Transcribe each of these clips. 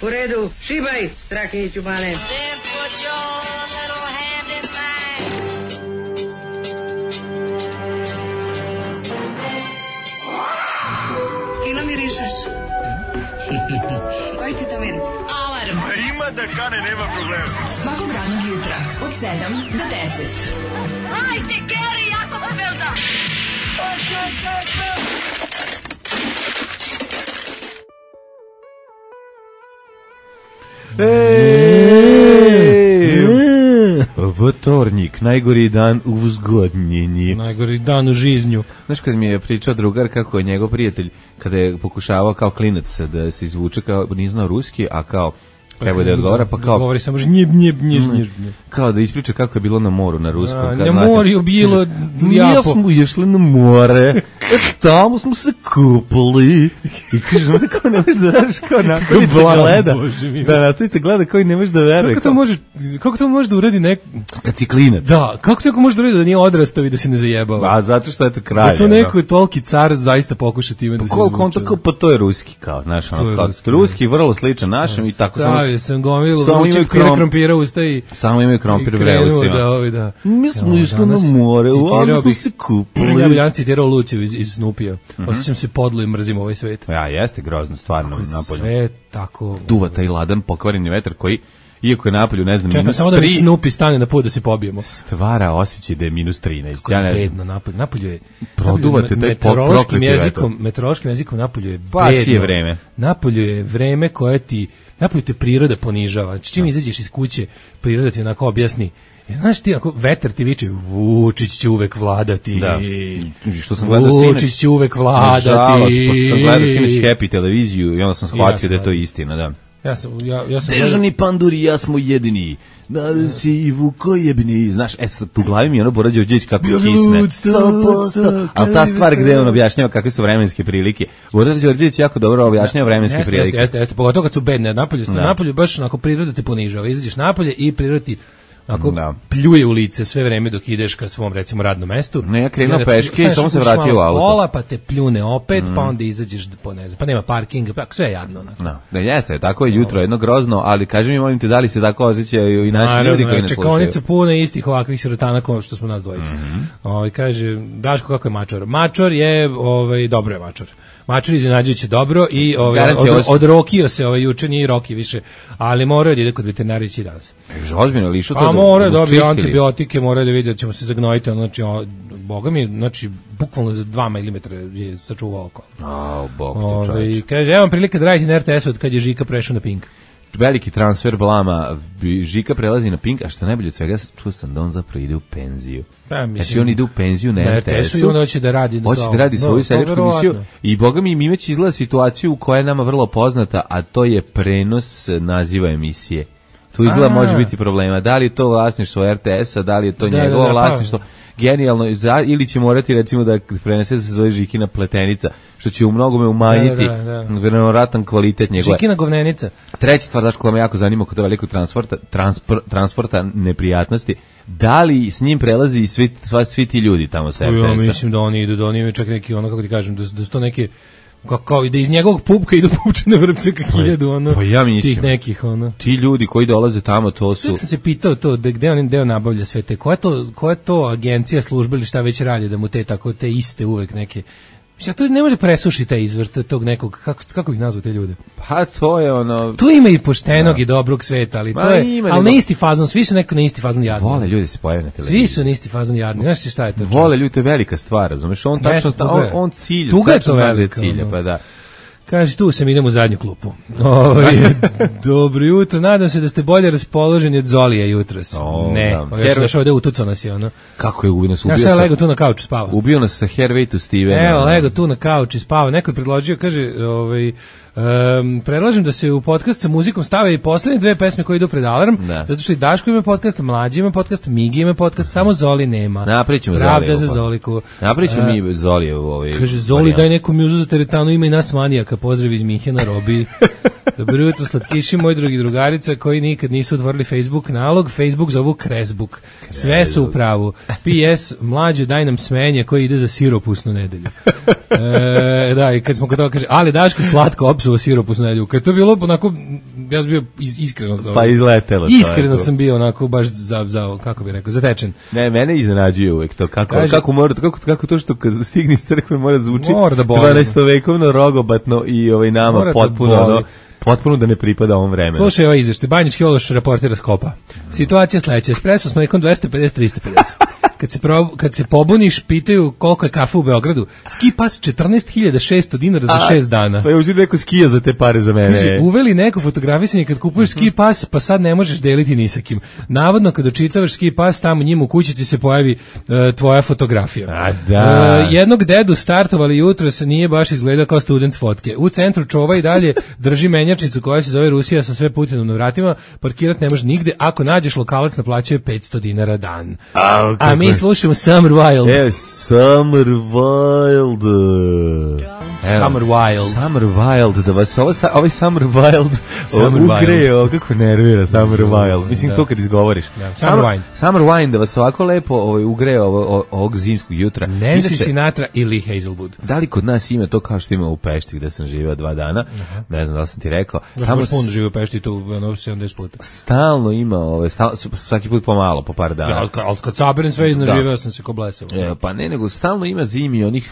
U redu, šibaj, Strahinjiću Bane. Fino mirišeš. Koji ti to miris? Alarm. Ima da kane, nema problema. Svakog radnog jutra, od 7 do 10. Hajde, Geri, jako se velda. Vtornik, najgori dan u vzgodnjenji. Najgori dan u žiznju. Znaš kad mi je pričao drugar kako je njegov prijatelj kada je pokušavao kao klinac da se izvuče, kao nije znao ruski, a kao treba da je odgovara, pa kao govori samo žnjeb. Kao da ispriča kako je bilo na moru na ruskom. Na moru bilo lijepo. Ja smo išli na more, tamo smo se kupali. I kaže, kao ne možeš da veriš, kao nastavica gleda. Da, nastavica gleda koji ne možeš da veruje. Kako to može da uradi neko? Kad si klinac. Da, kako to može da uradi da nije odrastao i da se ne zajebava? A zato što je to kraj. Da to neko je toliki car zaista pokuša time da se izvuče. Pa to je ruski, kao, znaš, ruski vrlo sličan našem i tako samo sam gomilu vrućeg krompira ustaji. Samo imaju krompir bre ustima. Da. Mi smo išli na more, onda smo se kupali. Ja bih danas citirao Luciju iz Snupija. Osjećam se podlo i mrzim ovaj svet. Ja, jeste grozno, stvarno. Napolju. Sve tako... Duva taj ladan pokvareni vetar koji, iako je napolju, ne znam, čekam minus 3... samo da mi Snupi stane na put da se pobijemo. Stvara osjećaj da je minus 13. Ja ne znam. Napolju je... Produvate taj prokleti vetar. Meteorološkim jezikom napolju je bedno. Pas je vreme. Napolju je vreme koje ti... Napolju te priroda ponižava. Čim izađeš iz kuće, priroda ti onako objasni. Znaš ti, ako vetar ti viče, Vučić će uvek vladati. Da. Što sam gledao Vučić će uvek vladati. Nažalost, pošto sam gledao sinoć Happy televiziju i onda sam shvatio da je to istina, da. Ja sam Dežani panduri, ja smo jedini. Narod si i vukojebni. Znaš, sad u glavi mi je ono Bora Đorđević kako kisne. 100%. Ali ta stvar gde on objašnjava kakve su vremenske prilike. Bora Đorđević jako dobro objašnjava vremenske prilike. Jeste, pogotovo kad su bedne. Napolju baš onako priroda te ponižava. Izađeš napolje i priroda ti pljuje u lice sve vreme dok ideš ka svom, recimo, radnom mestu. Ne, ja krenuo peške i samo se vratio u auto. Kola, pa te pljune opet, pa onda izađeš, pa nema parkinga, pa sve je jadno. Da, jeste, tako je jutro, jedno grozno, ali kaži mi, molim te, da li se tako osjećaju i naši ljudi koji ne slušaju? Čekaonica puna istih ovakvih sirotana kao što smo nas dvojica. Kaže, Daško, kako je Mačor? Mačor je, dobro je Mačor. Mačor iznenađujuće dobro i odrokio se juče, nije roki više, ali morao da ide kod veterinarića i danas. Ozbiljno, lišu to da morao da dobije antibiotike, morao da vidi da ćemo se zagnojiti, znači, boga mi, znači, bukvalno za 2 mm je sačuvao oko. Bog te čovječ. Kaže, evo vam prilike da radite na RTS-u od kad je Žika prešao na Pink. Veliki transfer blama, Žika prelazi na Pink, a što najbolje od svega, čuo sam da on zapravo ide u penziju. Znači on ide u penziju na RTS-u i on hoće da radi svoju seljačku emisiju i boga mi imać izgleda situaciju koja je nama vrlo poznata, a to je prenos naziva emisije. Tu izgleda može biti problema. Da li je to vlasništvo RTS-a, da li je to njegovo vlasništvo, genijalno, ili će morati recimo da prenese da se zove Žikina pletenica, što će u mnogome umanjiti vjerojatan kvalitet njegove. Žikina govnenica. Treća stvar, daš, koja me jako zanima kod velikog transporta neprijatnosti, da li s njim prelazi i svi ti ljudi tamo sa RTS-a? Ja mislim da oni idu, da oni imaju čak neki, ono, kako ti kažem, da su to neke, kao da iz njegovog pupka idu pupčane vrpce ka 1000, ono, pa ja mislim, tih nekih, ono. Ti ljudi koji dolaze tamo, to su... Sve sam se pitao to, gde on deo nabavlja sve te, koja je to agencija, služba ili šta već radi, da mu te iste uvek neke... Mislim, to ne može presušiti taj izvor tog nekog, kako ih nazvao te ljude? Pa to je ono... Tu ima i poštenog i dobrog sveta, ali to je, ali na isti fazon, svi su neko na isti fazon jadni. Vole ljudi se pojave na televiziji. Svi su na isti fazon jadni, znaš šta je to? Vole ljudi, to je velika stvar, razumeš, on tačno, on cilja. Tuga je to velika. Pa da. Kaže, tu sam, idem u zadnju klupu. Dobro jutro, nadam se da ste bolje raspoloženi od Zolija jutros. Ne, ja sam došao da utucao nas je ono. Kako je ubio nas? Ja sam lego tu na kauču spava. Ubio nas sa Hervey to Steven. Evo, lego tu na kauču spava. Neko je predložio, kaže, predlažem da se u podcast sa muzikom stave i poslednje 2 pesme koje idu pred alarm, zato što i Daško ima podcast, Mlađi ima podcast, Migi ima podcast, samo Zoli nema. Napričamo Zoli. Pravda za Zoliku. Napričamo mi Zoli u ovaj. Kaže, Zoli, daj neku mjuzu za teretanu, ima i nas manijaka, pozdrav iz Minhena, Robi. Dobro jutro, slatkiši, moji drugi drugarica koji nikad nisu otvorili Facebook nalog, Facebook zovu Kresbuk. Sve su u pravu. PS, Mlađe, daj nam smenje koji ide za siropusnu nedelju. Da, i kad smo kod toga kaže, ali Daško, slatko, popsuo siropu s nedlju. Kad to je bilo onako, ja sam bio iskreno... Pa izletelo. Iskreno sam bio onako baš kako bih rekao, zatečen. Ne, mene iznenađuje uvek to. Kako to što kad stigne iz crkve mora da zvuči 12-vekovno, rogobatno i nama potpuno da ne pripada ovom vremenu. Slušaj ovaj izveštaj, Banjički Ološ reportira Skopa. Situacija sledeća, espresso s mlekom 250-350. Kad se pobuniš, pitaju koliko je kafe u Beogradu. Ski pas 14.600 dinara za 6 dana. Pa je uzeti neko skija za te pare za mene. Kaže, uveli neko fotografisanje kad kupuješ ski pas, pa sad ne možeš deliti ni sa kim. Navodno, kad očitavaš ski pas, tamo njima u kući ti se pojavi tvoja fotografija. A da. Jednog dedu startovali jutros, nije baš izgledao kao student fotke. U centru čova i dalje drži menjačnicu koja se zove Rusija sa sve Putinom na vratima. Parkirat ne može nigde. Ako nađeš lokalac, naplaćuje 500 dinara dan. A mi slušamo Summer Wild. Summer Wild. Summer Wild. Summer Wild, da vas ovaj Summer Wild ugreo, kako nervira Summer Wild. Mislim, to kad izgovoriš. Summer Wine, da vas ovako lepo ugreo ovog zimskog jutra. Nancy Sinatra ili Hazelwood. Da li kod nas ima to kao što ima u Pešti, gde sam živeo 2 dana? Ne znam da li sam ti rekao. Tamo puno živeo u Pešti, tu 70 puta. Stalno ima, svaki put pomalo, po par dana. Ali kad saberem sve živeo sam se ko blesao. Pa ne, nego stalno ima zimi onih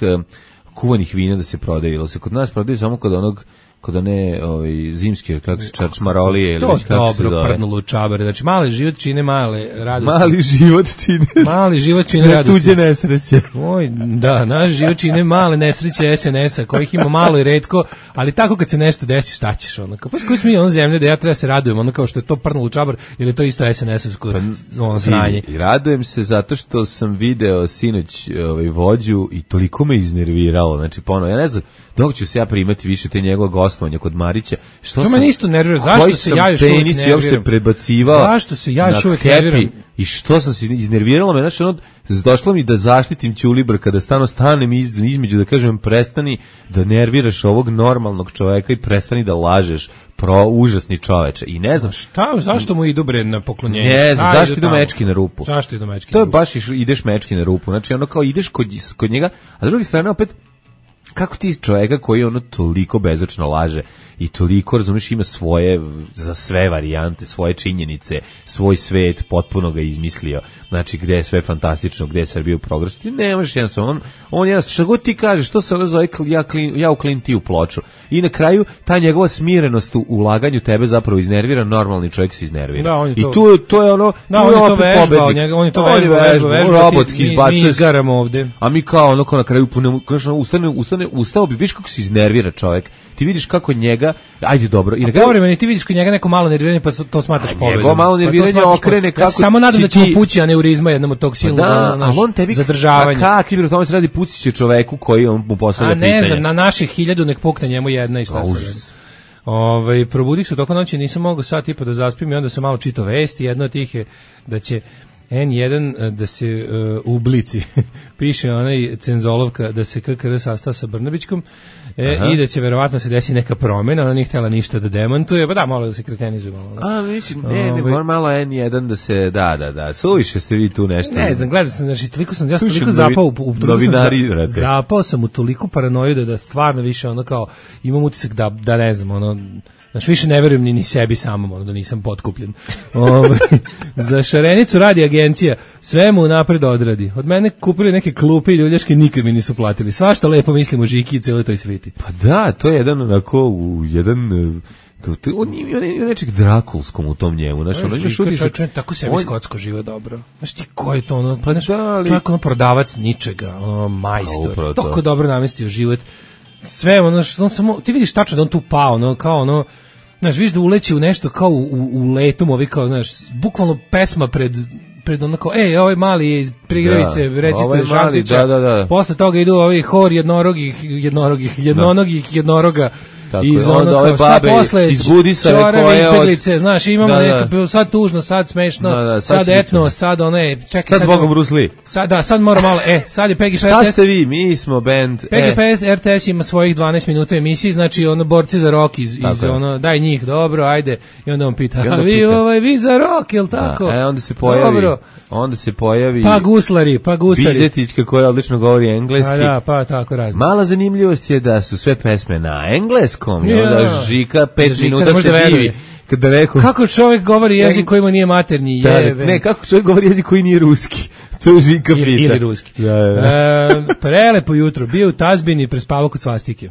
kuvanih vina da se prodaju. Se kod nas prodaju samo kod one zimske, kako se čarčmarolije ili kako se zove. To dobro prdnulo čabare. Znači, mali život čine male radosti. Mali život čine radosti. Tuđe nesreće. Da, naš život čine male nesreće SNS-a, kojih ima malo i retko, ali tako kad se nešto desi, šta ćeš? Pa koji smo mi zemlje da ja treba se radujem, kao što je to prdnulo čabar, ili je to isto SNS-ovsko sranje. I radujem se zato što sam video sinoć vođu i toliko me iznerviralo. Znači, ja ne znam, dok ću se ja primati više te njegove gostovanja kod Marića. To me isto nervira. Zašto se ja još uvijek nerviram? Zašto se ja još uvijek nerviram? I što sam se iznerviralo me, znači došlo mi da zaštitim Ćulibra kada stanem između da kažem prestani da nerviraš ovog normalnog čoveka i prestani da lažeš, užasni čoveče. I ne znam zašto mu idu bre na poklonjenje? Ne znam, zašto idu mečki na rupu? Zašto idu mečki? To je baš ideš mečki na rupu. Znači kao ideš kod njega, a s druge strane opet kako ti čovjeka koji toliko bezočno laže i toliko, razumiješ, ima svoje, za sve varijante, svoje činjenice, svoj svet, potpuno ga izmislio, znači gde je sve fantastično, gde je Srbija u progresu, ti ne možeš jednostavno, on jednostavno, što god ti kažeš, što se ono zove, ja uklinim ti u ploču. I na kraju, ta njegova smirenost u ulaganju tebe zapravo iznervira, normalni čovjek se iznervira. I to je ono, on je to vežbao, on je to vežbao, robotski izbacuje. Mi izgaramo ovde. A mi kao ono, na kraju ustao bi, viš kako se iznervira čovjek. Ti vidiš kako njega, ajde dobro. I povremeno ti vidiš kod njega neko malo nerviranje, pa to smatraš pobedom. Njego malo nerviranje okrene kako... Ja samo nadam da će mu pući aneurizma jednom od tog silnog zadržavanja. Kakvi bi o tome se radi, pući će čoveku koji on mu postavlja pitanje. A ne znam, na naših 1000 nek pukne njemu jedna i šta se radi. Probudih se toko noći, nisam mogao sat i po da zaspim i onda sam malo čitao vesti. Jedno od tih je da će N1 da se u Blici piše onaj cenzolovka da se KKR sastao sa Brnabićkom i da će verovatno se desi neka promjena, ona nije htjela ništa da demantuje, pa da, malo da se kretenizuje. Mislim, malo N1 da se, da, suviše ste vi tu nešto. Ne znam, gledao sam, znači, toliko zapao zapao sam u toliko paranoju da stvarno više ono kao, imam utisak da ne znam, ono, znači više ne verujem ni sebi samom, da nisam potkupljen. Za Šarenicu radi agencija, sve mu napred odradi. Od mene kupili neke klupe i ljuljaške, nikad mi nisu platili. Svašta lepo mislim o Žiki i cijeloj toj sviti. Pa da, to je jedan onako, on je nečeg drakulskom u tom njemu. Žika, tako sebi skotsko žive dobro. Znaš ti ko je to, ono, čovjek ono prodavac ničega, ono, majstor, toliko dobro namestio život. Sve ono što on samo, ti vidiš tačno da on tu pao, ono, kao ono, znaš, vidiš da uleći u nešto kao u letom, ovi kao, znaš, bukvalno pesma pred onako, ovaj mali je iz Prigravice, recituje Žantića, posle toga idu ovi hor jednoroga, iz onda ove babe iz Budisave koje izbjeglice, znaš, imamo neka, sad tužno, sad smešno, sad etno, sad one, čekaj, sad Bogom Brusli. Sad mora malo, sad je Peggy RTS. Šta ste vi, mi smo band. Peggy RTS ima svojih 12 minuta emisiji, znači ono borci za rock iz ono, daj njih, dobro, ajde, i onda on pita, a vi za rock, jel tako? Onda se pojavi pa guslari. Bizetićka koja odlično govori engleski. Pa tako razne. Mala zanimljivost je da su sve pesme na engleskom engleskom, i onda Žika 5 minuta se divi. Kada neko... Kako čovjek govori jezik koji mu nije maternji? Ne, kako čovjek govori jezik koji nije ruski? To Žika pita. Ili ruski. Prelepo jutro, bio u tazbini, prespavao kod svastike.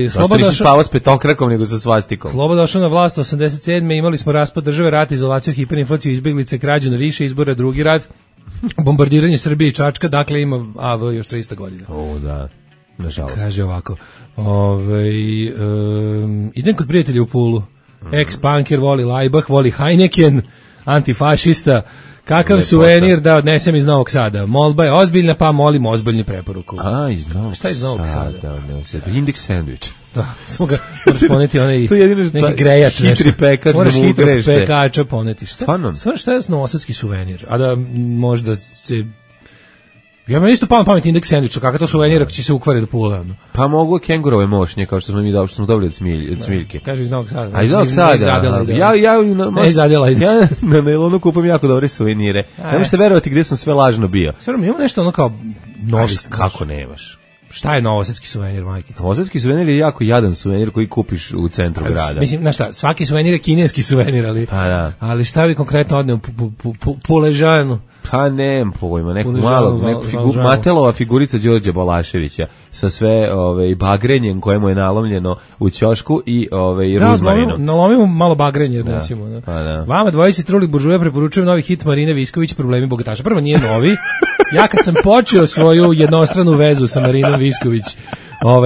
Zašto nisi spavao s petokrakom nego sa svastikom? Sloboda došao na vlast 87. Imali smo raspad države, rat, izolaciju, hiperinflaciju, izbjeglice, krađu na više izbora, drugi rat, bombardiranje Srbije i Čačka, dakle ima još 300 godina. Da. Nažalost. Kaže ovako. Idem kod prijatelja u Pulu. Ex-punker, voli Laibach, voli Heineken, antifašista. Kakav suvenir da odnesem iz Novog Sada? Molba je ozbiljna, pa molim ozbiljnu preporuku. Iz Novog Sada. Šta je iz Novog Sada? Index sandvič. Da, samo ga moraš poneti onaj neki grejač. Hitri pekač da mu ugrešte. Pekača poneti. Stvarno šta je novosadski suvenir? A da možda se... Ja me isto pamet indeks sandviča, kakav to suvenir ako će se ukvari do Pula. Pa mogu kengurove mošnje, kao što smo mi dali, što smo dobili od Smiljke. Kaže iz Novog Sada. A iz Novog Sada? Ja na nailonu kupam jako dobre suvenire. Ne možete verovati gde sam sve lažno bio. Stvarno, imamo nešto ono kao novi. Kako nemaš? Šta je novosadski suvenir, majke? Novosadski suvenir je jako jadan suvenir koji kupiš u centru grada. Mislim, znaš šta, svaki suvenir je kineski suvenir, ali šta bi konkretno odneo Puležanu? Pa nemam pojma, neku Matelova figurica Đorđa Balaševića sa sve bagrenjem koje mu je nalomljeno u ćošku i ruzmarinom. Nalomimo malo bagrenje, recimo. Vama dvojici truli buržuje preporučujem novi hit Marine Visković, Problemi bogataša. Prvo nije novi. Ja kad sam počeo svoju jednostranu vezu sa Marinom Visković,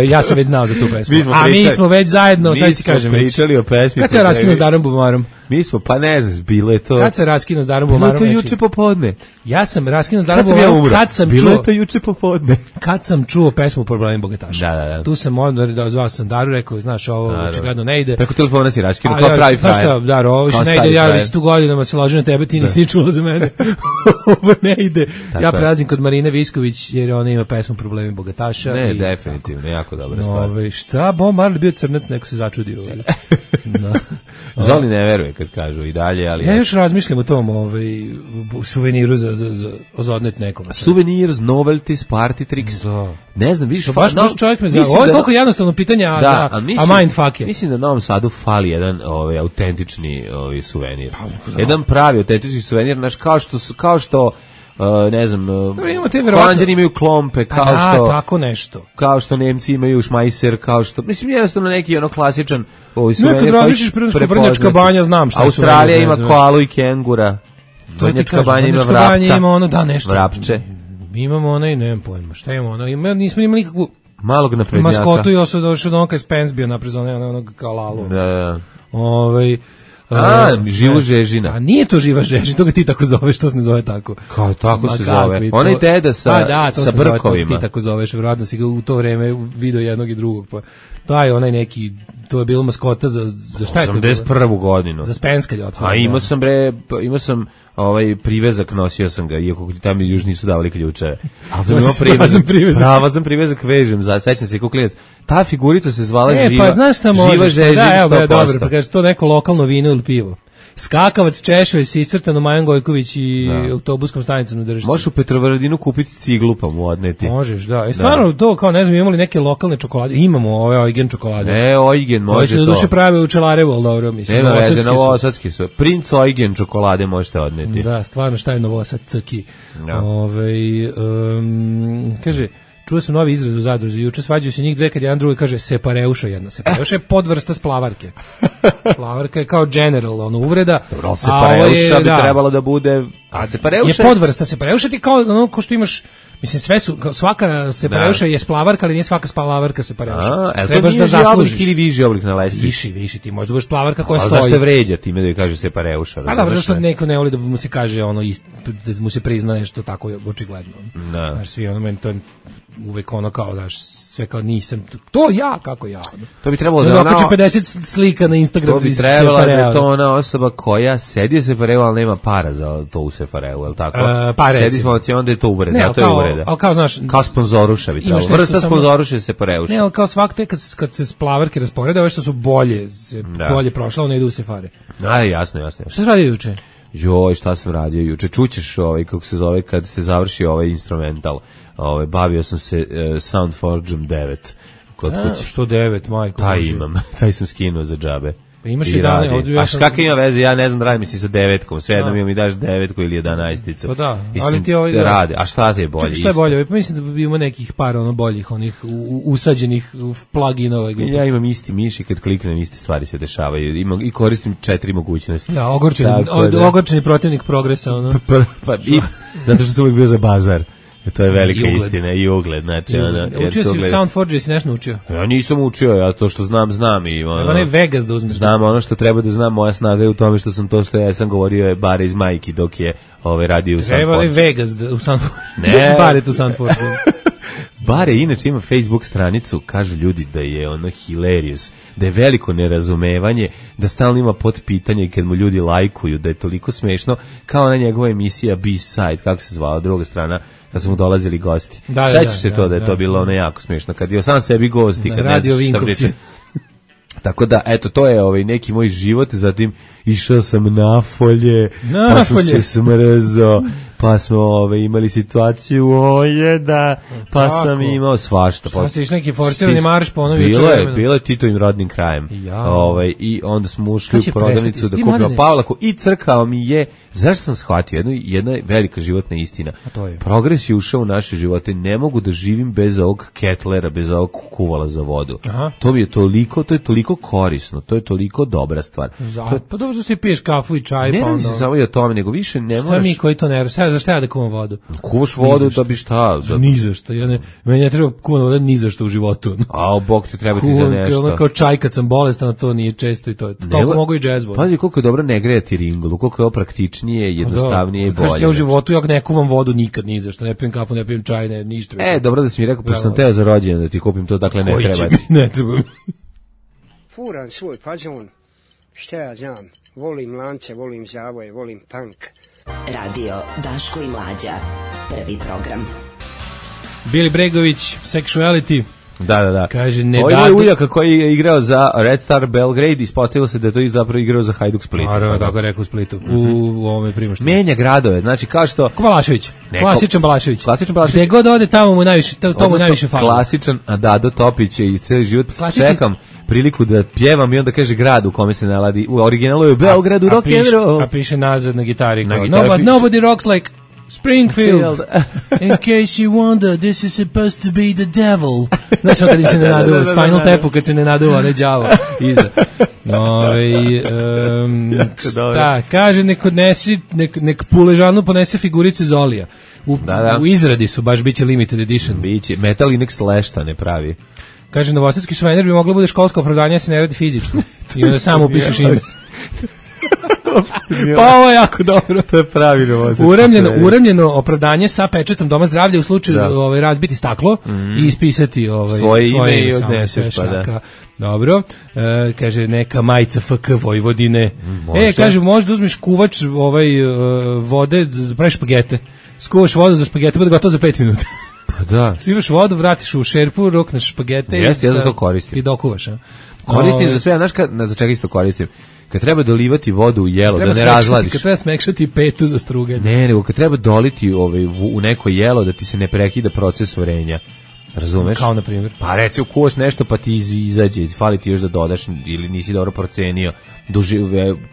ja sam već znao za tu pesmu. Mi smo već zajedno, sad ti kažem već. Pričali o pesmi. Kad se raskinu s Darom Bumarom? Mi smo, pa ne znaš, bilo je to... Kad se raskinu s Darom Bumarom? Bilo je to juče popodne. Ja sam raskinu s Darom Bumarom kad sam čuo... Bilo je to juče popodne. Kad sam čuo pesmu Problemi bogataša. Da. Tu sam zvao sam Daru, rekao, znaš, ovo očigledno ne ide. Preko telefona si raskinu, kao pravi frajer. Znaš šta, Daro, ovo više ne ide, ja već tu godinama se ložim na tebe, ti nisi čula za mene. Ovo ne ide. Ja prelazim kod Marine Visković, jer ona ima pesmu Problemi bogataša. Ne, definitivno, jako dobra stvar. Šta, Bob Marley bio crnac, neko se začudio. Zoli ne veruje kad kažu i dalje, ali... Ja još razmišljam o tom suveniru za odnet nekom. Souvenirs, novelties, party tricks. Ne znam, vidiš... Baš čovjek me zna. Ovo je toliko jednostavno pitanje, a mindfuck je. Mislim da Novom Sadu fali jedan autentični suvenir. Jedan pravi autentični suvenir, znaš, kao što ne znam, Holanđani imaju klompe, kao što... tako nešto. Kao što Nemci imaju šmajser, kao što... Mislim, jednostavno neki klasičan suvenir. Nekad različiš Vrnjačka banja, znam šta je suvenir. Australija ima koalu i kengura. Vrnjačka banja ima vrapca. Vrapče. Imamo onaj, nemam pojma, šta imamo ono? Nismo imali nikakvu... Malog naprednjaka. Maskotu i došao do onoga Spence bio naprezone, onog kao lalu. Da. Živu žežina. A nije to živa žežina, to ga ti tako zoveš, to se ne zove tako. Kao tako se zove. Onaj deda sa brkovima. Ti tako zoveš, vjerojatno si ga u to vreme video jednog i drugog. Pa to je onaj neki, to je bilo maskota za šta je to bilo? 81. godinu. Za Spenska ljotka. A imao sam privezak, nosio sam ga, iako tamo još nisu davali ključeve. Ali sam imao privezak. Prava sam privezak, vežem, sećam se klinac. Ta figurica se zvala živa. Pa znaš šta možeš? Živa žežina 100%. Dobro, pa kaže to neko lokalno vino ili pivo. Skakavac, češvelj, Sisrtano, Majan Gojković i autobuskom stanicom u Držišci. Možeš u Petrovaradinu kupiti ciglu pa mu odneti. Možeš, da. I stvarno to, kao ne znam, imali neke lokalne čokolade. Imamo ove Eugen čokolade. Eugen može to. Koje se do duše prave u Čelarevu, ali dobro, mislim. Nema veze, novosadski su. Princ Eugen čokolade možete odneti. Da, stvarno, šta je novosadski. Kaže... Čuo sam novi izraz u Zadruzi, juče svađaju se njih dve kad jedan drugi kaže separeuša jedna. Separeuša je podvrsta splavarke. Splavarka je kao general, uvreda. Separeuša bi trebalo da bude... A separeuša je podvrsta. Separeuša ti kao ono ko što imaš... Mislim, sve su, svaka separeuša je splavarka, ali nije svaka splavarka separeuša. Trebaš da zaslužiš. Ili viši oblik na lestvici? Viši, ti možda budeš splavarka koja stoji. Ali da ste vređa time da je kaže separeuša. A dobro, zašto neko ne voli da mu se kaže ono, da mu se prizna nešto tako očigledno. Znaš, svi ono, meni to uvek ono kao, daš, sve kao nisam, to ja, kako ja. To bi trebalo da okači 50 slika na Instagram. To bi trebalo da je to ona osoba koja sedi u Sefareu, ali nema para za to u Sefareu, je li tako? Sedi smo onda je to uvreda, ne, to je uvreda. Ali kao, znaš, kao sponzoruša bi trebalo. Vrsta sponzoruša je Sefareuša. Ne, ali kao svak te kad se splavarke rasporede, ove što su bolje prošle, one idu u Sefare. Jasno. Šta se radi juče? Joj, šta sam radio juče? Čućeš kako se zove kad se završi ovaj instrumental. Bavio sam se Soundforgeom 9, kod kuće. Što 9, majko. Taj imam, taj sam skinuo za džabe. Pa imaš i dane, ovdje ja sam... A kakve ima veze, ja ne znam da radim si sa 9-kom, sve jednom mi daš 9-ku ili 11-icu. Pa da, ali ti ovaj... Rade, a šta je bolje? Šta je bolje? Pa mislim da bi ima nekih par boljih, onih usađenih pluginova. Ja imam isti miš i kad kliknem iste stvari se dešavaju. I koristim 4 mogućnosti. Ja, ogorčeni protivnik progresa. Zato što sam uvijek bio za bazar. To je velika istina i ugled, znači učio si u Soundforge, jesi nešto naučio? Ja nisam učio, ja to što znam i treba ne Vegas da uzmeš. Znam ono što treba da znam, moja snaga je u tome što sam to što ja sam govorio je bare iz Majki dok je radio u Soundforge. Treba li Vegas u Soundforge? Ne, bare tu Soundforge. Bare inače ima Facebook stranicu, kažu ljudi da je ono hilarious, da je veliko nerazumevanje, da stalno ima potpitanje kad mu ljudi lajkuju, da je toliko smešno, kao ona njegova emisija B-Side, kako se zvala, druga strana, kad su mu dolazili gosti. Sećaš se to da je to bilo ono jako smešno, kad je sam sebi gosti, kad ne znaš šta priča. Tako da, eto, to je neki moj život, zatim išao sam na folje, pa sam se smrzao, pa smo imali situaciju pa kako? Sam imao svašta. Šta ste išli neki forsirani marš po ono Bilo je Titovim rodnim krajem. I onda smo ušli u prodavnicu da kupimo Pavlaku i crkao mi je, zašto sam shvatio, jedna velika životna istina. Progres je ušao u naše živote, ne mogu da živim bez ovog ketlera, bez ovog kuvala za vodu. Aha. To je toliko korisno, to je toliko dobra stvar. Pa dobro što si piješ kafu i čaj. Ne radi se samo i o tome, nego više ne moraš... Šta mi koji to ne radi? Za šta ja da kuvam vodu? Kuvaš vodu da bi šta? Ni za šta. Meni ne treba kuvam voda ni za šta u životu. A Bog ti treba ti za nešto. Kuvam kao čaj kad sam bolestan, to nije često i to je. Toliko mogu i džez vodu. Pazi koliko je dobro ne grejati ringlu, koliko je ovo praktičnije, jednostavnije i bolje. Kažete ja u životu, ja ne kuvam vodu nikad ni za šta. Ne pijem kafu, ne pijem čaj, ništa. Dobro da si mi rekao, pošto sam teo za rođendan da ti kupim to, dakle ne treba ti. Ne treba mi. Furam svoj fazon, šta ja znam, volim lance, volim zavoje, volim punk. Radio Daško i Mlađa, prvi program. Bili Bregović, Sexuality. Da. Kaže, ne ovo je uljaka koji je igrao za Red Star Belgrade, ispostavilo se da je to zapravo igrao za Hajduk Split. Naravno, tako je rekao u Splitu, u ovome Primoštu. Menja gradove, znači kao što... Balašević, klasičan Balašević. Gde god ode, tamo mu najviše fali. Klasičan Dado Topić i cijeli život čekam priliku da pjevam i onda kaže grad u kome se naladi. U originalu je u Beogradu rock and roll. A piše nazad na gitari. Nobody rocks like Springfield. In case you wonder, this is supposed to be the devil. Znaš kad im se ne naduva, Spinal Tapu kad se ne naduva, ne đavo. Iza. Šta, kaže nek Puležanu ponese figurice Zolija. U izradi su, baš biće limited edition. Biće, Metal Inex lešta ne pravi. Kaže, novosadski suvenir bi moglo bude školsko opravdanje, se ne radi fizičko. I onda samo upišeš ime. Pa ovo je jako dobro. To je pravi novosadski uremljeno opravdanje sa pečetom Doma zdravlja u slučaju razbiti staklo i ispisati svoje ime i odneseš, pa da. Dobro. Kaže, neka majica FK Vojvodine. Kaže, možda uzmiš kuvač vode, praviš špagete. Skuvaš vodu za špagete, bude gotovo za 5 minuta. Pa da. Sivaš vodu, vratiš u šerpu, rokneš špagete ja za to koristim. I dokuvaš. Koristim za sve, znaš za čega isto koristim? Kad treba dolivati vodu u jelo, da ne razladiš. Kad treba smekšati petu za struganje. Ne, nego kad treba doliti u neko jelo da ti se ne prekida proces varenja. Razumeš? Kao na primjer. Pa recimo kuvaš nešto pa ti izađe, fali ti još da dodaš ili nisi dobro procenio.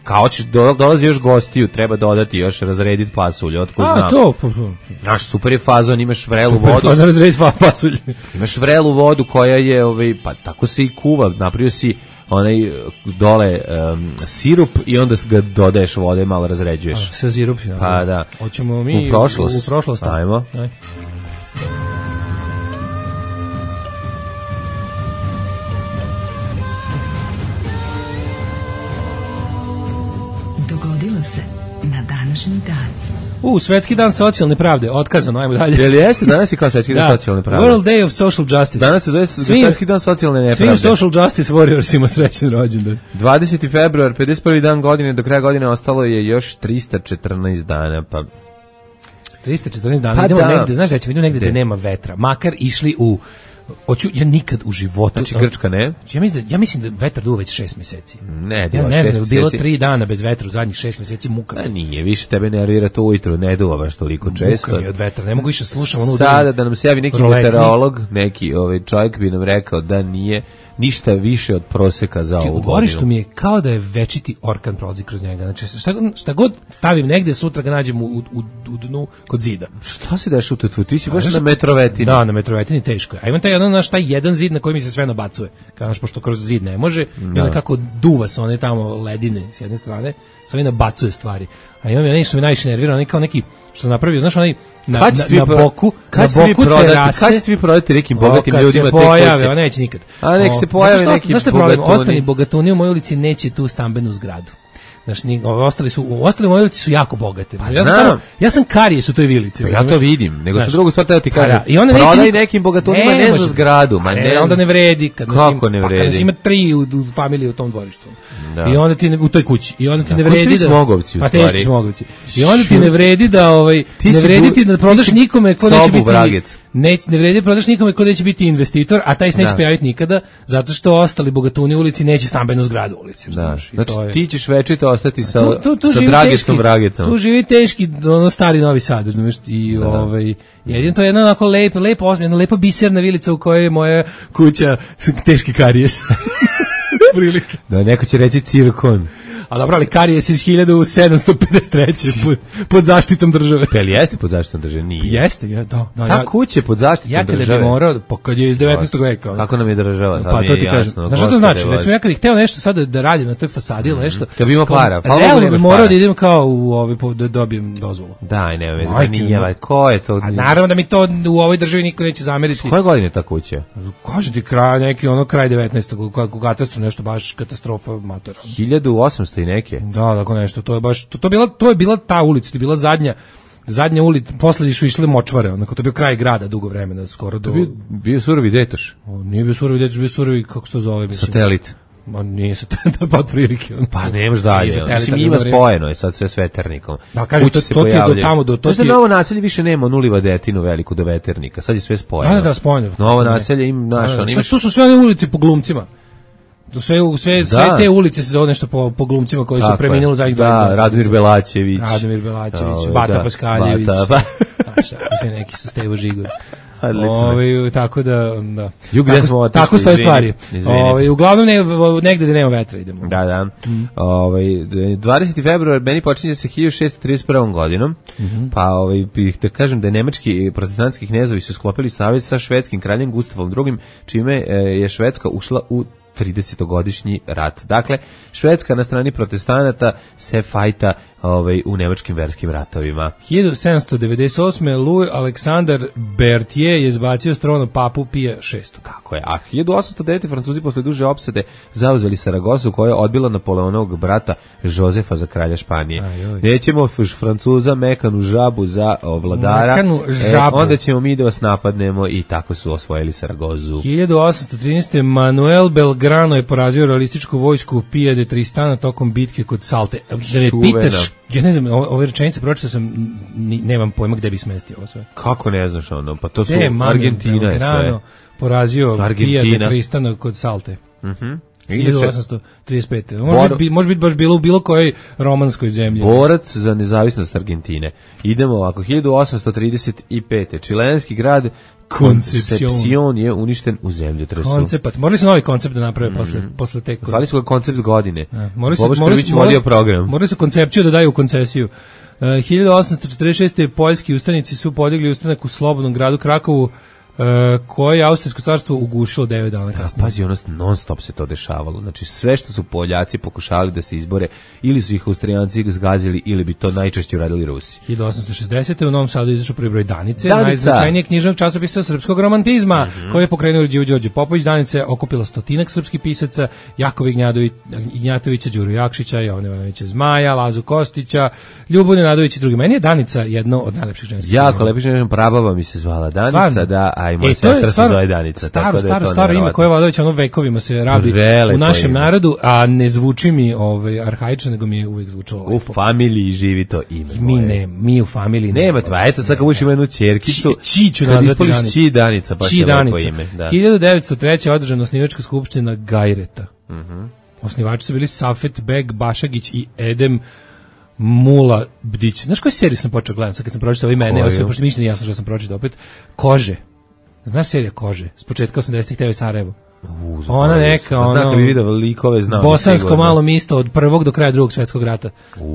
Kao ćeš dolazi još gostiju, treba dodati još razrediti pasulj, otkud znam. To. Naš super je fazon, imaš vrelu vodu. Super fazon razrediti pasulj. Imaš vrelu vodu koja je, pa tako se i kuva, napravio si onaj dole sirup i onda ga dodaješ vode i malo razređuješ. Sa sirup. Pa da. Hoćemo mi u prošlost. Ajmo. Dogodilo se na današnji dan. Svetski dan socijalne pravde, otkazano, ajmo dalje. Jel jeste, danas je kao Svetski dan socijalne pravde. World Day of Social Justice. Danas se zove Svetski dan socijalne nepravde. Svim Social Justice Warriorsima srećan rođendan. 20. februar, 51. dan godine, do kraja godine ostalo je još 314 dana, pa... 314 dana, idemo negde, znaš da ćemo negde gde nema vetra, makar išli u ja nikad u životu... Znači Grčka ne? Ja mislim da vetar duva već 6 meseci. Ne, ja ne znam, bilo 3 dana bez vetra u zadnjih 6 meseci, muka. Nije, više tebe nervira to ujutro, ne duva baš toliko često. Muka mi od vetra, ne mogu više slušam ono... Sada da nam se javi neki meteorolog, neki čovjek bi nam rekao da nije ništa više od proseka za ovu godinu. U dvorištu mi je kao da je večiti orkan prolazi kroz njega. Znači, šta god stavim negde, sutra ga nađem u dnu kod zida. Šta se deš u tu? Ti si baš na Metrovetini. Da, na Metrovetini teško je. A imam taj jedan zid na koji mi se sve nabacuje. Kažeš, pošto kroz zid ne može, i onda kako duva se one tamo ledine s jedne strane, sve nabacuje stvari. A imam nešto mi najviše nervira, onaj kao neki, što napravio, znaš, onaj na boku terase. Kad ćete vi prodati nekim bogatim ljudima te kuće? Pojave, neće nikad. A nek se pojave neki bogatuni. Ostali bogatuni u mojoj ulici neće tu stambenu zgradu. Znaš, ostali moje ulici su jako bogate. Ja sam karijes u toj vilici. Ja to vidim, nego sa drugu stvar teo ti kažem. Prodaj nekim bogatunima ne za zgradu. Onda ne vredi. Kako ne vredi? Kada ima 3 u familiji u tom dvorištu. I onda ti u toj kući. I onda ti ne vredi da... Smogovci, u stvari. Teški Smogovci. I onda ti ne vredi da... Ne vredi ti da prodaš nikome ko neće biti... Ne vredi prodaš nikome ko neće biti investitor, a taj se neće pojaviti nikada, zato što ostali bogatuni u ulici neće stambenu zgradu u ulici. Znači, ti ćeš večito ostati sa Dragicom Vragicom. Tu živi teški, stari Novi Sad, znaš, i jedino to je jedna onako jedna lepa biserna vilica u kojoj je moja kuća teški karijes. Prilike. Da, neko će reći cirkon. A dobro, ali karijes iz 1753. pod zaštitom države. Jel jeste pod zaštitom države? Nije. Jeste, da. Ta kuća je pod zaštitom države? Ja kada bi morao, kad je iz 19. veka. Kako nam je država? Pa to ti kažem. Znaš što to znači? Recimo, ja kad bih hteo nešto sada da radim na toj fasadi ili nešto. Kad bi imao para. Realno bi morao da idem kao da dobijem dozvolu. Daj, nema, ko je to? A naravno da mi to u ovoj državi niko neće zameriti. Koje godine je ta kuća? Kaže ti kraj 19. u katastru nešto baš katastrofa matora. 1800 i neke. Da, tako nešto, to je bila ta ulica, to je bila zadnja ulica, posle su išle močvare, onako to je bio kraj grada dugo vremena, skoro do... Bio surovi Detoš? Nije bio surovi Detoš, bio surovi, kako se to zove, mislim. Satelit. Ma nije satelit, pa otprilike. Pa nemaš dalje, mislim ima spojeno je sad sve s veternikom. Da, kaže, to ti je do tamo, do to ti je... Novo naselje više nema onuli vadetinu veliku do veternika, sad je sve spojeno. Da, spojeno. Novo naselje im naša, imaš... Tu su sve one ulice po glumcima. Sve te ulice se zove nešto po glumcima koji su preminuli zadnjih 20 godina. Da, Radomir Belačević, Bata Paskaljević, neki su Stevo Žigor. Tako da tako stoje stvari. Uglavnom negde da nema vetra idemo. Da. 20. februar meni počinje sa 1631. godinom, pa bih da kažem da je nemački protestantski knezovi su sklopili savez sa švedskim kraljem Gustavom II, čime je Švedska ušla u 30-godišnji rat. Dakle, Švedska na strani protestanata se fajta u nemačkim verskim ratovima. 1798. Louis Alexandar Berthier je izbacio s trona papu Pija VI. Tako je. A 1809. Francuzi posle duže opsade zauzeli Saragosu koja je odbila Napoleonovog brata Jozefa za kralja Španije. Nećemo Francuza mekanu žabu za vladara, onda ćemo mi da vas napadnemo i tako su osvojili Saragozu. 1813. Manuel Belgrano je porazio realističku vojsku Pija de Tristana tokom bitke kod Salte. Da me pitaš, ja ne znam, ove rečenice pročitao sam, nemam pojma gde bi smestio ovo sve. Kako ne znaš ono? Pa to su Argentina je sve. Porazio Pija de Tristana kod Salte. 1835. Može biti baš bilo u bilo kojoj romanskoj zemlji. Borac za nezavisnost Argentine. Idemo ovako, 1835. Čilenski grad Concepcion je uništen u zemljotresu. Morali su novi koncept da naprave posle te... Zvali su ga koncept godine. Morali su koncepciju da daju u koncesiju. 1846. poljski ustanici su podigli ustanak u slobodnom gradu Krakovu, koje je Austrijsko carstvo ugušilo 9 dana kasnije. Pazi, non stop se to dešavalo. Znači, sve što su Poljaci pokušavali da se izbore, ili su ih Austrijanci zgazili, ili bi to najčešće uradili Rusi. 1860. u Novom Sadu izašao prvi broj Danice, najznačajnijeg knjižnog časopisa srpskog romantizma, koji je pokrenuo Đorđe Popović. Danica je okupila 100 srpskih pisaca, Jakova Ignjatovića, Đuru Jakšića, Jovana Ivanovića Zmaja, Lazu Kostića, Ljubu Nenadović i drugi. Meni je Danica jedno od najlepših ženskih. Jako lepih ženskih, prababa mi se zvala Danica, da, Da, i moja sestra se zove Danica. Staro ime koje Vladović ono vekovima se rabi u našem narodu, a ne zvuči mi arhaično, nego mi je uvijek zvučalo lepo. U familiji živi to ime. Mi u familiji nema. Eto sad kad budeš ima jednu ćerkicu, Čiću nazvati Danica. Či Danica, baš je lepo ime. 1903. održana osnivačka skupština Gajreta. Osnivači su bili Safet Beg Bašagić i Edem Mula Bdić. Znaš koju seriju sam počeo gledati kad sam pročitao imena, pošto mi nije jasno što sam pročitao opet. Kože. Znaš serija Kože? S početka 80-ih TV Sarajevo. Ona neka, ono, bi vidio likove, znam, bosansko malo misto od prvog do kraja drugog svjetskog rata.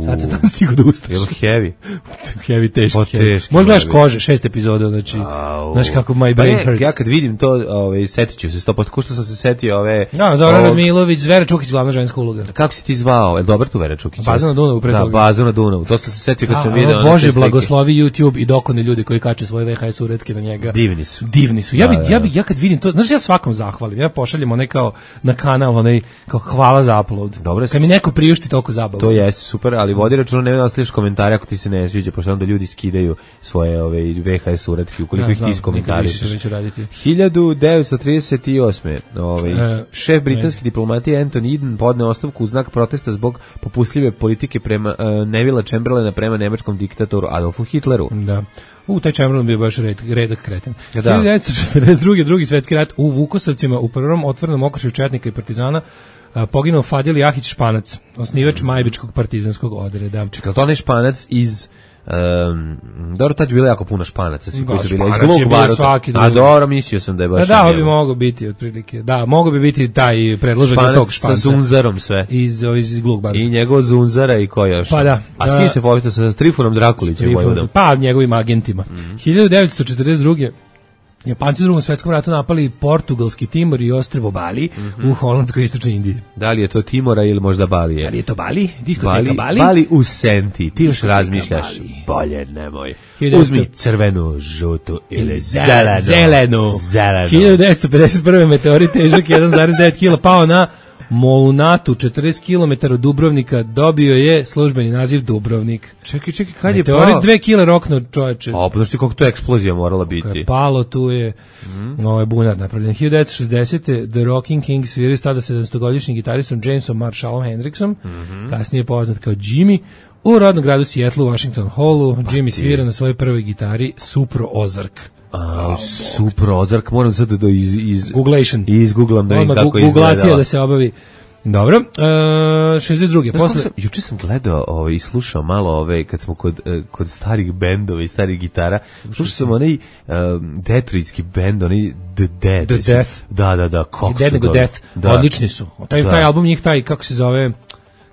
Sad se tamo stigo da ustaš. Heavy. Heavy, teški. Možda gledaš Kože, 6 epizoda, znači, znaš kako my brain hurts. Ja kad vidim to, setit ću se 100%, ko što sam se setio ove... Zoran Radmilović, Vera Čukić, glavna ženska uloga. Kako si ti zvao? Je dobar tu Vera Čukić? Baza na Dunavu, pre toga. Da, Baza na Dunavu, to sam se setio kad sam vidio. Bože, blagoslovi YouTube i dokone ljudi koji kače svoje VHS uretke na njega. Divni su. Ja kad vidim to, znaš, ja svakom zahvalim, ja pošaljem onaj kao na kanal, onaj kao hvala za upload. Dobro, kad mi neko priušti toliko zabavu. To jeste super, ali vodi računa, nema da ostaviš komentare ako ti se ne sviđa, pošto onda ljudi skidaju svoje VHS uretke, ukoliko ih ti iskomentarišeš. 1938. Šef britanske diplomatije Anthony Eden podneo ostavku u znak protesta zbog popustljive politike prema Nevilla Chamberlaina prema nemačkom diktatoru Adolfu Hitleru. Da. Taj Chamberlain bio baš redak kreten. 1942. drugi svetski rat u Vukosavcima u prvom otvorenom okršaju četnika i partizana poginuo Fadil Jahić Španac, osnivač Majbičkog partizanskog odreda. Čekaj, to onaj Španac iz... dobro, tad je bilo jako puno Španaca, svi koji su bili iz Glug baruta. A dobro, mislio sam da je baš... Da, bi mogao biti otprilike. Da, mogao bi biti taj predložak za tog Španca. Sa Zunzarom sve. Iz Glug baruta. I njegov Zunzara i ko još. Pa da. A s kim se povita sa Trifunom Drakulićem? Pa, njegovim agentima. 1942. Japanci u drugom svetskom ratu napali portugalski Timor i ostrvo Bali u holandskoj istočnoj Indiji. Da li je to Timora ili možda Balije? Da li je to Bali? Diskoteka Bali? Bali u Senti. Ti još razmišljaš. Bolje nemoj. Uzmi crvenu, žutu ili zelenu. 1951. meteorit težak 1,9 kg pao na Molunatu, 40 km od Dubrovnika, dobio je službeni naziv Dubrovnik. Čekaj, kad je pao? Meteorit 2 kg rokno, čoveče. Znaš ti kako to eksplozija morala biti? Kako je palo, tu je bunar napravljen. 1960. The Rocking Kings sviraju tada 700-godišnjim gitaristom Jamesom Marshallom Hendricksom, kasnije poznat kao Jimmy, u rodnom gradu Seattle u Washington Hallu. Jimmy svira na svojoj prvoj gitari Supro Ozark. Super Ozark, moram sad da izgooglam da vidim kako izgleda. Googlacija da se obavi. Dobro, 62. Juče sam gledao i slušao malo kad smo kod starih bendova i starih gitara. Slušao sam onaj detroitski bend, onaj The Death. Da, kako su nego Death. Odlični su. Taj album njih, kako se zove...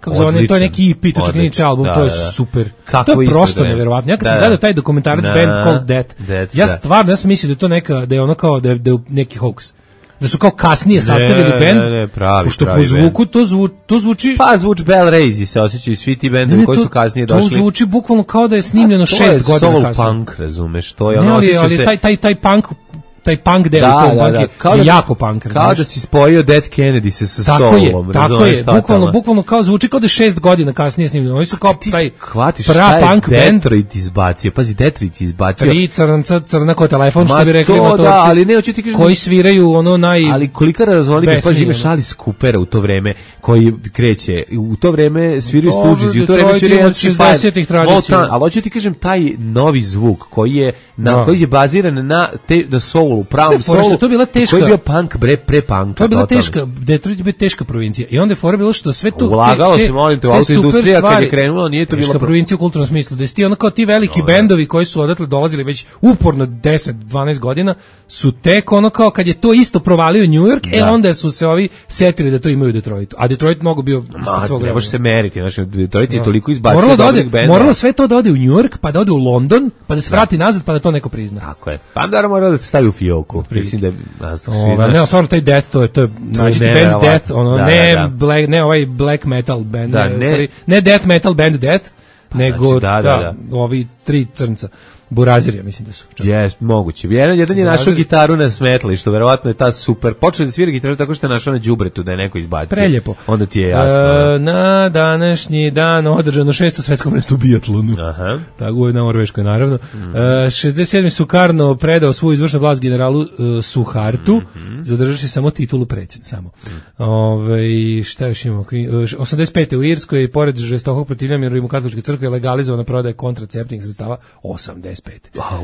Kako zove, to je neki EP, to čak nije album, to je super. To je prosto neverovatno. Ja kad sam gledao taj dokumentarac band called Death, ja stvarno, ja sam mislio da je to neka, da je ono kao, da je neki hoax. Da su kao kasnije sastavili band, pošto po zvuku to zvuči... Pa zvuči Bell Raisy se osjećaju svi ti bendovi koji su kasnije došli. To zvuči bukvalno kao da je snimljeno 6 godina kasnije. To je soul punk, razumeš, to je ono osjeća se... taj punk deo je jako punk, razumiješ? Kao da si spojio Dead Kennedy sa soulom, tako je, bukvalno kao zvuči kao da je 6 godina kasnije snimljeno. Oni su kao taj pra-punk band. Detroit izbacio, pazi, Detroit izbacio. 3 crna kao telefon, što bi rekli motorci, ali ne, hoću ti kažem, koji sviraju ono ali kolika raznolika, pazi, imaš Alice Coopera u to vreme, koji kreće, u to vreme sviraju Stooges, u to vreme sviraju 60-ih tradicija. Ali hoću ti kažem, taj novi zvuk koji je baziran na soul, u pravom solu, koji je bio punk, pre-punk. To je bila teška, Detroit je bila teška provincija. I onda je fora bilo što sve to... Ulagalo se, molim te, u autoindustrija kad je krenulo, nije to bilo... Teška provincija u kulturnom smislu. Da ti ono kao ti veliki bendovi koji su odatle dolazili već uporno 10-12 godina, su tek ono kao kad je to isto provalio New York, onda su se ovi setili da to imaju u Detroitu. A Detroit mogu bio ispod svog vremena. Ne može se meriti, znači Detroit je toliko izbacio dobrih bendova. Moralo sve to da ode u New York, pa da ode u London, pa da se vrati nazad, pa da to neko prizna. Tako je. Pa da mora da se stavi u fioku. Mislim da ne, stvarno taj Death, to je znači band Death, ono ne ovaj black metal band, ne death metal band Death, nego ovi 3 crnca. Burazirija, mislim da su. Jes, moguće. Jedan je našao gitaru na smetlištu, verovatno je ta super. Počeo da svira gitaru tako što je našao na đubretu da je neko izbacio. Preljepo. Onda ti je jasno. Na današnji dan održano 6. svetsko prvenstvo u biatlonu. Aha. Tako je na Norveškoj, naravno. 67. Sukarno predao svoju izvršnu vlast generalu Suhartu, zadržavši samo titulu predsjednika. Samo. Šta još imamo? 85. u Irskoj, pored žestokog protivljenja Rimokatoličke crkve, legalizovana prodaja kontraceptivnih sredstava 85.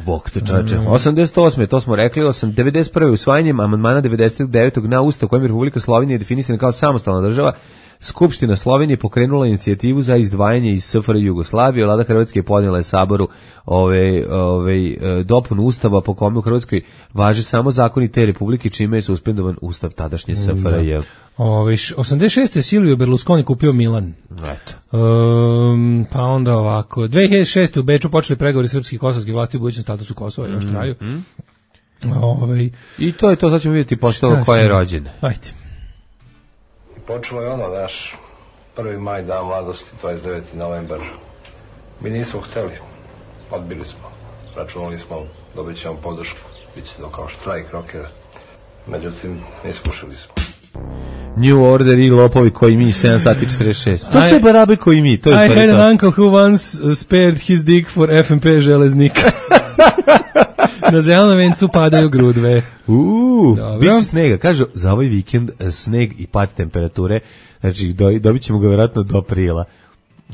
Bog te čače. 88. to smo rekli, 91. usvajanjem amandmana 99. na Ustav kojim je Republika Slovenija definisana kao samostalna država, Skupština Slovenije pokrenula inicijativu za izdvajanje iz SFRJ Jugoslavije. Vlada Hrvatske podnijela je Saboru dopunu Ustava po kome u Hrvatskoj važe samo zakoni te republike, čime je suspendovan Ustav tadašnje SFRJ. 86. Silvio Berlusconi kupio Milan. Eto. Pa onda ovako. 2006. u Beču počeli pregovori srpskih i kosovskih vlasti u budućem statusu Kosova, još traju. I to je to, sad ćemo vidjeti postalo koja je rođena. Ajde. Počelo je naš 1. maj, dan mladosti, 29. novembar. Mi nismo hteli, odbili smo. Računali smo, dobit ćemo podršku, bit će to kao štrajk rokera. Međutim, nismo ušli smo. New Order i lopovi koji mi 7 sati 46. To su barabe koji mi. To je I had an uncle who once spared his dick for FMP železnika. Na zelenom vencu padaju grudve. Biće snega. Kažu, za ovaj vikend sneg i pad temperature, znači dobit ćemo ga vjerojatno do aprila.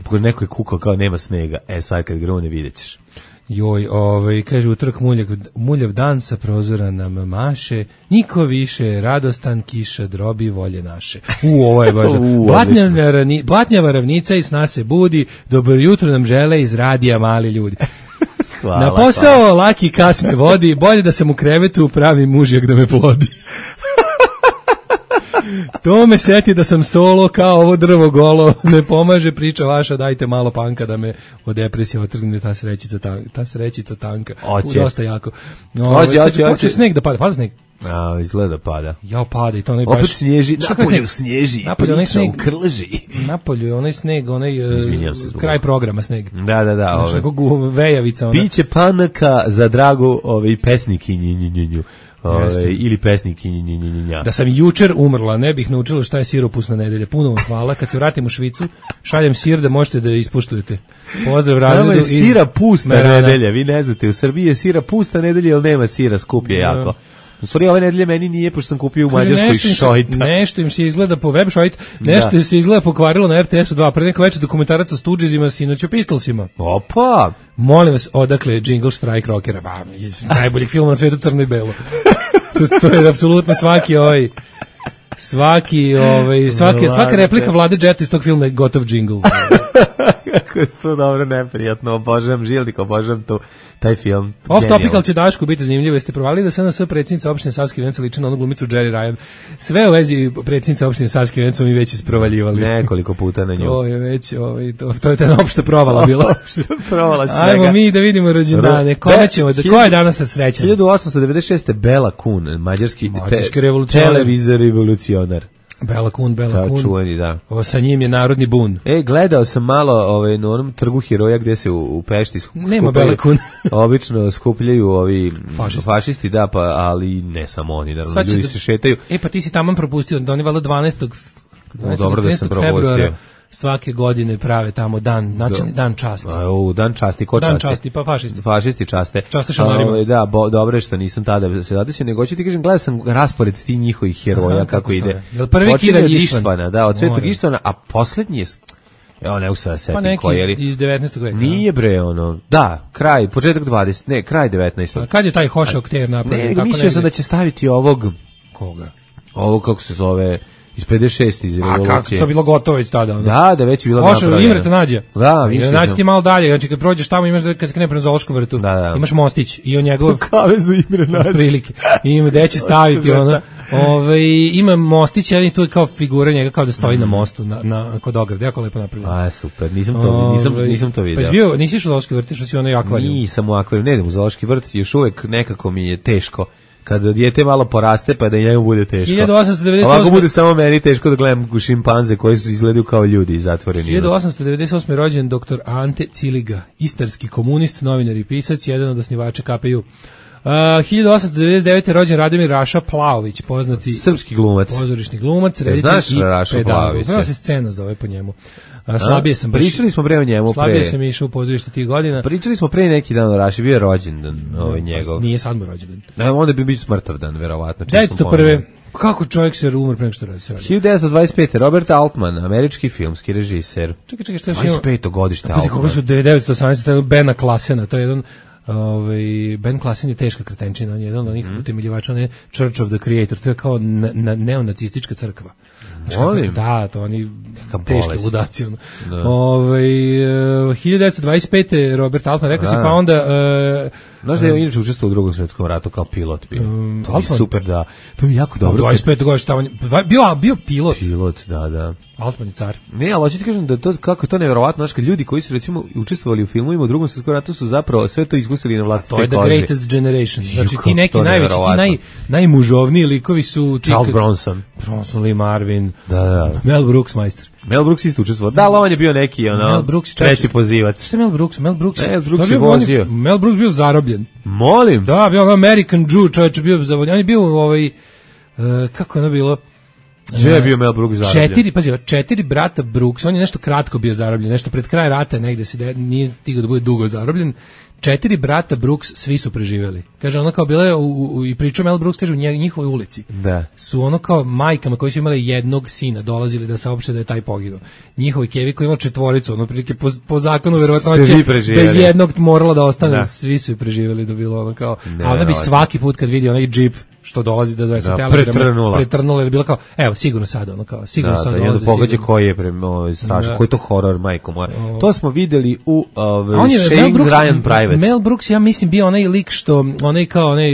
Pošto neko je kukao kao nema snega. Sad kad grune vidjet ćeš. Joj, kaže utorak muljav dan sa prozora nam maše, niko više, radostan kiša drobi volje naše. Ovo je baš. Blatnjava ravnica i sna se budi, dobro jutro nam žele iz radija mali ljudi. Hvala, na posao laki kas me vodi, bolje da sam u krevetu pravi mužjak da me plodi. To me seti da sam solo kao ovo drvo golo, ne pomaže priča vaša, dajte malo panka da me od depresije otrgne ta srećica tanka. Dosta jako. Hoće sneg da pada sneg. Izgleda pada. Ja pada i to onaj baš. Opet snježi, napolju snježi, priča u Krleži. Napolju je onaj sneg, kraj programa sneg. Da. Znaš, nekog vejavica. Piće panaka za dragu pesnikinju. Ili pesnikinja. Da sam jučer umrla, ne bih naučila šta je siropusna nedelja. Puno vam hvala. Kad se vratim u Švicu, šaljem sir da možete da ispuštujete. Pozdrav razredu. Nama je sira pusta nedelja. Vi ne znate, u Srbiji je sira pusta nedelja, ali nema sira, skup je jako. U stvari ove nedelje meni nije, pošto sam kupio u Mađarskoj šojta. Nešto im se izgleda po web šojt, nešto se izgleda pokvarilo na RTS-u 2, pre neko večer dokumentarac o Stoogesima, sinoć o Pistolsima. Opa! Molim vas, odakle Jingle Strike Rockera, iz najboljeg filma na svetu, Crno i belo. To je apsolutno svaka replika Vlade Jeta iz tog filma je gotov jingle. Kako je to dobro, neprijatno, obožavam Žilnik, obožavam taj film. Off topical će Daško biti zanimljivo, jeste provali da SNS predsjednica opštine Savski Venac liči na onu glumicu Jerry Ryan. Sve u vezi predsjednica opštine Savski Venac mi već isprovaljivali. Nekoliko puta na nju. To je već, to je ta opšta provala bila. Opšta provala svega. Ajmo mi da vidimo rođendane, ko je danas sad srećan? 1896. Bela Kun, mađarski televizor revolucionar. Bela Kun. Čuveni, da. Sa njim je narodni bun. Gledao sam malo na onom trgu heroja gde se u Pešti nema Bela Kun. Obično skupljaju ovi fašisti, da, ali ne samo oni, naravno, ljudi se šetaju. Pa ti si taman propustio, da oni valjda 12. februara svake godine prave tamo nacionalni dan časti. Dan časti, ko časti? Dan časti, pa fašisti. Fašisti časte. Časte šamarima. Da, dobro je što nisam tada se zadesio, nego ću ti kažem, gledao sam raspored ti njihovih heroja, kako ide. Prvi Kira Ištvana. Da, od Svetog Ištvana, a poslednji je, ne u sada setim koji je. Iz 19. veka. Nije početak 20, ne, kraj 19. Kad je taj Hoše Okter napravio? Ne, mislio sam da će staviti ovog. Koga? Ovog, kako se zove, iz 56 iz revolucije. A kako to bilo gotovo već tada? Da, već je bilo napravljeno. Imreta nađe. Da, nađe ti malo dalje, znači kad prođeš tamo imaš kad se krene prema Zoološkom vrtu, imaš mostić i on njegov kavezu Imre nađe. Prilike. Ima gde će staviti ono. Ima mostić, ali to je kao figura njega kao da stoji na mostu kod ograde, jako lepo napravljeno. Super, nisam to vidio. Pa bio, nisi išao u Zoološki vrt, što si onaj akvarijum. Nisam u akvarijum, ne idem u Zoološki vrt, još uvek nekako mi je teško Kada dijete malo poraste pa da i njemu bude teško. 1898. Ovako bude samo meni teško da gledam šimpanze koji su izgledaju kao ljudi zatvoreni. 1898. rođen dr. Ante Ciliga, istarski komunist, novinar i pisac, jedan od osnivača KPU. 1899. rođen Radomir Raša Plaović, poznati srpski glumac, pozorišni glumac, reditelj i pedagog. Prva se scena zove po njemu. Slabije sam pričali smo pre o njemu. Slabije sam išao u pozorište tih godina. Pričali smo pre neki dan o Raši, bio je rođendan njegov. Nije sad mu rođendan. Onda bi bio smrtav dan, verovatno. 1901. Kako čovjek se umre pre nego što se radi? 1925. Robert Altman, američki filmski režiser. Čekaj, šta je 25. godište Altman. Kako su 1918. Bena Klasena, to je jedan Ben Klassen je teška kretenčina, on je jedan od onih utemeljivača, on je Church of the Creator, to je kao neonacistička crkva. Molim? Da, to oni teški ludaci. 1925. Robert Altman, rekao si, pa onda... Znaš da je inače učestvovao u Drugom svjetskom ratu kao pilot bio. To je super, da. To mi jako dobro. 25. godište, bio pilot. Pilot, da. Altman je car. Ne, ali hoću ti kažem da to, kako je to nevjerovatno, znaš, kad ljudi koji su recimo učestvovali u filmovima u Drugom svjetskom ratu su zapravo sve to iskusili na vlastite kože. To je the greatest generation. Znači ti neki najveći, ti najmužovniji likovi su... Charles Bronson, Lee Marvin, da. Mel Brooks majster. Mel Brooks isto učestvovao. Da, ali on je bio neki treći pozivac. Šta je Mel Brooks? Mel Brooks je vozio. Mel Brooks bio zarobljen. Molim? Da, bio American Jew, čovječ bio zarobljen. On je bio kako je ono bilo? Gdje je bio Mel Brooks zarobljen? 4 brata Brooks, on je nešto kratko bio zarobljen, nešto pred kraj rata, negde se nije stigao da bude dugo zarobljen. 4 brata Brooks, svi su preživjeli. Kaže, ono kao bilo je i pričao Mel Brooks, kaže, u njihovoj ulici. Da. Su ono kao majkama koji su imali jednog sina, dolazili da saopšte da je taj poginuo. Njihovi kevi koji imali 4, ono prilike po zakonu verovatnoće bez jednog morala da ostane, da. Svi su preživjeli, da bilo ono kao, a ona bi svaki put kad vidi onaj džip što dolazi da donese telegram, pretrnula, jer bilo kao, evo, sigurno sad, ono kao, sigurno sad dolazi. Da, pogađa koji je strašno, koji je to horor, majko moja. To smo videli u Shane's Ryan Private. Mel Brooks, ja mislim, bio onaj lik što, onaj kao, onaj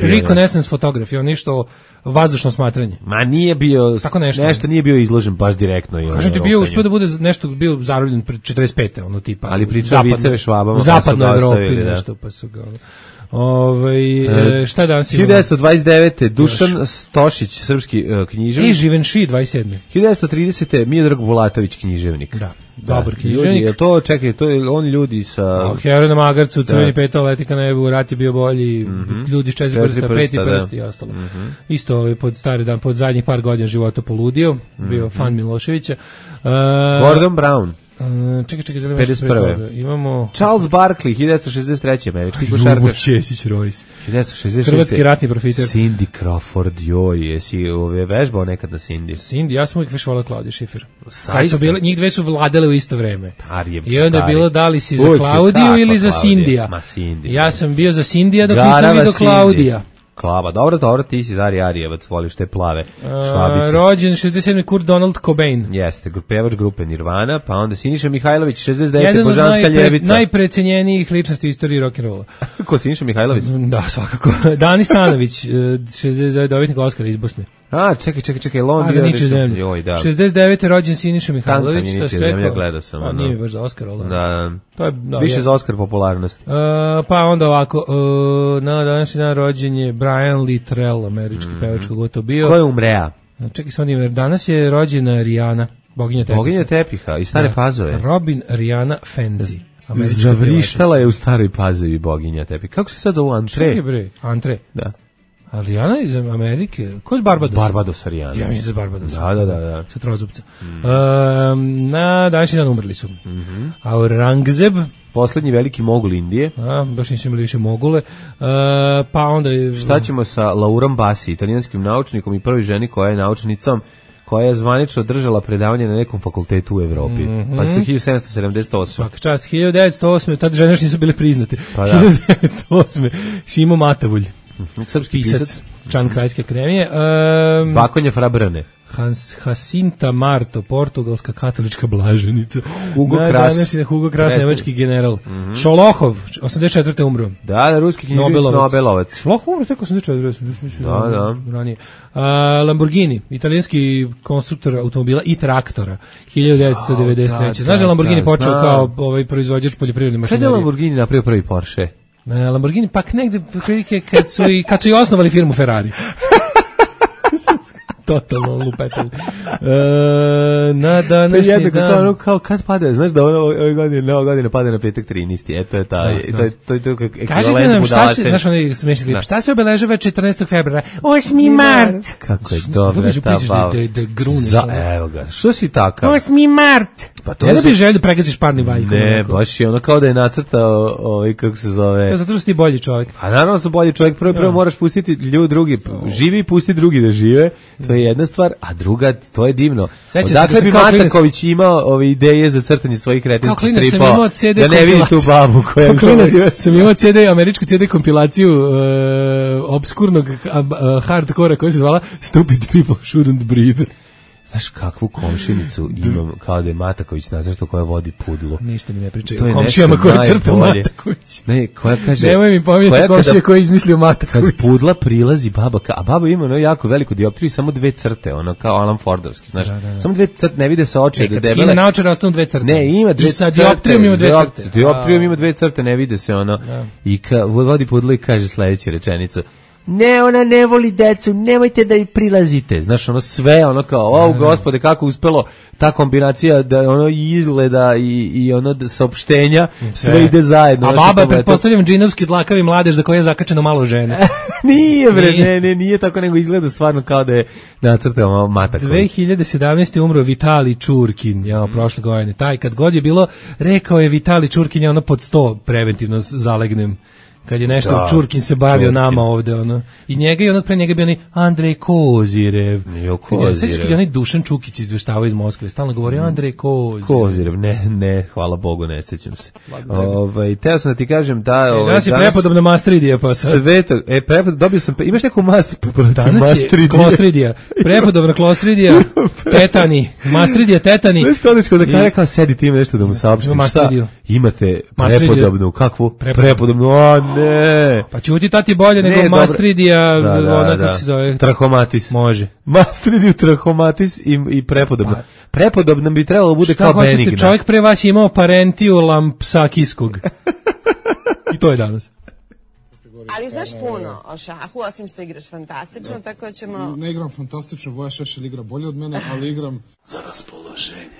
reconnaissance fotograf, onaj što vazdušno smatranje. Ma nije bio, nešto nije bio izložen baš direktno. Kažem ti, bio uspio da bude nešto, bio zarobljen pred 45. ono tipa. Ali pričao viceve Švabama. U zapadnoj Evropi nešto, pa su ga... šta je danas imamo? 1929. Dušan Stošić, srpski književnik. I Živenši, 27. 1930. Miodrag Vulatović, književnik. Da, dobar književnik. Ljudi, to je on ljudi sa... Hero na magarcu, crveni petal, letika na nebu, rat je bio bolji, ljudi s 4 prsta, 5 prsti i ostalo. Isto pod stari dan, pod zadnjih par godina života poludio, bio fan Miloševića. Gordon Brown. Čekaj, 51. Imamo Charles Barkley, 1963. američki košarkaš. Ljubo Ćesić Royce. 1966. Hrvatski ratni profiter. Cindy Crawford, joj, jesi vežbao nekad na Cindy? Cindy, ja sam uvijek vežbala Klaudiju Schiffer. Kad su bile, njih dve su vladale u isto vreme. I onda je bilo da li si za Klaudiju ili za Cindija. Ma Cindy. Ja sam bio za Cindija dok nisam vidio Klaudija. Klava, dobro, ti si Zari Arijevac, voliš te plave švabice. Rođen 67. Kurt Donald Cobain. Jeste, pevač grupe Nirvana, pa onda Siniša Mihajlović, 69. Božanska ljevica. Jedan od najprecenjenijih ličnosti istoriji rock'n'rolla. Ko, Siniša Mihajlović? Da, svakako. Dani Stanović, 69. dobitnik Oscara iz Bosne. A, čekaj, Lon bio niče zemlje. 69. rođen Siniša Mihajlović. Tanka mi niče zemlja, gledao sam. A nije baš za Oscar, ali da. To je više za Oscar popularnost. Pa onda ovako, na današnji dan rođen je Brian Littrell, američki pevač, kako to bio. Ko je umrea? Čekaj sam ime, danas je rođena Rihanna, boginja tepiha. Boginja tepiha, iz Stare Pazove. Robin Rihanna Fendi. Zavrištala je u Staroj Pazovi boginja tepiha. Kako se sad zovu Antre? Čekaj bre, Antre. Da. A Rihanna iz Amerike? Ko je Barbados? Barbados Rihanna. Ja mislim da je Barbados. Da. Sa trozubca. Na današnji dan umrli su. Aurangzeb, poslednji veliki mogul Indije. Baš nisu imali više mogule. Pa onda... Šta ćemo sa Laurom Bassi, italijanskim naučnikom i prvi ženi koja je naučnicom, koja je zvanično držala predavanje na nekom fakultetu u Evropi. Pa je to 1778. Svaka čast, 1908. Tad žene još nisu bile priznate. Pa da. 1908. Šimo Matavulj. Srpski pisac. Član Kraljevske akademije. Bakonja Frabrane. Jacinta Marto, portugalska katolička blaženica. Hugo Kras, nemački general. Šolohov, 84. umro. Da, ruski književnik Nobelovac. Šolohov umro tek 84. Da. Ranije. Lamborghini, italijanski konstruktor automobila i traktora, 1993. Znaš da Lamborghini počeo kao proizvođač poljoprivredne mašinerije? Kada je Lamborghini napravio prvi Porsche? Lamborghini, pak negde kad su i osnovali firmu Ferrari. Totalno lupetali. Na današnji dan... Kao kad pada, znaš da ove godine pada na petak 13. To je ta... To je kažete nam šta se, znaš onaj smešni lip, šta se obeležava 14. februara? 8. mart! Kako je dobra ta bava. Da gruneš. Evo ga, što si takav? 8. mart! Pa to da bi želio da pregaziš parni valjkom. Ne, baš je ono kao da je nacrtao kako se zove... To je zato što si ti bolji čovjek. A naravno sam bolji čovjek, prvo moraš pustiti drugi, živi i pusti drugi da žive, to je jedna stvar, a druga, to je divno. Dakle bi Mataković imao ideje za crtanje svojih kretinskih stripova, da ne vidi tu babu koja... Sam imao američku CD kompilaciju obskurnog hardcora koja se zvala Stupid People Shouldn't Breathe. Znaš kakvu komšinicu imam, kao da je Mataković nazvašto koja vodi pudlu. Ništa mi ne pričaju. Komšijama koja crta Mataković. Ne, koja kaže... Nemoj mi pominjati komšije koji je izmislio Mataković. Kad pudla prilazi baba, a baba ima jako veliku dioptriju i samo 2 crte, ono kao Alan Fordovski, znaš. Samo 2 crte, ne vide se oči. Kad skine naočare, ostanu 2 crte. Ne, ima 2 crte. I sa dioptrijom ima 2 crte. Dioptrijom ima 2 crte, ne vide se ono. I vodi pudlu i kaže sledeću rečenicu. Ne, ona ne voli decu, nemojte da i prilazite. Znaš, ono sve, ono kao, gospode, kako uspelo ta kombinacija da ono izgleda i ono saopštenja, sve ide zajedno. A baba, pretpostavljam, džinovski dlakavi mladež za koje je zakačeno malo žene. Nije, bre, nije tako, nego izgleda stvarno kao da je nacrtao Mataković. 2017. umro Vitali Čurkin, prošle godine. Taj, kad god je bilo, rekao je Vitali Čurkin, ono pod 100 preventivno zalegnem. Kad je nešto Čurkin se bavio nama ovde, ono. I njega i onog pre njega bio onaj Andrej Kozirev. Sećaš kad je onaj Dušan Čukić izveštavao iz Moskve, stalno govorio Andrej Kozirev. Ne, hvala Bogu, ne sećam se. Teo sam da ti kažem da... Danas je prepodobna mastridija, pa sad. Dobio sam, imaš neku mastridiju? Danas je klostridija. Prepodobna klostridija, tetani, mastridija, tetani. Već kao da kada rekao, sedi ti ima nešto da mu saopštim. Šta? Imate prepodobnu, kakvu? Prepodobnu, ne. Pa ćuti tati bolje nego mastridija, ona kako se zove? Trahomatis. Može. Mastridiju, trahomatis i prepodobna. Prepodobna bi trebalo bude kao benigna. Šta hoćete, čovjek pre vas je imao parentiju lampsakijskog. I to je danas. Ali znaš puno o šahu, osim što igraš fantastično, tako ćemo... Ne igram fantastično, Voja Šešelj igra bolje od mene, ali igram za raspoloženje.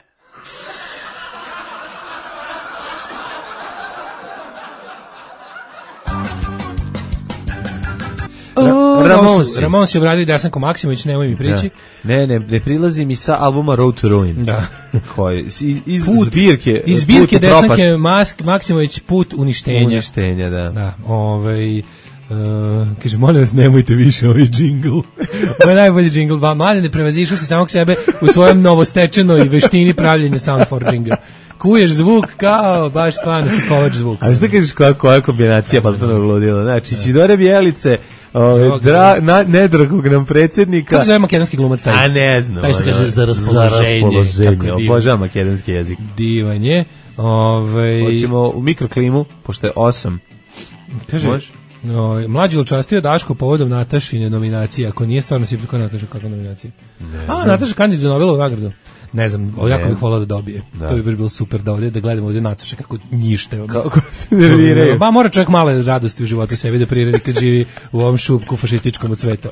Ramones je obradio Dasanko Maksimović, nemoj mi prići. Ne prilazi mi sa albuma Road to Ruin. Da. Iz zbirke. Iz zbirke Dasanke Maksimović, Put uništenja. Uništenja, da. Kaže, molim vas, nemojte više ovaj džingl. Ovo je najbolji džingl. Mladen je prevazišao se samog sebe u svojom novostečenoj veštini pravljenja soundforginga. Kuješ zvuk kao, baš stvarno si kovač zvuka. A što kažeš koja kombinacija potpuno ludila? Znači, Sidore Bijelice, nedragog nam predsjednika. Kako se zove makedonski glumac taj? A ne znam. Taj što kaže za raspoloženje. Obožavam makedonski jezik. Divan je. Hoćemo u mikroklimu, pošto je 8. Kaže, mlađi učastio Daško povodom Natašine nominacije. Ako nije stvarno si kako Nataša, kakva nominacija? Nataša kandidat za Nobelovu nagradu. Ne znam, jako bih volao da dobije. To bi baš bilo super da ovdje, da gledamo ovdje Nataše kako njište. Kako se nerviraju. Mora čovjek male radosti u životu sebi da priredi kad živi u ovom šupku fašističkom od sveta.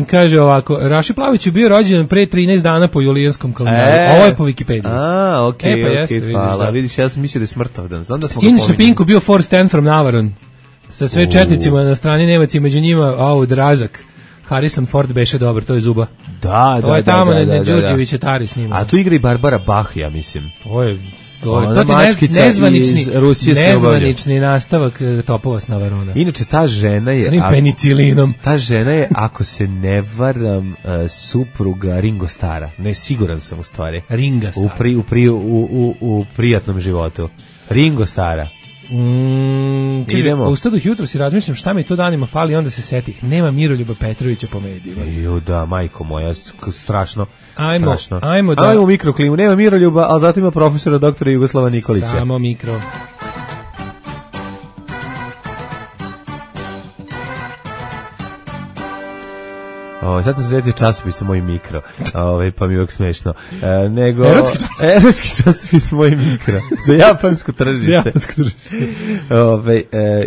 Kaže ovako, Raši Plavić je bio rođen pre 13 dana po julijanskom kalendaru. Ovo je po Wikipediji. Okej, hvala. Vidiš, ja sam mislio da je smrtovdan. Sinić na Pinku bio Forrest Stand from Navaron. Sa sve četnicima na strani Nemaca i među njima, Drazak. Harrison Ford beše dobar, to je Zuba. To je tamo, Đurđević je Tari s njima. A tu igra i Barbara Bach, ja mislim. To je nezvanični nastavak Topova s Navarona. Inače, ta žena je... S onim penicilinom. Ta žena je, ako se ne varam, supruga Ringo Starra. Ne, siguran sam u stvari. Ringa Starra. U prijatnom životu. Ringo Starra. Idemo. U stadu jutro si razmišljam šta mi to danima fali, onda se setih. Nema Miroljuba Petrovića po medijima. Da, majko moja, strašno. Ajmo u mikroklimu. Nema Miroljuba, ali zato ima profesora doktora Jugoslava Nikolića. Samo mikro. Sad sam se sjetio časopisa Moj mikro, pa mi je uvijek smešno. Nego Erotski časopis Moj mikro za japansko tržište.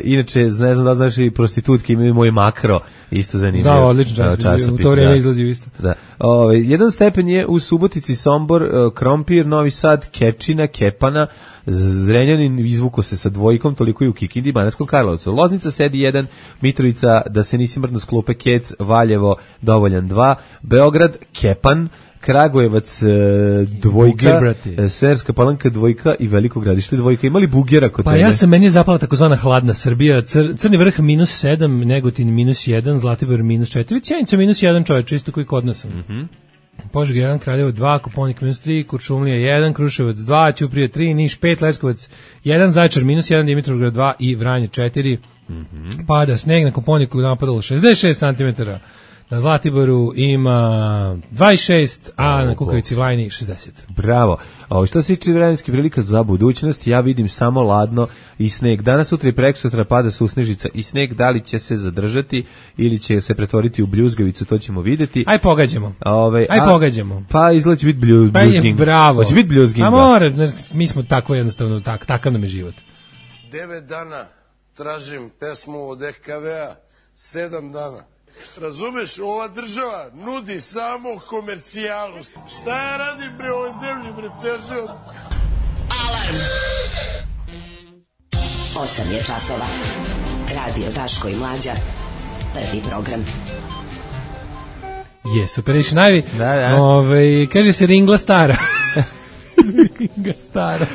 Inače, ne znam da znaš, i prostitutke imaju Moj makro, isto zanimljivo. Da, odlično časopis, u to vrijeme izlazio isto. Da. 1 stepen je u Subotici, Sombor, Krompir, Novi Sad, Kečina, Kepana, Zrenjanin izvuko se sa 2, toliko i u Kikindi, Banatskom Karlovcu. Loznica sedi 1, Mitrovica, da se nisi mrdno sklupe, Kec, Valjevo, Dovoljan 2, Beograd, Kepan, Kragujevac 2, Serska Palanka 2 i Veliko Gradište 2. Imali Bugera kod tebe? Pa meni je zapala takozvana hladna Srbija. Crni vrh -7, Negotin -1, Zlatibor -4, Sjenica -1, čovječ, isto koji kod nas. Požega 1, Kraljevo 2, Koponik -3, Kuršumlija 1, Kruševac 2, Ćuprija 3, Niš 5, Leskovac 1, Zaječar -1, Dimitrovgrad 2 i Vranje 4. Pada sneg, na Koponiku napadalo 66 cm. Na Zlatiboru ima 26, a na Kukavici Vlajni 60. Bravo. Što se tiče vremenskih prilika za budućnost, ja vidim samo ladno i sneg. Danas, sutra i prekosutra pada susnežica i sneg. Da li će se zadržati ili će se pretvoriti u bljuzgavicu, to ćemo vidjeti. Aj pogađamo. Pogađamo. Pa izgleda će biti bljuzging. Bravo. Hoće biti bljuzging. A mora, mi smo tako jednostavno, takav nam je život. 9 dana tražim pesmu od EKV-a, 7 dana. Razumeš, ova država nudi samo komercijalu. Šta ja radim bre ovoj zemlji, bre, ceo život? Alarm! 8 je časova. Radio Daško i Mlađa. Prvi program. Yes, Operation Ivy. Da. Kaže se Ringla stara. Ringla stara.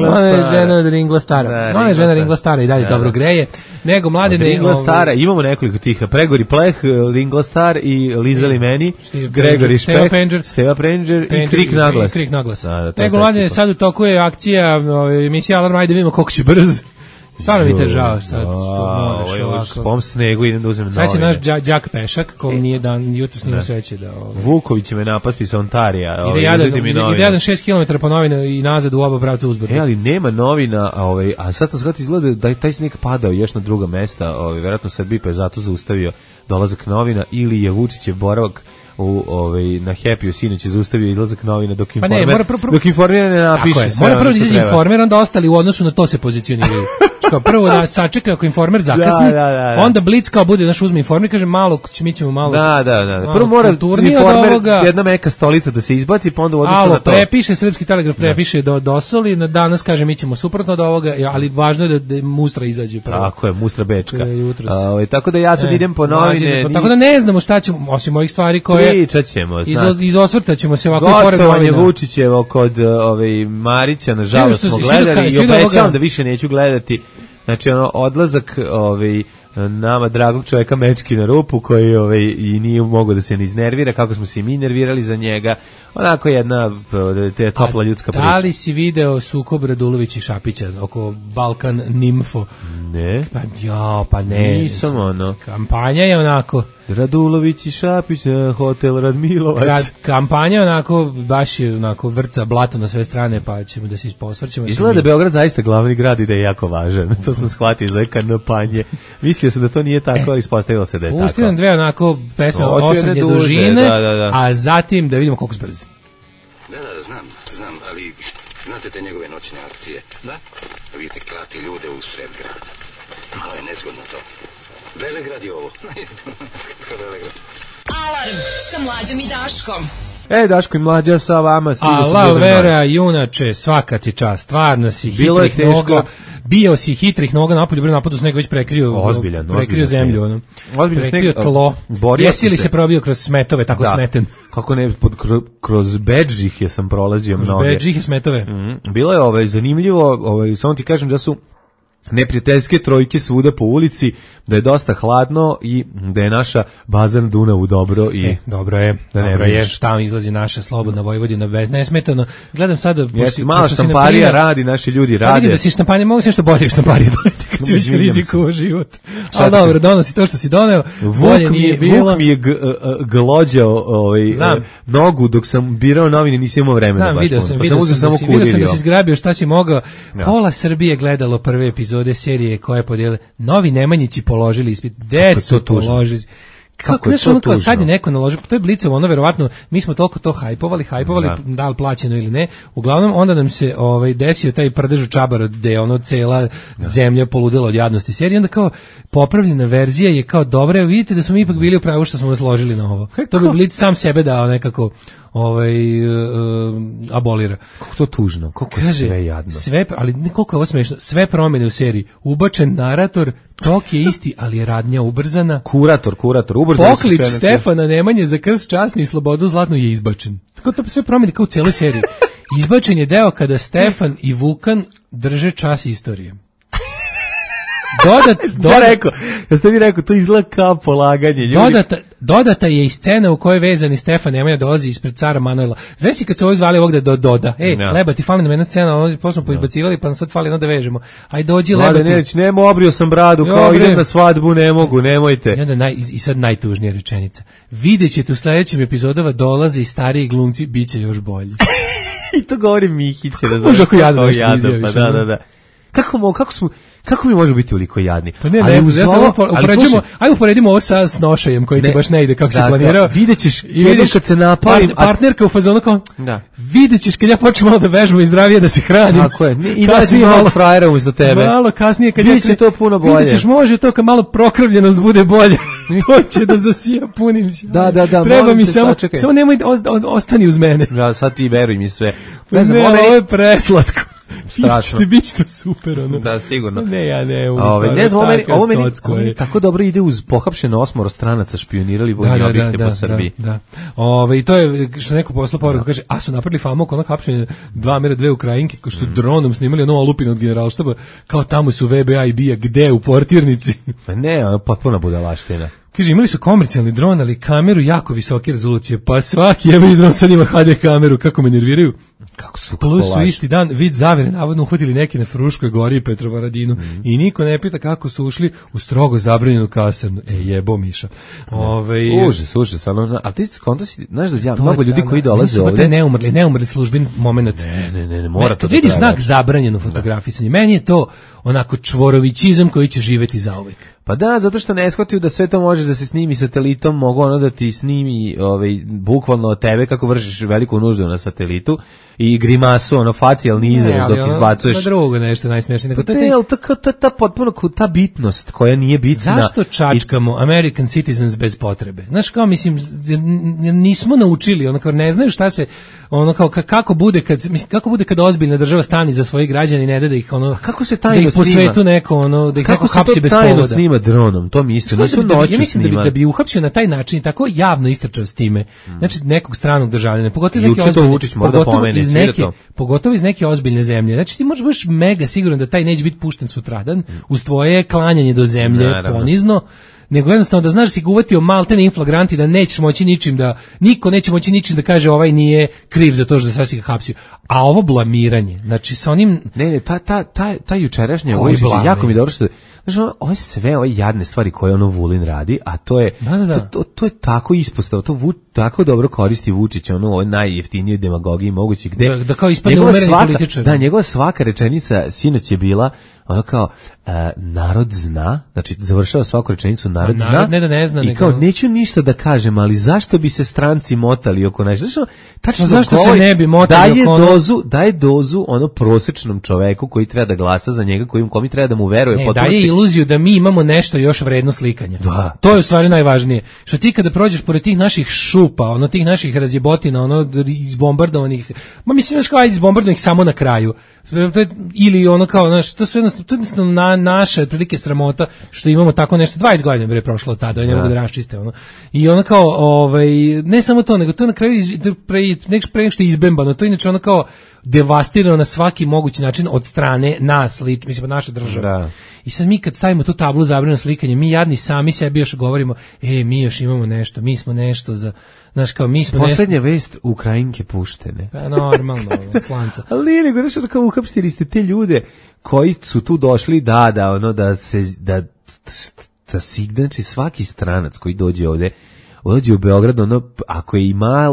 Ona je žena od Ringla stara. Ona je žena Ringla stara i dalje dobro greje. Nego mladine... Ringla stara, imamo nekoliko tiha. Pregori Pleh, Ringla star i Lizali meni, Gregori Špek, Steva Prenđer i Krik naglas. Nego mladine, sad u toku je akcija emisija Alarm, ajde vidimo koliko si brz. Stvarno mi te žao sad što moraš ovako. Spom snegu, idem da uzmem novine. Sad će naš đak Pešak, kom nije dan, jutro snima sreće da... Vuković će me napasti sa Ontarija. Ide jadan 6 km po novine i nazad u oba pravca uzbrdo. Ali nema novina, a sad sam shvatio izgleda da je taj sneg padao još na druga mesta, verovatno Srbiji, pa je zato zaustavio dolazak novina, ili je Vučićev boravak na Happy-u sinoć je zaustavio izlazak novina dok informer ne napiše sve. Mora prvo da izađe informer, onda ostali u odnosu na to se pozicioniraju. Prvo da sačeka ako informer zakasni, onda Blic kao bude, uzme informer, kaže malo, mi ćemo malo... Da. Prvo mora informer, jedna meka stolica da se izbaci, pa onda u odnosu na to. Prepiše, Srpski telegraf prepiše dosoli, danas kaže mi ćemo suprotno od ovoga, ali važno je da Mustra izađe. Tako je, Mustra Bečka. Tako da ja sad idem po novine. Tako da ne znamo šta ćemo, osim ovih stvari koje... Pričat ćemo, iz osvrta ćemo se ovako pored novina. Gostovanje Vučićevo kod Marića, nažalost smo gledali i obećavam da više neću gledati. Znači, odlazak nama dragog čovjeka mečki na rupu, koji i nije mogao da se ne iznervira, kako smo se i mi nervirali za njega. Onako jedna topla ljudska priča. Da li si video sukob Radulović i Šapića oko Balkan Nimfo? Ne. Pa ne. Nisam Kampanja je onako... Radulović i Šapić, hotel Radmilovac. Kampanja onako, baš je onako vrca blato na sve strane, pa ćemo da se posvrćemo. Izgleda da je Beograd zaista glavni grad i da je jako važan. To sam shvatio iz ove kampanje. Mislio sam da to nije tako, ali ispostavilo se da je tako. Pusti nam dve onako pesme, 8 dužine, a zatim da vidimo koliko se brzi. Da, znam, ali znate te njegove noćne akcije? Da. Vidite, klati ljude u sred grada. Malo je nezgodno to. Velegrad je ovo. Alarm sa Mlađom i Daškom. Daško i Mlađa sa vama. Vera, junače, svaka ti čast. Stvarno si hitrih noga. Bio si hitrih noga napolju, napadu sneg već prekrio zemlju. Prekrio tlo. Jesi li se probio kroz smetove, tako smeten? Kako ne, kroz bedžih je sam prolazio mnoge. Kroz bedžih je smetove. Bilo je zanimljivo, samo ti kažem da su neprijateljske trojke svuda po ulici, da je dosta hladno i da je naša baza na Dunavu dobro i dobro je šta izlazi naša slobodna Vojvodina bez nesmetano. Gledam sada malo štamparija radi, naši ljudi rade. Vidim da si štamparija, mogu se nešto bolje štamparija doneti kad si već rizikovao život. Ali dobro, donosi to što si doneo. Bolje nije bilo. Vuk mi je glođao nogu dok sam birao novine, nisam imao vremena baš. Vidio sam da si zgrabio šta si mogao. Pola Srbije gledalo prve epizode serije koje podijele. Novi Nemanjići položili ispit. Gde su položili? Kako je to tužno? Sad je neko naložio, to je Blicovo, ono verovatno, mi smo toliko to hajpovali, da li plaćeno ili ne, uglavnom onda nam se desio taj prdež u Čabaru, gde je ono cela zemlja poludela od jadnosti serije, onda kao popravljena verzija je kao dobra, vidite da smo mi ipak bili u pravu što smo vas ložili na ovo. To bi Blic sam sebe dao nekako abolira. Kako to tužno, kako je sve jadno. Ali koliko je ovo smešno, sve promjene u seriji, ubačen narator, tok je isti, ali je radnja ubrzana. Kurator, ubrzan. Poklič Stefana Nemanje za krst časni i slobodu zlatnu je izbačen. Tako to sve promjene kao u cijeloj seriji. Izbačen je deo kada Stefan i Vukan drže čas istorije. Jeste vi rekao, to izgleda kao polaganje. Dodata je i scena u kojoj vezani Stefan Nemanja dolazi ispred cara Manuela. Znaš si kad su ovo zvali ovog da doda? Leba, ti fali nam jedna scena, posle smo poizbacivali, pa nam sad fali da vežemo. Aj dođi Leba. Nemo, obrio sam bradu, kao idem na svadbu, ne mogu, nemojte. I sad najtužnija rečenica. Videćete u sledećem epizodova dolaze i stariji glumci, bit će još bolji. I to govori Mihić. Može ako jadno pa da. Kako mi možemo biti toliko jadni? Pa ne, uporedimo ovo sa snošajem koji ti baš ne ide kako si planirao. Videćeš kad se napalim. Partnerka u fazonu kao, videćeš kad ja počnem malo da vežbam i zdravije da se hranim. Tako je, i da si malo frajera umjesto tebe. Malo kasnije kad Biće to puno bolje. Videćeš, može to kad malo prokrvljenost bude bolje. To će da zasija, punim se. Da. Treba mi samo nemoj ostani uz mene. Da, sad ti veruj mi sve. Ne znam, ovo je preslatko. Biće to super, ono. Da, sigurno. Ne, ja ne. Ne znam, ovo meni tako dobro ide uz pohapšeno 8 stranaca špionirali vojni objekte po Srbiji. Da. I to je, što neko poslao poruku, kaže, a su napravili famu oko onog hapšenja 2 Ukrajinke, ko što su dronom snimali ono olupine od generalštaba, kao tamo su VBA i BIA, gde, u portirnici? Pa ne, ono potpuna budalaština. Kaže, imali su komercijalni dron, ali kameru jako visoke rezolucije, pa svaki jebeni dron sad ima HD kameru, kako me nerviraju. Kako su plus su isti dan vid zavere navodno uhvatili neki na Fruškoj gori i Petrovaradinu i niko ne pita kako su ušli u strogo zabranjenu kasarnu. Jebo Miša. Užas, ali ti skonto si, znaš da mnogo ljudi koji dolaze ovde. Neumrli službeni moment. Ne, mora to. Kad vidiš znak zabranjeno fotografisanje, meni je to onako čvorovićizam koji će živeti zauvek. Pa da, zato što ne shvatio da sve to možeš da se snimi satelitom, mogu ono da ti snimi bukvalno od tebe kako vršiš veliku nuždu na satelitu i grimasu, facijalni izraz dok izbacuješ. Na drugo nešto najsmešnije. Ta potpuno ta bitnost koja nije bitna. Zašto čačkamo American Citizens bez potrebe? Znaš kao, mislim, nismo naučili, kao ne znaju šta se, kao kako bude kad ozbiljna država stani za svoje građane i ne da ih kako se tajno da ih po svetu neko da ih neko hapsi bez povoda. Kako se to tajno snima dronom, to mi isto nisu noću. Ja mislim da bi uhapsio na taj način tako javno istrčao s time. Znači nekog stranog državljana, pogotovo iz neke ozbiljne zemlje. Znači ti možeš baš mega siguran da taj neće biti pušten sutradan uz tvoje klanjanje do zemlje ponizno, nego jednostavno da znaš da si ga uvatio maltene inflagranti, da nećeš moći ničim niko neće moći ničim da kaže ovaj nije kriv za to što sad si ga hapsio. A ovo blamiranje, znači sa onim... Ne, ta jučerašnja Vojžić, jako mi dobro što... Znači, ovo je sve ove jadne stvari koje Vulin radi, a to je to je tako ispostava, to tako dobro koristi Vučić, ovo najjeftinije demagogije moguće, gde da kao ispadne umereni političar. Da, njegova svaka rečenica sinoć je bila ono kao narod zna, znači završava svaku rečenicu narod zna, ne zna, i kao neću ništa da kažem, ali zašto bi se stranci motali oko nešto? Tačno zašto se ne bi motali oko daje dozu prosečnom čoveku koji treba da glasa za njega, kome treba da mu veruje. Daje iluziju da mi imamo nešto još vredno slikanja. To je u stvari najvažnije. Što ti kada prođeš pored tih naših šupa, tih naših razjebotina, izbombardovanih, mislim kao izbombardovanih samo na kraju. Ili kao, to su jednostavno naše otprilike sramota što imamo tako nešto. 20 godina bre prošlo od tada, ne mogu da raščiste i kao ne samo to, nego to na kraju pre što je izbembano, to inače kao devastirano na svaki mogući način od strane nas, mislim naše države. I sad mi kad stavimo tu tablu zabranjeno slikanje, mi jadni sami sebi još govorimo, mi još imamo nešto, mi smo nešto za, znaš kao, mi smo poslednja vest, Ukrajinke puštene. Pa normalno, slanca. Ali nije nego, znaš, kao uhapstili ste te ljude koji su tu došli, znači svaki stranac koji dođe ovde, dođe u Beograd, ako je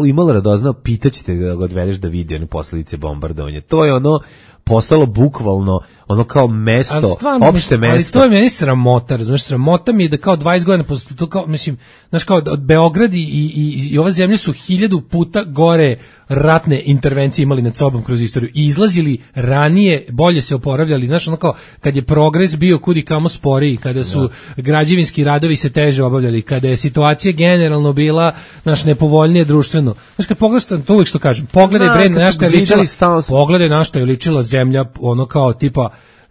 imalo radoznao, pitaćete da ga odvedeš da vidi posledice bombardovanja. To je postalo bukvalno ono kao mesto, opšte mesto. Ali to je meni sramota, razumiješ, sramota mi je da kao 20 godina posle to kao, mislim, znaš kao Beograd i ova zemlja su 1000 puta gore ratne intervencije imali nad sobom kroz istoriju i izlazili ranije, bolje se oporavljali, znaš, ono kao kad je progres bio kudi kamo sporiji, kada su građevinski radovi se teže obavljali, kada je situacija generalno bila, znaš, nepovoljnije društveno. Znaš, kad pogledaš, to uvijek što kažem, pogledaj bre na šta je ličila, pogledaj na šta je ličila zemlja, ono kao tipa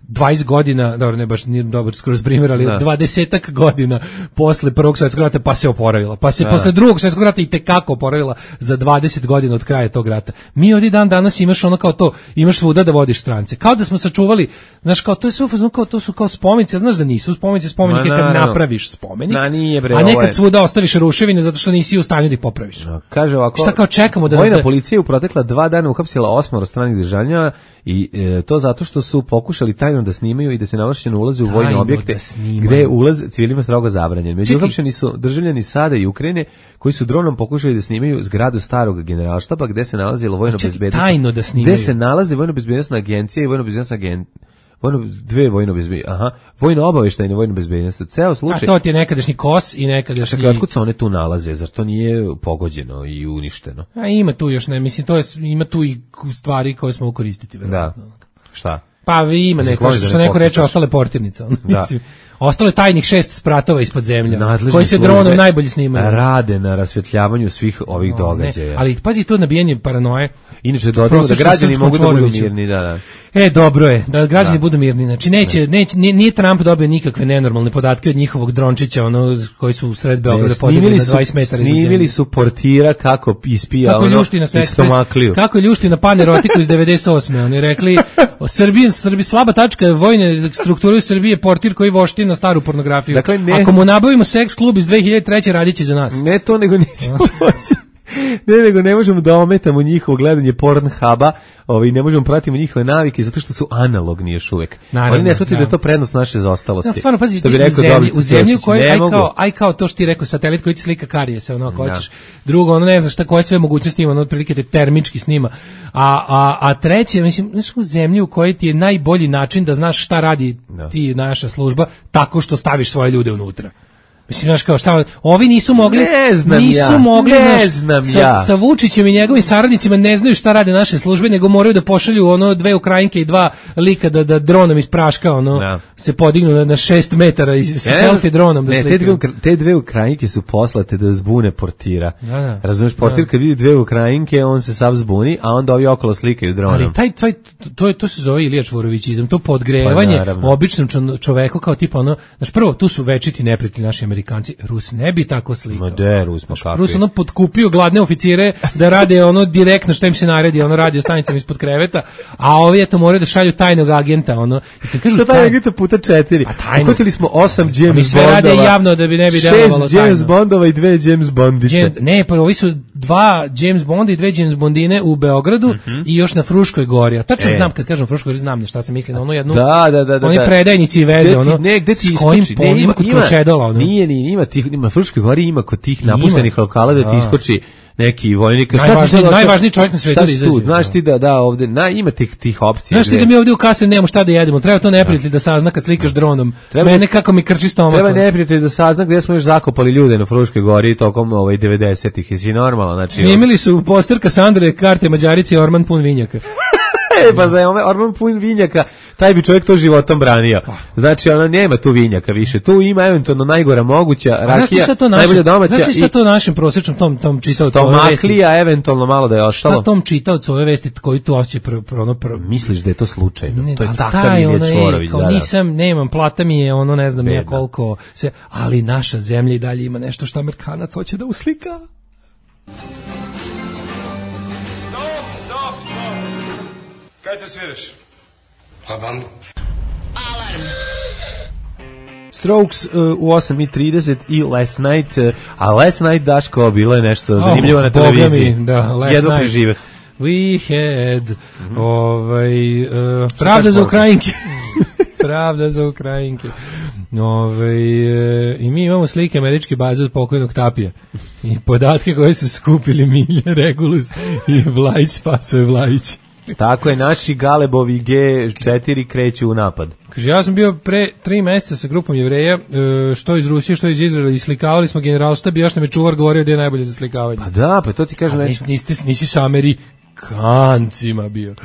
20 godina, dobro, ne baš nije dobar skroz primjer, ali 20-ak godina posle Prvog svjetskog rata pa se oporavila. Pa se posle Drugog svjetskog rata i tekako oporavila za 20 godina od kraja tog rata. Mi ovdje dan danas imaš ono kao to, imaš svuda da vodiš strance. Kao da smo sačuvali, znaš, kao to je sve kao to su kao spomenice, znaš da nisu spomenice, spomenike kad napraviš spomenik. A nekad svuda ostaviš ruševine zato što nisi u stanju da ih popraviš. Kaže ovako, šta kao čekamo da vojna policija u protekla 2 dana uhapsila 8 stranih državljana i to zato što su pokušali tajno da snimaju i da se naloženo ulaze u vojne objekte gde je ulaz civilima strogo zabranjen. Među uhapšeni su državljani SAD-a i Ukrajine koji su dronom pokušali da snimaju zgradu starog generalštaba gde se nalazilo vojno-bezbednosna tajno da snimaju. Gde se nalazi vojno-bezbednosna agencija i vojno-obaveštajna vojno-bezbednosna. Ceo slučaj. A to ti je nekadašnji KOS i nekadašnji. Čekaj, otkud se one tu nalaze? Zar to nije pogođeno i uništeno? A ima tu još ne, mislim to je, ima tu i stvari koje smo koristiti verovatno. Da. Šta? Pa ima neko što neko reče ostale portirnice, mislim. Ostalo je tajnih 6 spratova ispod zemlje, koji se dronom najbolje snimaju. Rade na rasvetljavanju svih ovih događaja. Ali pazi to nabijanje paranoje. Inače dodajemo da građani mogu da budu mirni, da. Dobro je, da građani budu mirni. Znači nije Trump dobio nikakve nenormalne podatke od njihovog drončića, ono koji su u sred Beograda podigli na 20 metara. Snimili su portira kako ispija stomakliju. Kako ljušti na panerotiku iz 98. Oni rekli Srbi slaba tačka vojne strukture u Srbiji je portir koji vošti na staru pornografiju. Dakle, ako mu nabavimo seks klub iz 2003. radiće za nas. Ne to, nego nećemo moći. nego ne možemo da ometamo njihovo gledanje Pornhuba, ne možemo pratiti njihove navike zato što su analogni još uvek. Oni ne shvataju da je to prednost naše zaostalosti. Ja, stvarno, pazi, u zemlji u kojoj aj kao to što ti rekao, satelit koji ti slika karije se, ono, ako hoćeš. Drugo, ono, ne znaš koje sve mogućnosti ima, ono, otprilike te termički snima. A treće, mislim, znaš, u zemlji u kojoj ti je najbolji način da znaš šta radi ti naša služba, tako što staviš svoje ljude unutra. Mislim, znaš kao šta, ovi nisu mogli, sa Vučićem i njegovim saradnicima ne znaju šta rade naše službe, nego moraju da pošalju 2 Ukrajinke i 2 lika da dronom iz praška, se podignu na 6 metara i selfie dronom. Te 2 Ukrajinke su poslate da zbune portira. Razumeš, portir kad vidi 2 Ukrajinke, on se sav zbuni, a onda ovi okolo slikaju dronom. Ali to se zove Ilija Čvorovićizam, to podgrevanje običnom čoveku kao tipa znaš, prvo, tu su večiti neprijatelji naši Amerikanci, Rus ne bi tako slikao. Rus potkupio gladne oficire da rade direktno što im se naredi, radio stanicama ispod kreveta, a ovi moraju da šalju tajnog agenta, Šta tajnog agenta puta 4? Uhvatili smo 8 James Bondova. Mi sve rade javno da bi ne bi delovalo tajno. 6 James Bondova i 2 James Bondice. Ne, pa ovi su 2 James Bonda i 2 James Bondine u Beogradu i još na Fruškoj gori. A tačno znam, kad kažem Fruškoj gori, znam na šta se misli, na onu jednu. Oni predajnici i veze, s kojim polima kod Krušedola. Ima Fruškoj gori, ima kod tih napuštenih lokala da ti iskoči neki vojnik. Najvažniji čovjek na svetu. Znaš ti da ovde ima tih opcija. Znaš ti da mi ovdje u kasi nemamo šta da jedemo. Treba to neprijatelj da sazna kad slikaš dronom. Mene kako mi krči stomak. Treba neprijatelj da sazna gdje smo još zakopali ljude na Fruškoj gori tokom 90-ih. Jesi normalno? Snimili su poster Kasandre, karte Mađarici, Orman pun vinjaka. Pa da je Orman pun vinjaka, taj bi čovjek to životom branio. Znači, nema tu vinjaka više. Tu ima eventualno najgora moguća rakija, najbolja domaća. Znaš šta to našem prosječnom tom čitaocu ove vesti? Stomaklija, eventualno malo da je ostalo. Šta tom čitaocu ove vesti koji tu osjeća Misliš da je to slučajno? To je takav Ilija Čvorović. Nemam, plata mi je ne znam ja koliko se, ali naša zemlja i dalje ima nešto što Amerikanac hoće da uslika. Kaj te sviraš? Pa bandu. Alarm. Strokes u 8:30 i Last Night, a Last Night, Daško, bilo je nešto zanimljivo na televiziji. Jedno preživeh. We had pravda za Ukrajinke. Pravda za Ukrajinke. I mi imamo slike američke baze od pokojnog Tapija i podatke koje su skupili Milja Regulus i Vlajić Spasoje Vlajić. Tako je, naši Galebovi G4 kreću u napad. Kaže, ja sam bio pre 3 meseca sa grupom Jevreja, što iz Rusije, što iz Izraela, i slikavali smo generalštab i još nam je čuvar govorio da je najbolje za slikavanje. Pa da, pa to ti kažem. Nisi sa Amerikancima bio.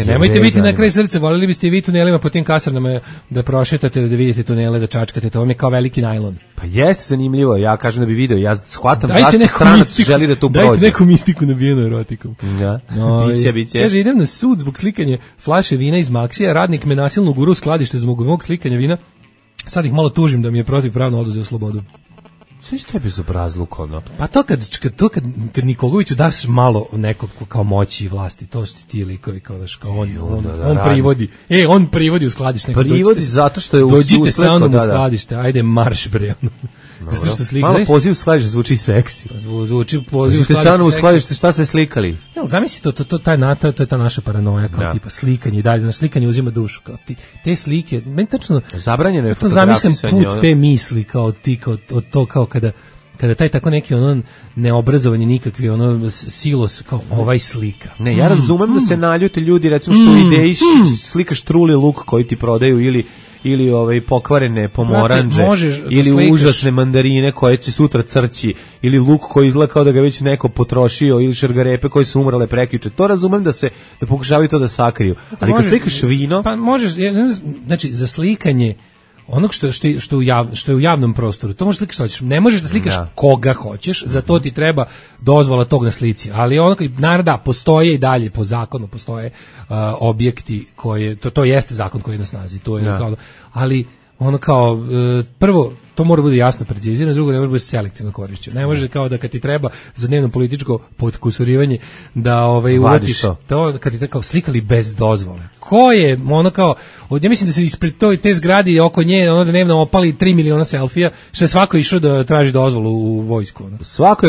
Nemojte biti na kraj srca, volili biste i vi tunelima po tim kasarnama da prošetate, da vidite tunele, da čačkate, to vam je kao veliki najlon. Pa jeste zanimljivo, ja kažem da bi video, ja shvatam zašto stranac želi da to prođe. Dajte neku mistiku nabijenu erotikom. Da, biće. Kaže, idem na sud zbog slikanja flaše vina iz Maksija, radnik me nasilno guru u skladište zbog mog slikanja vina, sad ih malo tužim da mi je protivpravno oduzeo slobodu. Sve što je bezobrazluk, ono. Pa to kad Nikogoviću daš malo nekog kao moći i vlasti, to su ti likovi kao on privodi. On privodi u skladište. Privodi zato što je dođite sa mnom u skladište, ajde marš bre. Zato što slika. Malo poziv u skladište zvuči seksi. Zvuči poziv u skladište. Šta ste slikali? Zamisli to je ta naša paranoja kao tipa slikanje i dalje, na slikanje uzima dušu kao ti. Te slike, meni tačno zabranjeno je fotografisanje. Zamišljam put te misli kao ti kao kada taj tako neki neobrazovani nikakvi silos kao ovaj slika. Ne, ja razumem da se naljute ljudi recimo što ideji slikaš truli luk koji ti prodaju ili pokvarene pomoranđe ili užasne mandarine koje će sutra crći ili luk koji izgleda kao da ga već neko potrošio ili šargarepe koje su umrale prekjuče. To razumem da pokušavaju to da sakriju. Ali kad slikaš vino, pa možeš, znači za slikanje onog što je u javnom prostoru, to možeš slikaš što hoćeš. Ne možeš da slikaš koga hoćeš, za to ti treba dozvola tog na slici. Ali naravno postoje i dalje po zakonu, postoje objekti koje, to jeste zakon koji je na snazi, to je ali prvo, to mora biti jasno precizirano, drugo, ne može biti selektivno korišćeno. Ne može kao da kad ti treba za dnevno političko potkusurivanje da uvatiš to, kad ti tako slikali bez dozvole. Ko je, ja mislim da se ispred te zgradi oko nje dnevno opali 3 miliona selfija, što je svako išao da traži dozvolu u vojsku. Svako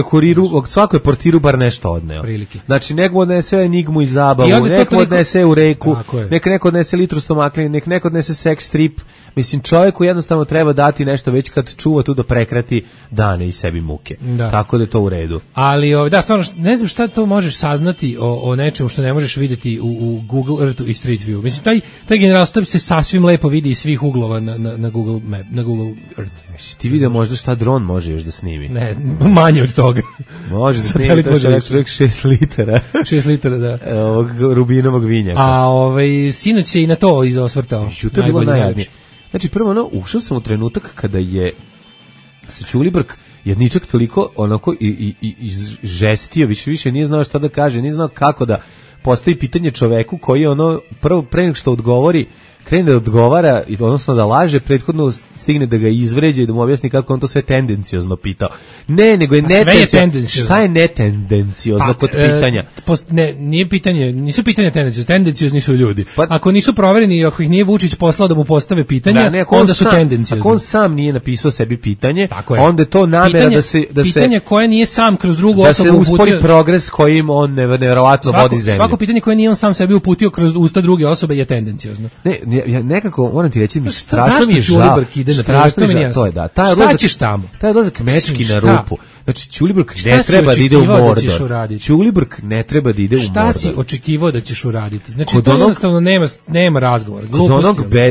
je portiru bar nešto odneo. Prilike. Znači, neko odnese enigmu i zabavu, neko odnese u reku, neko odnese litru stomakline, neko odnese sex strip. Mislim, čovjeku jednostavno treba dati nešto već kad čuva tu da prekrati dane i sebi muke. Da. Tako da je to u redu. Ali, stvarno, ne znam šta to možeš saznati o nečemu što ne možeš vidjeti u Google Earthu i Street View. Mislim, taj generalstab se sasvim lepo vidi iz svih uglova na Google Map, na Google Earth. Ti vidio možda šta dron može još da snimi? Ne, manje od toga. Može da snimi to što je 6 litara. 6 litara, da. Ovog rubinovog vinjaka. A sinoć je i na to izosvrtao. To je bilo najjadnije. Znači, prvo ušao sam u trenutak kada je se Ćulibrk jedničak toliko onako i žestio, više nije znao šta da kaže, nije znao kako da postavi pitanje čoveku koji je prvo pre nego što odgovori, krene da odgovara, odnosno da laže, prethodno stigne da ga izvređe i da mu objasni kako on to sve tendenciozno pitao. Ne, nego je netendenciozno. Šta je netendenciozno kod pitanja? Nije pitanje, nisu pitanja tendenciozni su ljudi. Ako nisu provereni, ako ih nije Vučić poslao da mu postave pitanja, onda su tendenciozni. Ako on sam nije napisao sebi pitanje, onda je to namera da se pitanje koje nije sam kroz drugu osobu uputio. Da se uspori progres kojim on nevjerovatno vodi zemlju. Svako pitanje koje nije on sam sebi uputio kroz usta druge osobe je tendenciozno. Ja nekako moram ti reći, strašno mi je žao. To je da. Šta ćeš tamo? Taj odlazak mečki na rupu. Znači, Ćulibrk ne treba da ide u Mordor. Ćulibrk ne treba da ide u Mordor. Šta si očekivao da ćeš uraditi? Znači, to jednostavno nema razgovora.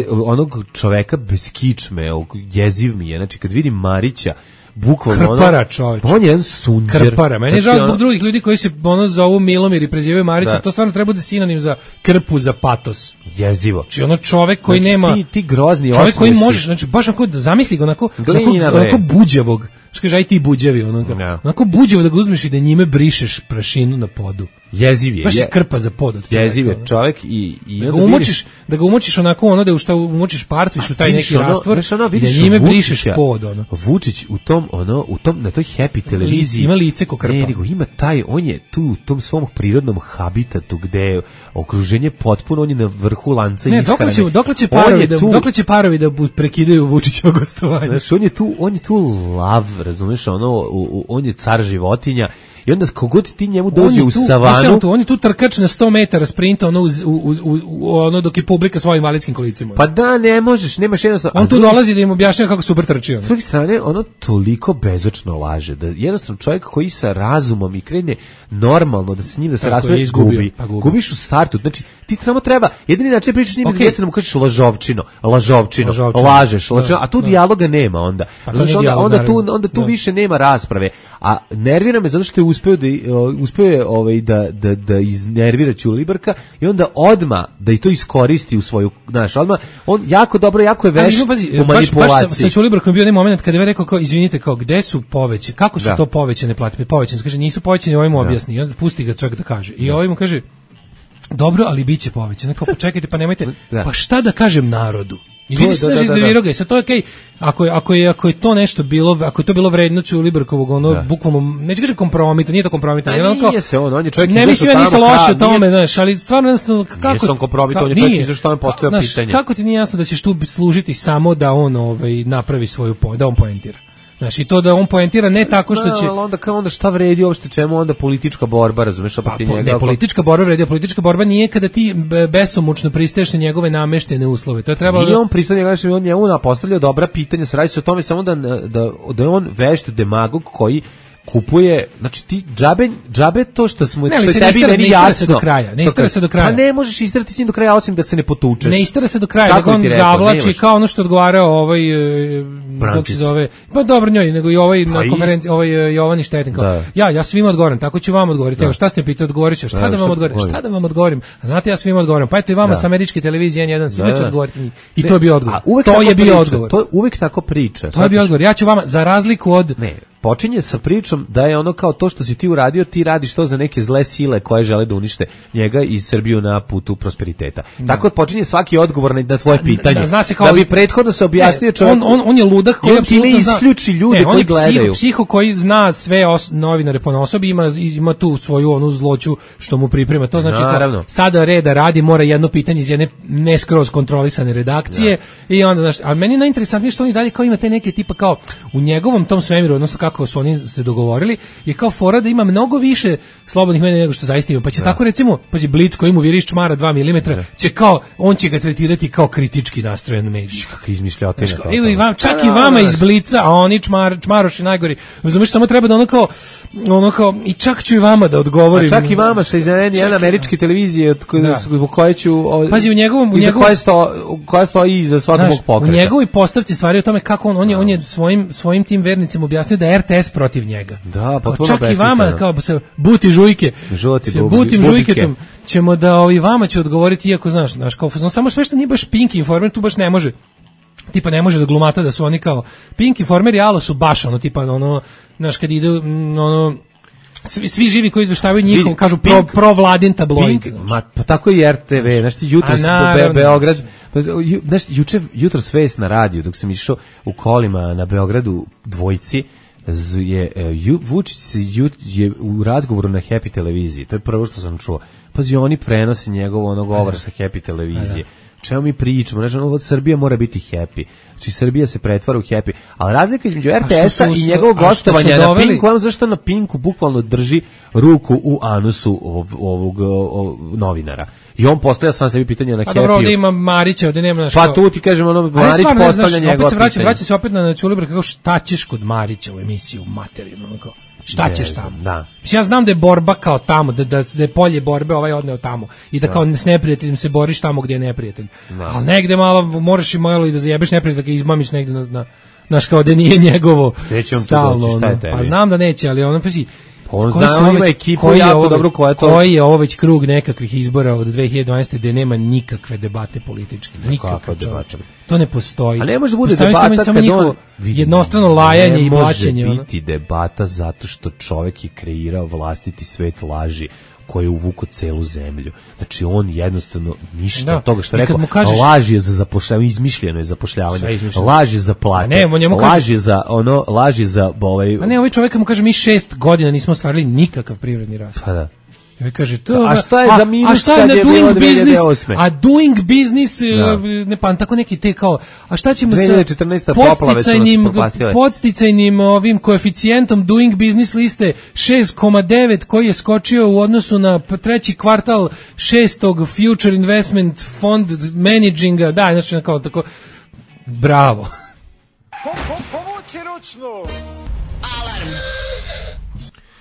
Onog čoveka bez kičme, jeziv mi je. Znači, kad vidim Marića, bukvalno Krpara, čoveče. On je jedan sunđer. Krpara. Meni je žao zbog drugih ljudi koji se zovu Milomir i prezivaju Marića. To stvarno treba da sinonim za krpu, za patos. Jezivo. Znači čovek koji nema... Ti grozni osmesi. Čovek koji možeš, znači baš onako, zamisli ga onako buđevog. Što kaže, aj ti buđevi. Onako buđevo da ga uzmeš i da njime brišeš prašinu na podu. Jeziv je. Baš je krpa za pod. Jeziv je čovek i da ga umočiš onako, da umočiš partviš u taj neki rastvor i da njime brišeš pod. Vučić u tom, na toj happy televiziji ima lice ko krpa. Ne, nego ima on je tu u tom svom prirodnom habitatu gde je okruženje potpuno, on je na vrhu lanca ishrane. Dokle će parovi da prekidaju Vučićevo gostovanje? Znači, on je tu lav, razumeš, on je car životinja I onda kogod ti njemu dođe u savanu... On je tu trkač na 100 metara sprinta, ono dok je publika svojim invalidskim kolicima. Pa da, ne možeš, nemaš jednostavno... On tu dolazi da im objašnjava kako super trči. S druge strane, ono toliko bezočno laže, da jednostavno čovjek koji sa razumom i krene normalno da se s njim da se raspravi, gubiš u startu. Znači, ti samo treba, jedini način pričaš s njim jeste da mu kažeš lažovčino, lažeš, a tu dijaloga nema onda. Onda tu više nema rasprave. A nervira me zato što je uspeo da iznervira Ćulibrka i onda odma da i to iskoristi u svoju, znaš, odma on jako dobro, jako je vešt u manipulaciji. Baš sa Ćulibrkom bio onaj moment kada je rekao kao izvinite, kao gde su povećane, kako su to povećane plate? Povećane, kaže nisu povećane, ovaj mu objasni i onda pusti ga čovjek da kaže. I ovaj mu kaže dobro, ali biće povećane. Kao počekajte, pa nemojte. Pa šta da kažem narodu? I vidi se da iznervirao ga. Sad to je okej. Ako je to nešto bilo, ako je to bilo vredno Ćulibrkovog, ono bukvalno, neću kažem kompromita, nije to kompromita. Nije se on je čovjek ne mislim ja ništa loše o tome, znaš, ali stvarno jednostavno kako... Nije sam kompromita, on je čovjek iza što on postavlja pitanje. Kako ti nije jasno da ćeš tu služiti samo da on napravi svoju, da on poentira? Znaš, i to da on poentira ne tako što će... Onda šta vredi uopšte, čemu onda politička borba, razumeš, ne, politička borba vredi, politička borba nije kada ti besomučno pristaješ na njegove nameštene uslove. To je trebalo... Nije on pristao on njemu postavljao dobra pitanja, se radi se o tome samo da je on vešt demagog koji kupuje, znači ti džabe to što smo tebi meni jasno. Ne istara se do kraja. Pa ne možeš istarati s njim do kraja osim da se ne potučeš. Ne istara se do kraja, nego on zavlači kao ono što odgovarao kako se zove. Pa dobro njoj, nego i na konferenciji Jovani Štetin kao. Ja svima odgovorim, tako ću vam odgovoriti. Evo šta ste me pitali, odgovoriću. Šta da vam odgovorim? Znate, ja svima odgovorim. Pa eto i vama sa američke televizije N1 svima ću odgovoriti. I to je bio odgovor. To je bio odgovor. To je uvek tako priča. To je bio odgovor. Ja ću vama za razliku od počinje sa pričom da je ono kao to što si ti uradio, ti radiš to za neke zle sile koje žele da unište njega i Srbiju na putu prosperiteta. Tako počinje svaki odgovor na tvoje pitanje. Da bi prethodno se objasnio čovjek. On je ludak koji apsolutno isključi ljude koji gledaju. On je psiho koji zna sve novinare ponaosobi, ima tu svoju onu zloću što mu priprema. To znači kao sada reda radi, mora jedno pitanje iz jedne ne skroz kontrolisane redakcije i onda, znaš, a meni najinteresantnije što oni dalje kao ima te neke tipa kao u njegovom tom svemiru, odnosno kako su oni se dogovorili, je kao fora da ima mnogo više slobodnih medija nego što zaista ima. Pa će tako recimo, pazi Blic koji mu viriš čmara 2 mm, će kao, on će ga tretirati kao kritički nastrojen medij. Kakva izmišljotina. Čak i vama iz Blica, a oni čmaroši najgori. Razumiješ, samo treba da ono kao, i čak ću i vama da odgovorim. A čak i vama se izneneni jedna američke televizije u kojoj ću... Pazi, koja stoji iza svakog mog pokreta. U njegovoj postavci stvari o tome kako on je svojim tim vernicima objasnio da je RTS protiv njega. Da, pa čak i vama kao se buti žujke. Butim žujketom ćemo da vama će odgovoriti, iako znaš kao samo sve što nije baš Pink Informer tu baš ne može. Tipa ne može da glumata da su oni kao Pink Informer i Alo su baš tipa znaš kad ide svi živi koji izveštavaju njihov kažu provladin tabloid. Pa tako i RTV, znaš ti jutros Beograd, znaš jutros vest na radiju dok sam išao u kolima na Beogradu dvojci Vučić je u razgovoru na Happy televiziji, to je prvo što sam čuo. Pazi, oni prenose njegov govor sa Happy televizije. Čemu mi pričamo? Znači, Srbija mora biti happy. Znači, Srbija se pretvara u happy. Ali razlika između RTS-a i njegovog gostovanja na Pinku, vam zašto na Pinku bukvalno drži ruku u anusu ovog novinara. I on postavlja sam sebi pitanje na Happy. Pa dobro, ovdje ima Marića, ovdje nema... Pa tu ti kažem, Marić postavlja njegova pitanja. Vraća se opet na Ćulibrka, kako šta ćeš kod Marića u emisiju materijalno, kao... Šta ćeš tamo? Da. Ja znam da je borba kao tamo, da je polje borbe odneo tamo i da kao s neprijateljem se boriš tamo gdje je neprijatelj. Ali negde malo moraš i malo i da zajebeš neprijatelja, da ga izmamiš negde znaš kao da nije njegovo stalno. Pa znam da neće, ali ono pazi, on zna, ima ekipu jako dobro koja je to... Koji je ovo već krug nekakvih izbora od 2012. gdje nema nikakve debate političke. Nikakve debate. To ne postoji. A ne može da bude debata kad on... Jednostrano lajanje i blaćenje. Ne može biti debata zato što čovjek je kreirao vlastiti svet laži koji je uvukao celu zemlju. Znači on jednostavno ništa od toga što rekao, laž je za zapošljavanje, izmišljeno je zapošljavanje, laž je za plate, laž je za A ne, ovaj čovjek mu kaže mi 6 godina nismo ostvarili nikakav privredni rast. Pa da. I kaže to. A šta je za minus kad je bilo 2008? A doing business, ne pa tako neki te kao, a šta ćemo sa podsticajnim ovim koeficijentom doing business liste 6,9 koji je skočio u odnosu na treći kvartal 6. Future Investment Fund Managinga, da, znači kao tako, bravo. Povući ručnu. Alarm.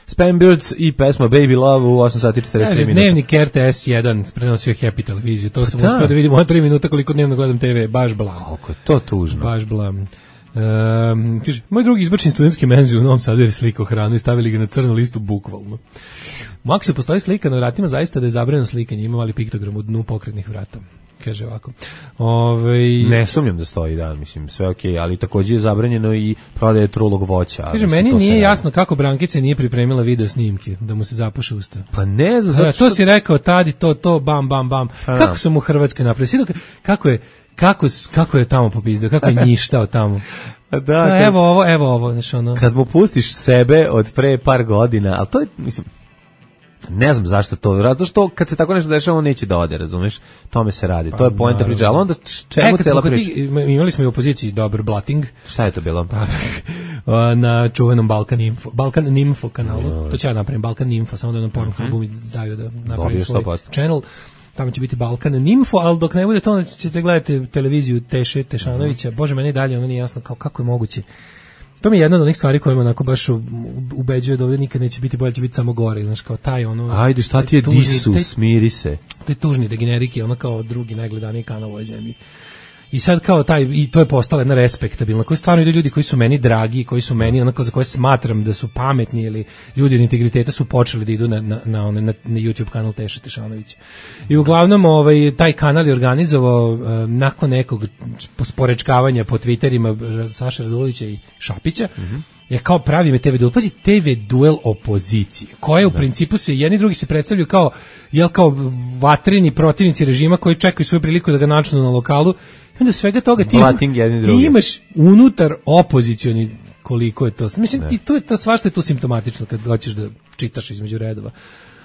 Spam Birds i pesma Baby Love u 8 sati 43 minuta. Dnevnik RTS 1 prenosio Happy televiziju. To sam uspio da vidimo 3 minuta koliko dnevno gledam TV. Baš blam. Koliko je to tužno. Baš blam. Kaže, moj drugi izbačen studentski menzi u Novom Sadu jer je slikao hranu i stavili ga na crnu listu bukvalno. U Maksu postoji slika na vratima zaista da je zabranjeno slikanje. Ima mali piktogram u dnu pokretnih vrata. Kaže ovako. Ne sumnjam da stoji, da, mislim, sve okej, ali takođe je zabranjeno i prodaje trulog voća. Kaže, meni nije jasno kako Brankica nije pripremila video snimke, da mu se zapuše usta. Pa ne znam, zato što... To si rekao, tadi, to, bam, bam, bam. Kako sam u Hrvatskoj napravio? Kako je tamo popizdeo, kako je njištao tamo. Da, evo ovo, znači ono. Kad mu pustiš sebe od pre par godina, ali to je, mislim, ne znam zašto to, zato što kad se tako nešto dešava on neće da ode, razumeš, tome se radi, to je poenta priče, ali onda čemu cela priča? Imali smo i u opoziciji dobar blating. Šta je to bilo? Na čuvenom Balkan Info kanalu, to ću ja napravim, Balkan Info, samo da na Pornhubu mi daju da napravim svoj channel. Tamo će biti Balkan Info, ali dok ne bude to, onda ćete gledati televiziju Tešanovića. Bože, meni dalje ono nije jasno kako je moguće. To mi je jedna od onih stvari koje me onako baš ubeđuje da ovdje nikad neće biti bolje, će biti samo gore. Znaš, kao taj ono... Ajde, šta ti je disu, smiri se. Taj tužni degenerik je ono kao drugi najgledaniji kanal u ovoj zemlji. I sad kao taj, i to je postala jedna respektabilna, koji stvarno idu ljudi koji su meni dragi, koji su meni onako za koje smatram da su pametni ili ljudi od integriteta su počeli da idu na YouTube kanal Teša Tešanović. I uglavnom taj kanal je organizovao nakon nekog sporečkavanja po Twitterima Saša Radulovića i Šapića, je kao pravi me TV duel. Pazi, TV duel opozicije, koje u principu se jedni drugi se predstavljaju kao vatreni protivnici režima koji čekaju svoju priliku da ga načnu na lokalu. I onda svega toga ti imaš unutar opozicioni koliko je to. Mislim, to je to, svašta je to simptomatično kad hoćeš da čitaš između redova.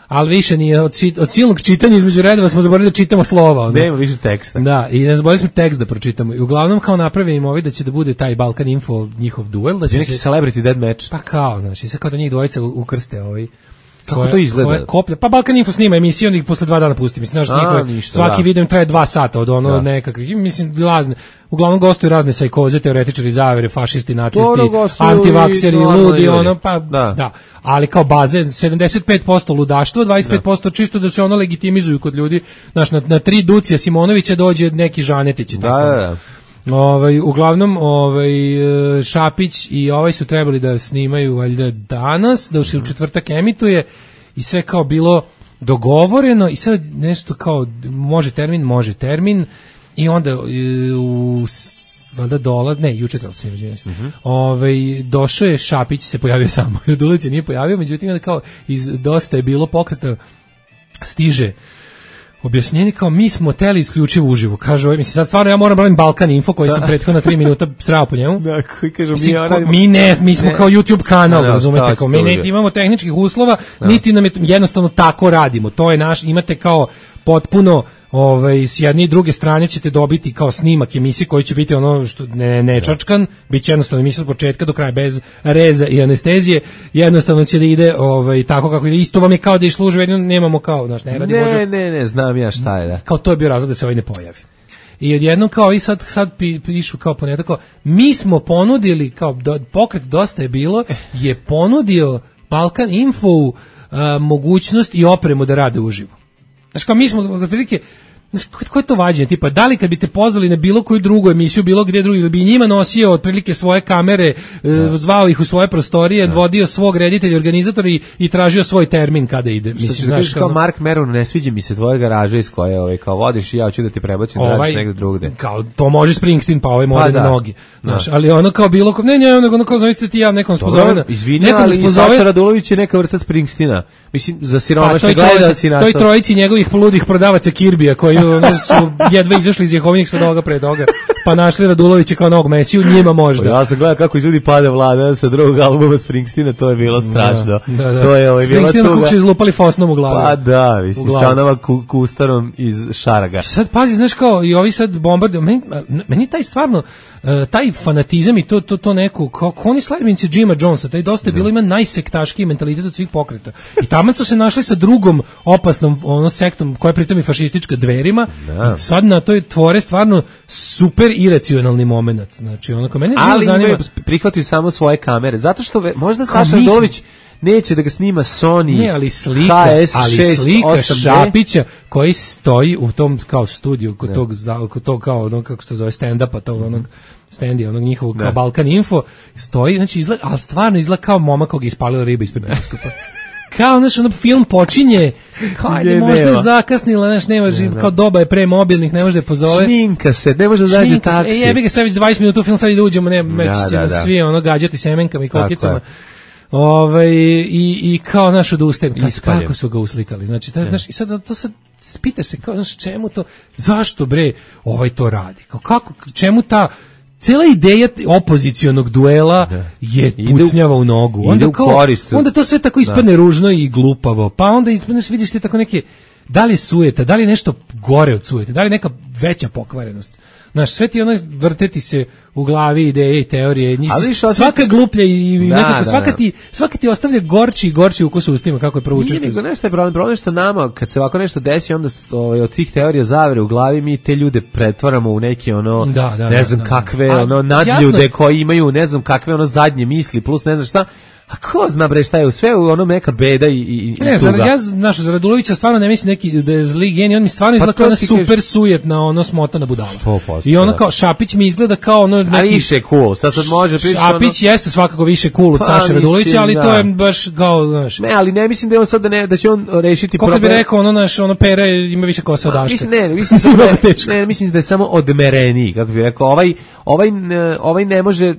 Ali više nije, od silnog čitanja između redova smo zaboravili da čitamo slova. Nema više teksta. Da, i ne zaboravili smo tekst da pročitamo. I uglavnom kao napravimo da će da bude taj Balkan Info njihov duel. Da će neki celebrity dead match. Pa kao, znači, sad kao da njih dvojica ukrste kako to izgleda? Svoje koplje. Pa Balkan Info snima emisiju, onda ih posle 2 dana pusti. Mislim, svaki video traje 2 sata od nekakvih, mislim, lazne. Uglavnom gostuju razne sajkoze, teoretičari zavere, fašisti, nacisti, antivakseri, ludi, da. Ali kao baze, 75% ludaštvo, 25% čisto da se ono legitimizuju kod ljudi. Znaš, na 3 Ducija Simonovića dođe neki Žanetić. Da. Uglavnom Šapić i su trebali da snimaju valjda danas, da se u četvrtak emituje i sve kao bilo dogovoreno i sad nešto kao može termin i onda valjda juče trebalo se došao je Šapić, se pojavio samo, Radulović se nije pojavio, međutim onda kao iz dosta je bilo pokreta stiže objašnjenje kao mi smo teli isključivo uživo. Kaže, mislim sad stvarno ja moram brojim Balkan Info koji sam prethodno 3 minuta srao po njemu. Da, koji kažu mi smo kao YouTube kanal, razumete, kao mi niti imamo tehničkih uslova, niti nam je jednostavno tako radimo. To je imate kao potpuno s jedne i druge strane ćete dobiti kao snimak emisije koji će biti ono što ne čačkan, bit će jednostavno emisija od početka do kraja bez reza i anestezije, jednostavno će da ide tako kako ide, isto vam je kao da išlo uživo, nemamo kao, znaš, ne radi Bože. Ne, znam ja šta je, da. Kao to je bio razlog da se ne pojavi. I odjednom kao i sad pišu kao ponedjeljak, mi smo ponudili, kao pokret Dosta je bilo, je ponudio Balkan Info mogućnost i opremu da rade uživo. Znači kao mi smo otprilike, koje je to vađenje, tipa da li kad bi te pozvali na bilo koju drugu emisiju, bilo gdje drugi, da bi njima nosio otprilike svoje kamere, zvao ih u svoje prostorije, vodio svog reditelja, organizatora i tražio svoj termin kada ide. Mislim, znaš, kao Mark Maron, ne sviđa mi se tvoja garaža iz koje kao vodiš i ja hoću da ti prebacim da radiš negdje drugde. Kao to može Springsteen, pa mora na nogi. Znaš, ali ono kao bilo, ono kao zamislite ti ja nekom spozovena. Izvini, ali i Saša Radulović je neka vrsta Springsteena. Mislim, za siromašne gleda si na to. To i trojici njegovih poludih prodavaca Kirbija koji su jedva izašli iz Jehovinih svedoga pre toga, pa našli Radulovića kao novog Mesiju, njima možda. Ja sam gledao kako iz ljudi pada vlada sa drugog albuma Springsteena, to je bilo strašno. Da. To je Springsteen kako su izlupali fosnom u glavu. Pa da, mislim, sa onama kustarom iz Šaraga. Sad pazi, znaš kao, i ovi sad bombarduju, meni taj stvarno, taj fanatizam i to neko, kao oni sledbenici Jima Jonesa, taj dosta je bilo, ima najsektaškiji mentalitet od svih pokreta. I tamo su se našli sa drugom opasnom sektom, koja je pritom i fašistička, Dverima. I sad na toj tvore stvarno super iracionalni moment. Znači, onako, mene živo zanima. Ali prihvatio samo svoje kamere, zato što možda Saša Radulović neće da ga snima Sony. Ne, ali slika Šapića koji stoji u tom kao studiju kod tog kao ono kako se to zove stand-upa, tog onog stendi, onog njihovog kao Balkan Info, stoji, znači izgleda, ali stvarno izgleda kao momak koga je ispalila riba ispred bioskopa. Kao, znaš, ono film počinje, kao, ajde, možda je zakasnila, znaš, nema živ, kao doba je pre mobilnih, ne može da je pozove. Šminka se, ne može da zađe taksi. Jebi ga, sad već 20 minuta u film, sad i da uđemo, već ćemo svi ono gađati semenkama i kokicama. I kao naš odustajem, kako su ga uslikali. Znači, znaš, i sad to sad pitaš se, kao, znaš, čemu to, zašto bre to radi? Kao, kako, čemu ta cela ideja opozicionog duela je pucnjava u nogu. Onda to sve tako ispadne ružno i glupavo. Pa onda vidiš ti tako neke, da li je sujeta, da li je nešto gore od sujete, da li je neka veća pokvarenost. Znaš, sve ti ono vrteti se u glavi ideje i teorije, svaka gluplja i nekako, svaka ti ostavlja gorči ukus u ustima, kako je provučeš. Nije nego nešto je problem što nama, kad se ovako nešto desi, onda od tih teorija zavere u glavi, mi te ljude pretvaramo u neke ne znam kakve, nadljude koji imaju ne znam kakve zadnje misli, plus ne znam šta. A ko zna bre šta je u sve ono neka beda i tuga. Ja za Radulovića stvarno ne mislim neki da je zli genij, on mi stvarno izgleda kao ona super sujetna smotana budala. 100%, i ono kao Šapić mi izgleda kao ono neki... A više cool, sad može pričati Šapić jeste svakako više cool od Saše Radulovića, ali to je baš kao, znaš... Ne, ali ne mislim da je on sad da će on rešiti problem. Kako bi rekao, ono Pera ima više kosa od Daška. Mislim da je samo odmereniji, kako bi rekao, ovaj ne može,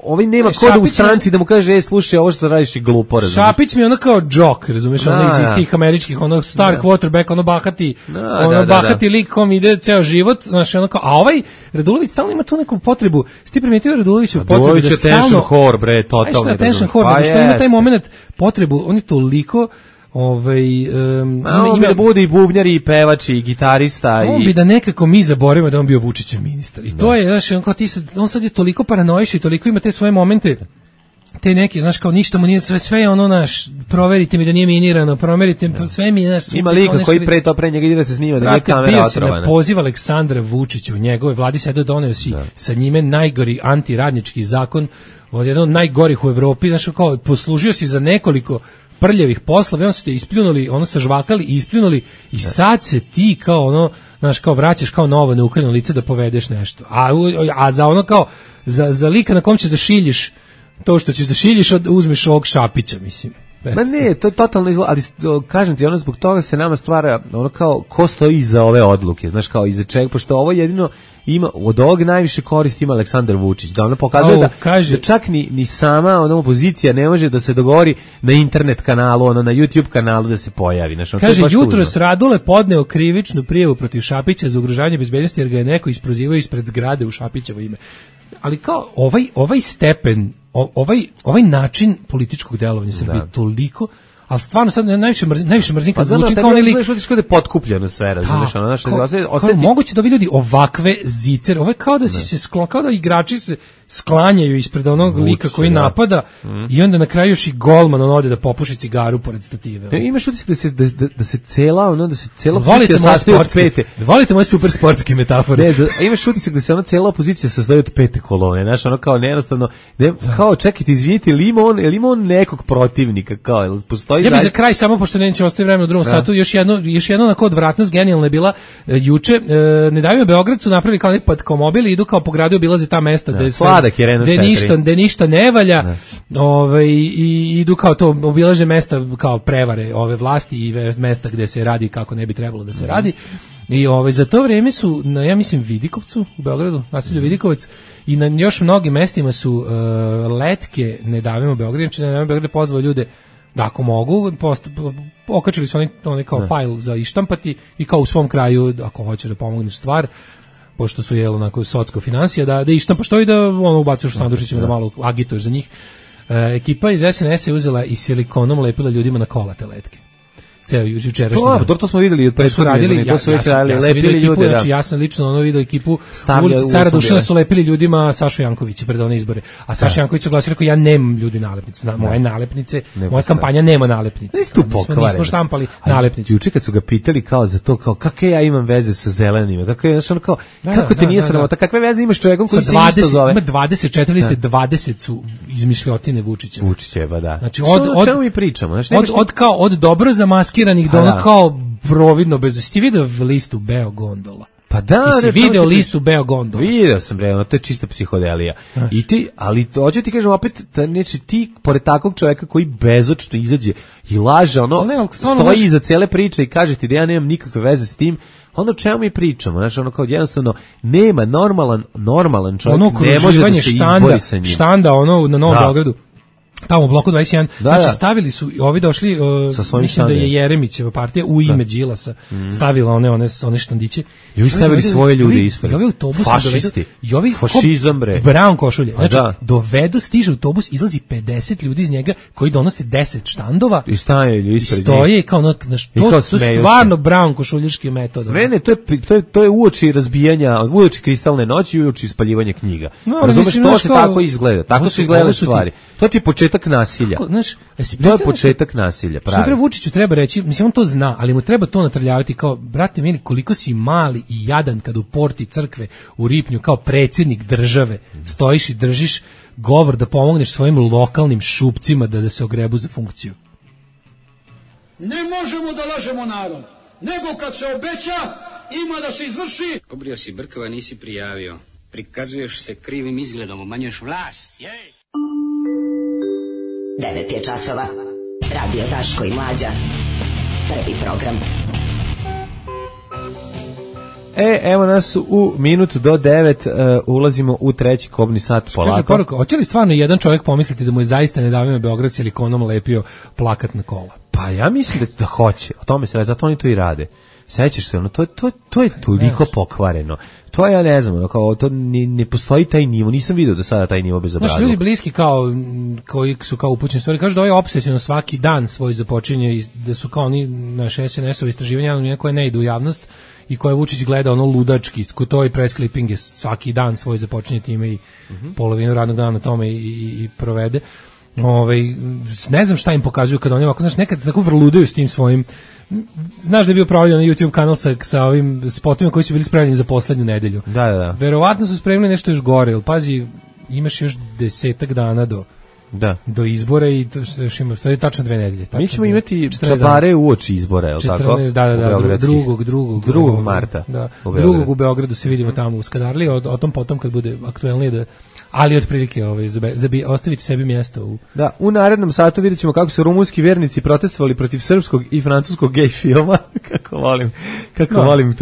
ovaj nema koda u stranci da mu kaže, slušaj, ovo što radiš je glupo, razumiješ. Šapić mi je ono kao džok, razumiješ, iz tih američkih, ono star quarterback, ono bahati lik kom ide ceo život, znaš, ono kao, a ovaj Radulović stalno ima tu neku potrebu, si ti primetio Raduloviću potrebu da stalno... Attention whore, bre, totalno. Attention whore, što ima taj moment potrebu, on je toliko... ima da bude i bubnjar i pevač i gitarista on bi da nekako mi zaboravimo da on bio Vučićev ministar i to je, znaš, on sad je toliko paranoiš i toliko ima te svoje momente, te neke, znaš, kao ništa mu nije, sve je ono, naš, proverite mi da nije minirano, proverite, sve mi, znaš, ima lika koji pre njega ide da se snima, da nije kamera otrovana. Bio si na poziv Aleksandra Vučića u njegove vladi, sada doneo si sa njime najgori antiradnički zakon, jedan od najgorih u Evropi, znaš, kao poslužio si za nekoliko prljavih poslova, on su te ispljunuli, ono sažvakali i ispljunuli i sad se ti kao ono, znaš, kao vraćaš kao novo neukreno lice da povedeš nešto. A za ono kao, za lika na kom ćeš da šiljiš to što ćeš da šiljiš, uzmeš ovog Šapića, mislim. Ma ne, to je totalno izgleda, ali kažem ti, ono zbog toga se nama stvara ono kao, ko stoji iza ove odluke, znaš, kao iza čega, pošto ovo jedino ima, od ovog najviše koristi ima Aleksandar Vučić, da ono pokazuje da čak ni sama ona opozicija ne može da se dogovori na internet kanalu, ono na YouTube kanalu da se pojavi. Znaš, kaže, jutros Radule podneo krivičnu prijavu protiv Šapića za ugrožavanje bezbednosti jer ga je neko isprozivao ispred zgrade u Šapićevo ime. Ali kao ovaj stepen, ovaj način političkog delovanja Srbije toliko, ali stvarno sad najviše mrzim kad zvuči kao onaj lik. Pa zato da je potkupljeno sve, razumiješ, ono naše moguće da ovi ljudi ovakve zicer, ovo je kao da kao da igrači se sklanjaju ispred onog lika koji napada i onda na kraju još i golman on ode da popuši cigaru pored stative. Imaš utisak da se cela opozicija sastoji od pete. Volite moje super sportske metafore. Imaš utisak da se ona cela opozicija sastoji od pete kolone, znaš, ono kao jednostavno, kao čekajte, izvinite, ili ima on nekog protivnika, kao, jel postoji... Ja bih za kraj, samo pošto neće ostaje vreme u drugom satu, još jedno onako odvratnost genijalna je bila juče, Ne daju Beograd su napravili kao neki mobil i idu kao po gradu, obilaze ta mesta gde ništa ne valja, i idu kao to, obilaže mesta kao prevare ove vlasti i mesta gde se radi kako ne bi trebalo da se radi. I za to vrijeme su na, ja mislim, Vidikovcu u Beogradu, naselju Vidikovac, i na još mnogim mestima su letke Ne davimo Beograd, znači Ne davimo Beograd pozvao ljude da ako mogu, okačili su oni kao fajl za ištampati i kao u svom kraju, ako hoće da pomogneš stvar, pošto su onako socko financija, da ištampa što i da ono ubacuješ u sandučićima da malo agituješ za njih. Ekipa iz SNS je uzela i silikonom lepila ljudima na kola te letke. Ceo jučerašnji dan. To smo videli od prethodne, to su već radili, lepili ljude. Znači, ja sam lično video ekipu u ulici Cara Dušana su lepili ljudima Sašu Jankovića pred one izbore. A Saša Janković je oglasio, rekao, ja nemam ljudi nalepnice. Moje nalepnice, moja kampanja nema nalepnice. Nismo štampali nalepnice. Juče kad su ga pitali kao za to, kao kakve ja imam veze sa zelenima, kako te nije sramota, kakve veze imaš čovjekom koji se isto zove? Ima 24 liste, 20 su izmišljotine Vučića. Vučićeva, da. Znači, o čemu mi pričamo? Od dobro zamaskiranih do ono kao providno bez... Ti vidio listu Beogondola? Pa da, ti si video listu Beogondola? Video sam, bre, to je čista psihodelija. I ti, ali hoću ti kažem opet, znači ti, pored takvog čovjeka koji bezočno izađe i laže, stoji iza cele priče i kaže ti da ja nemam nikakve veze s tim, onda o čemu mi pričamo? Znači, ono kao jednostavno, nema normalan čovjek, ne može da se izbori sa njim. Štanda, na Novom Beogradu. Tamo u bloku 21, znači stavili su, ovi došli, mislim da je Jeremićeva partija u ime Đilasa stavila one štandiće. I ovi stavili svoje ljude ispred. I ovi autobusi fašisti, fašizam bre. Brown košulje. Znači, stiže autobus, izlazi 50 ljudi iz njega koji donose 10 štandova. I staju ispred. I stoje kao, to su stvarno Brown košuljaški metod. Ne, to je uoči razbijanja, uoči kristalne noći i uoči ispaljivanja knjiga. Razumeš, to se tako izgleda. Tako su izgledale stvari. To ti je početak nasilja. To je početak nasilja, pravi. Što Vučiću treba reći, mislim on to zna, ali mu treba to natrljavati kao, brate mili, koliko si mali i jadan kad u porti crkve u Ripnju kao predsjednik države stojiš i držiš govor da pomogneš svojim lokalnim šupcima da se ogrebu za funkciju. Ne možemo da lažemo narod, nego kad se obeća, ima da se izvrši. Obrio si brkova, nisi prijavio. Prikazuješ se krivim izgledom, umanjuješ vlast. 9 je časova. Radio Daško i Mlađa. Prvi program. Evo nas u minut do 9, ulazimo u treći kobni sat polako. Kaže poruka, hoće li stvarno jedan čovjek pomisliti da mu je zaista nedavno Beograd silikonom lepio plakat na kola? Pa ja mislim da hoće, o tome se radi, zato oni to i rade. Sećaš se, to je toliko pokvareno. To ja ne znam, to ne postoji taj nivo, nisam vidio do sada taj nivo bezobrazluka. Znaš, ljudi bliski koji su kao upućeni stvari, kažu da ovaj obsesivno svaki dan svoj započinje i da su kao oni naše SNS-ove istraživanja koje ne idu u javnost i koje Vučić gleda ludački, to i press clipping je svaki dan svoj započinje time i polovinu radnog dana na tome i provede. Ne znam šta im pokazuju kada oni ovako, znaš, nekad tako vrludaju s tim svojim. Znaš da je bio pravljen na YouTube kanal sa ovim spotovima koji su bili spremljeni za poslednju nedelju. Da. Verovatno su spremili nešto još gore, ali pazi, imaš još 10 dana do izbora i to je tačno 2 nedelje. Mi ćemo imati čabare uoči izbora, je li tako? 14, da, 2. marta. Da, 2. u Beogradu se vidimo tamo u Skadarliji, o tom potom kad bude aktuelnije ali otprilike ostaviti sebi mjesto. Da, u narednom satu vidjet ćemo kako su rumunski vernici protestovali protiv srpskog i francuskog gej filma. Kako volim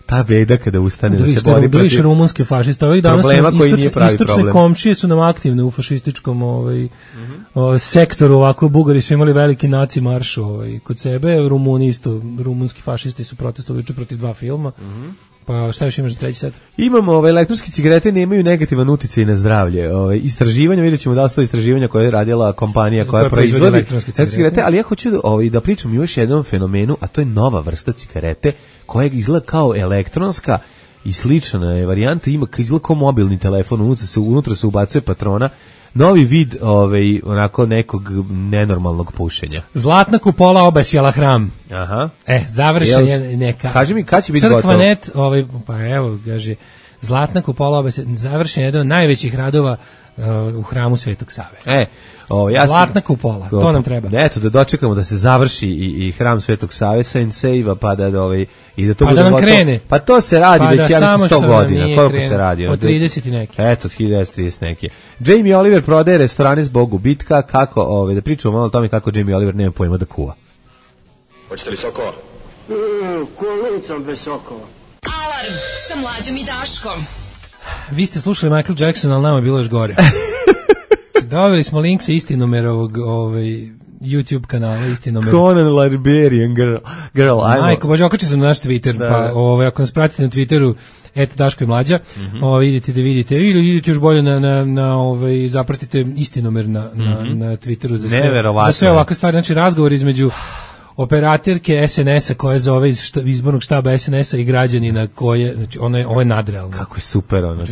ta beda kada ustane da se bori protiv rumunske fašiste. Ovih danas istočne komšije su nam aktivne u fašističkom sektoru, ovako Bugari su imali veliki naci marš kod sebe, rumunski fašisti su protestovali protiv 2 filma. Pa šta još imaš za treći sat? Imamo, elektronske cigarete nemaju negativan uticaj na zdravlje. Istraživanja, vidjet ćemo da su to istraživanja koje je radila kompanija koja proizvodi elektronske cigarete, ali ja hoću da pričam još jednom fenomenu, a to je nova vrsta cigarete koja izgleda kao elektronska i slična je varijanta, izgleda kao mobilni telefon, unutra se ubacuje patrona. Novi vid onako nekog nenormalnog pušenja. Zlatna kupola obasjala hram. Aha. Završen je neka. Kaži mi kad će biti gotovo. Crkvanet, pa evo, kaže, Zlatna kupola obasjala, završen je jedan od najvećih radova u hramu Svetog Save. Zlatna kupola, to nam treba. Eto, da dočekamo da se završi i hram Svetog Save Save-a, pa da i da to bude nam gotovo. Krene. Pa to se radi već 100 godina. Koliko se radi? Od 30 i neki. Eto, od 1930 neki. Jamie Oliver prodaje restorane zbog gubitka. Kako, da pričamo malo o tome kako Jamie Oliver nema pojma da kuva. Hoćete li sokova? Kolicom bez sokova. Alarm sa Mlađom i Daškom. Vi ste slušali Michael Jackson, ali nama je bilo još gore. Dobili smo link sa istinumerovog YouTube kanala Istinomer. Conan Liberian Girl. Majko, bože, okačim sam na naš Twitter, da. Pa ako nas pratite na Twitteru, Daško i Mlađa, idete da vidite, ili idete još bolje zapratite Istinomer na Twitteru za sve ovakve stvari, znači razgovor između operaterke SNS-a koja zove iz izbornog štaba SNS-a i građanina koje, znači ovo je nadrealno. Kako je super ono.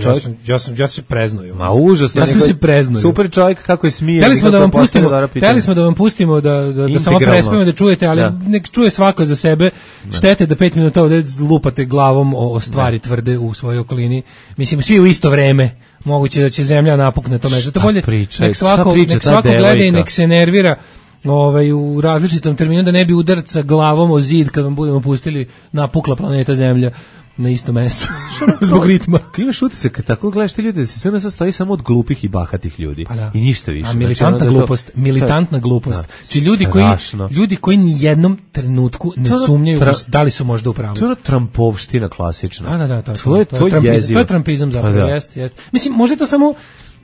Ja se preznuju. Ma užasno. Ja sam se preznuju. Super čovjek kako je smije. Hteli smo da vam pustimo da samo prespavimo da čujete, ali nek čuje svako za sebe. Štete da 5 minuta ovde lupate glavom o stvari tvrde u svojoj okolini. Mislim, svi u isto vreme. Moguće da će zemlja napukne to mesto. Bolje nek svako gleda i nek se nervira u različitom terminu, da ne bi udarca glavom o zid kad vam budemo pustili napukla planeta Zemlja na isto mesto. Zbog ritma. Imaš utisak kad tako gledaš te ljude da se sve sastoji samo od glupih i bahatih ljudi. I ništa više. A militantna glupost. Či ljudi koji ni jednom trenutku ne sumnjaju da li su možda u pravu. To je ono trampovština klasična. Da. To je jezivo. To je trampizam zapravo, jeste. Mislim, može to samo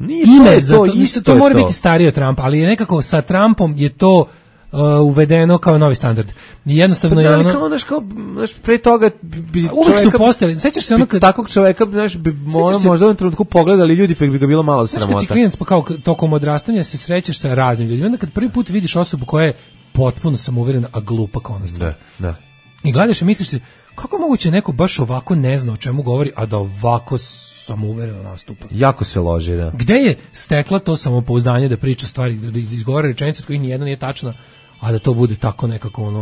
ime za to, to mora biti stariji od Trumpa, ali je nekako sa Trumpom je to uvedeno kao novi standard. Jednostavno je ono kao pre toga bi uvek su postali. Sećaš se ono kad takvog čoveka bi možda u jednom trenutku pogledali ljudi pa bi ga bilo malo sramota. Kad si klinac pa kao tokom odrastanja se srećeš sa raznim ljudima, onda kad prvi put vidiš osobu koja je potpuno samouverena a glupa kao ona stvar. Da. I gledaš i misliš se kako moguće neko baš ovako ne zna o čemu govori, a da ovako samouvereno nastupa. Jako se loži, da. Gde je stekla to samopouzdanje da priča stvari, da izgovara rečenice od kojih nijedna nije tačna, a da to bude tako nekako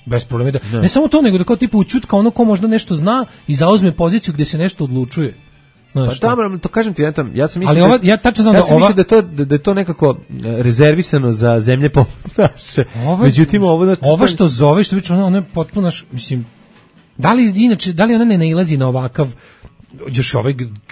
bez problema. Ne samo to, nego da kao tipa učutka ono ko možda nešto zna i zauzme poziciju gde se nešto odlučuje. Pa tamo, to kažem ti, ja sam mislio da je to nekako rezervisano za zemlje poput naše. Međutim, ovo što zove, što biće, ono je potpuno, mislim, da li ona ne nailazi na ovakav još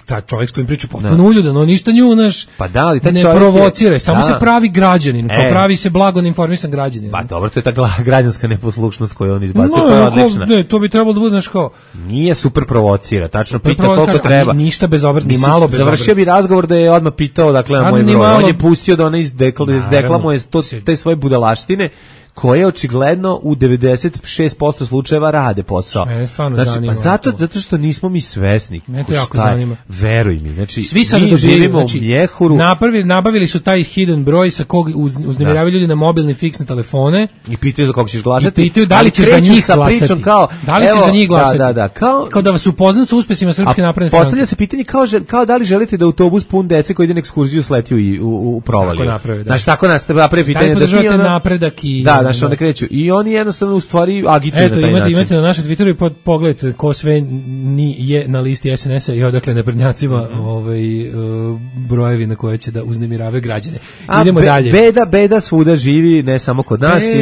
taj čovjek s kojim priča potpuno uljudan, on ništa nju pa da, ali ne provocira, samo se pravi građanin, pravi se blago informisan građanin. Pa dobro, to je ta građanska neposlušnost koju on izbacio, to je odlična. Ne, to bi trebalo da bude kao nije super provocira, tačno pita koliko treba. Ništa bezobrazno, ni malo bezobrazno. Završio bi razgovor da je odmah pitao dakle na moj broj. On je pustio da ona izdeklamuje te svoje budalaštine koje očigledno u 96% slučajeva rade posao. Mene stvarno zanima. Zato što nismo mi svesni. Mene to jako zanima. Veruj mi. Znači, svi sad živimo u mjehuru. Nabavili su taj hidden broj sa kog uznemiravaju ljudi na mobilne fiksne telefone. I pitaju za kog ćeš glasati. I pitaju da li će za njih glasati. Da li će za njih glasati. Kao da vas upoznam sa uspesima Srpske napredne stranke. Postavlja se pitanje kao da li želite da autobus pun dece koji ide na ekskurziju sleti u provaliju. Znači, tako napravi pitanje. Znaš, one kreću. I oni jednostavno u stvari agituju na taj način. Imate na našem Twitteru i pogledajte ko sve je na listi SNS-a i odakle naprednjacima brojevi na koje će da uznemiravaju građane. Idemo dalje. Beda svuda živi, ne samo kod nas i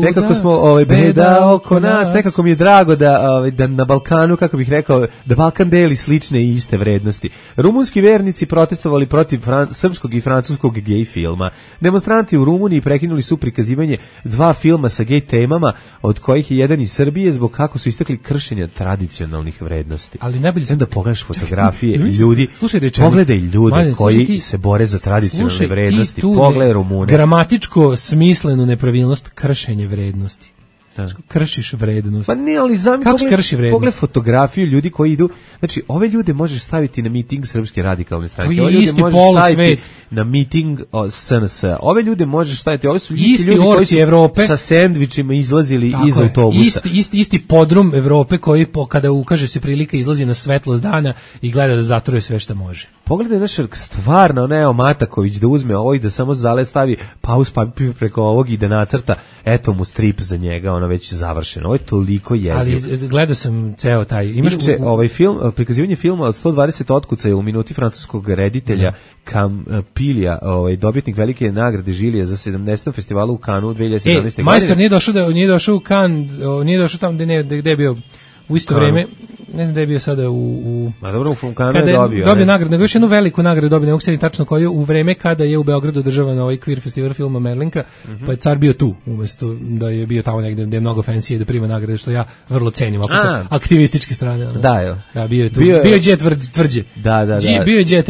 nekako smo beda oko nas. Nekako mi je drago da na Balkanu, kako bih rekao, da Balkan deli slične i iste vrednosti. Rumunski vernici protestovali protiv srpskog i francuskog gej filma. Demonstranti u Rumuniji prekinuli su prikazivanje 2 filma sa gej temama, od kojih je jedan iz Srbije zbog kako su istakli kršenja tradicionalnih vrednosti. Ali najbolje onda pogledaš fotografije ljudi, pogledaj ljude koji se bore za tradicionalne vrednosti, pogledaj Rumune. Gramatičko smislenu nepravilnost, kršenje vrednosti. Kršiš vrednost. Pa ne, ali kako se krši vrednost? Pogled fotografiju ljudi koji idu, znači ove ljude možeš staviti na miting Srpske radikalne stranke, ove ljude možeš staviti na miting SNS. Ove ljude možeš staviti, ove su isti ljudi koji su Evrope sa sendvičima izlazili iz autobusa. Isti podrum Evrope koji kada ukaže se prilika izlazi na svetlost dana i gleda da zatruje sve što može. Pogledaj naš stvarno, Neo Mataković da uzme ovo i da samo stavi pauz papir preko ovog i da nacrta, eto mu strip za njega, ono već završeno. Ovo je toliko jezivo. Ali gledao sam ceo taj... Inače, ovaj film, prikazivanje filma od 120 otkucaja u minuti francuskog reditelja Campilija, dobitnik velike nagrade Žilije za 70. festivalu u Kanu u 2017. godine. Majstor nije došao u Kan, nije došao tamo gde je bio u isto vreme. ne znam da je bio sada u Ma dobro, u Kanu je dobio nagradu, nego još jednu veliku nagradu dobio, ne mogu se tačno koju, u vreme kada je u Beogradu održavan ovaj queer festival filma Merlinka, pa je car bio tu, umesto da je bio tamo negde gde je mnogo fancy da prima nagrade, što ja vrlo cenim, ako sa aktivističke strane. Da, je. Ja bio je tu. Bio je tvrđe. Da. Bio je Jet.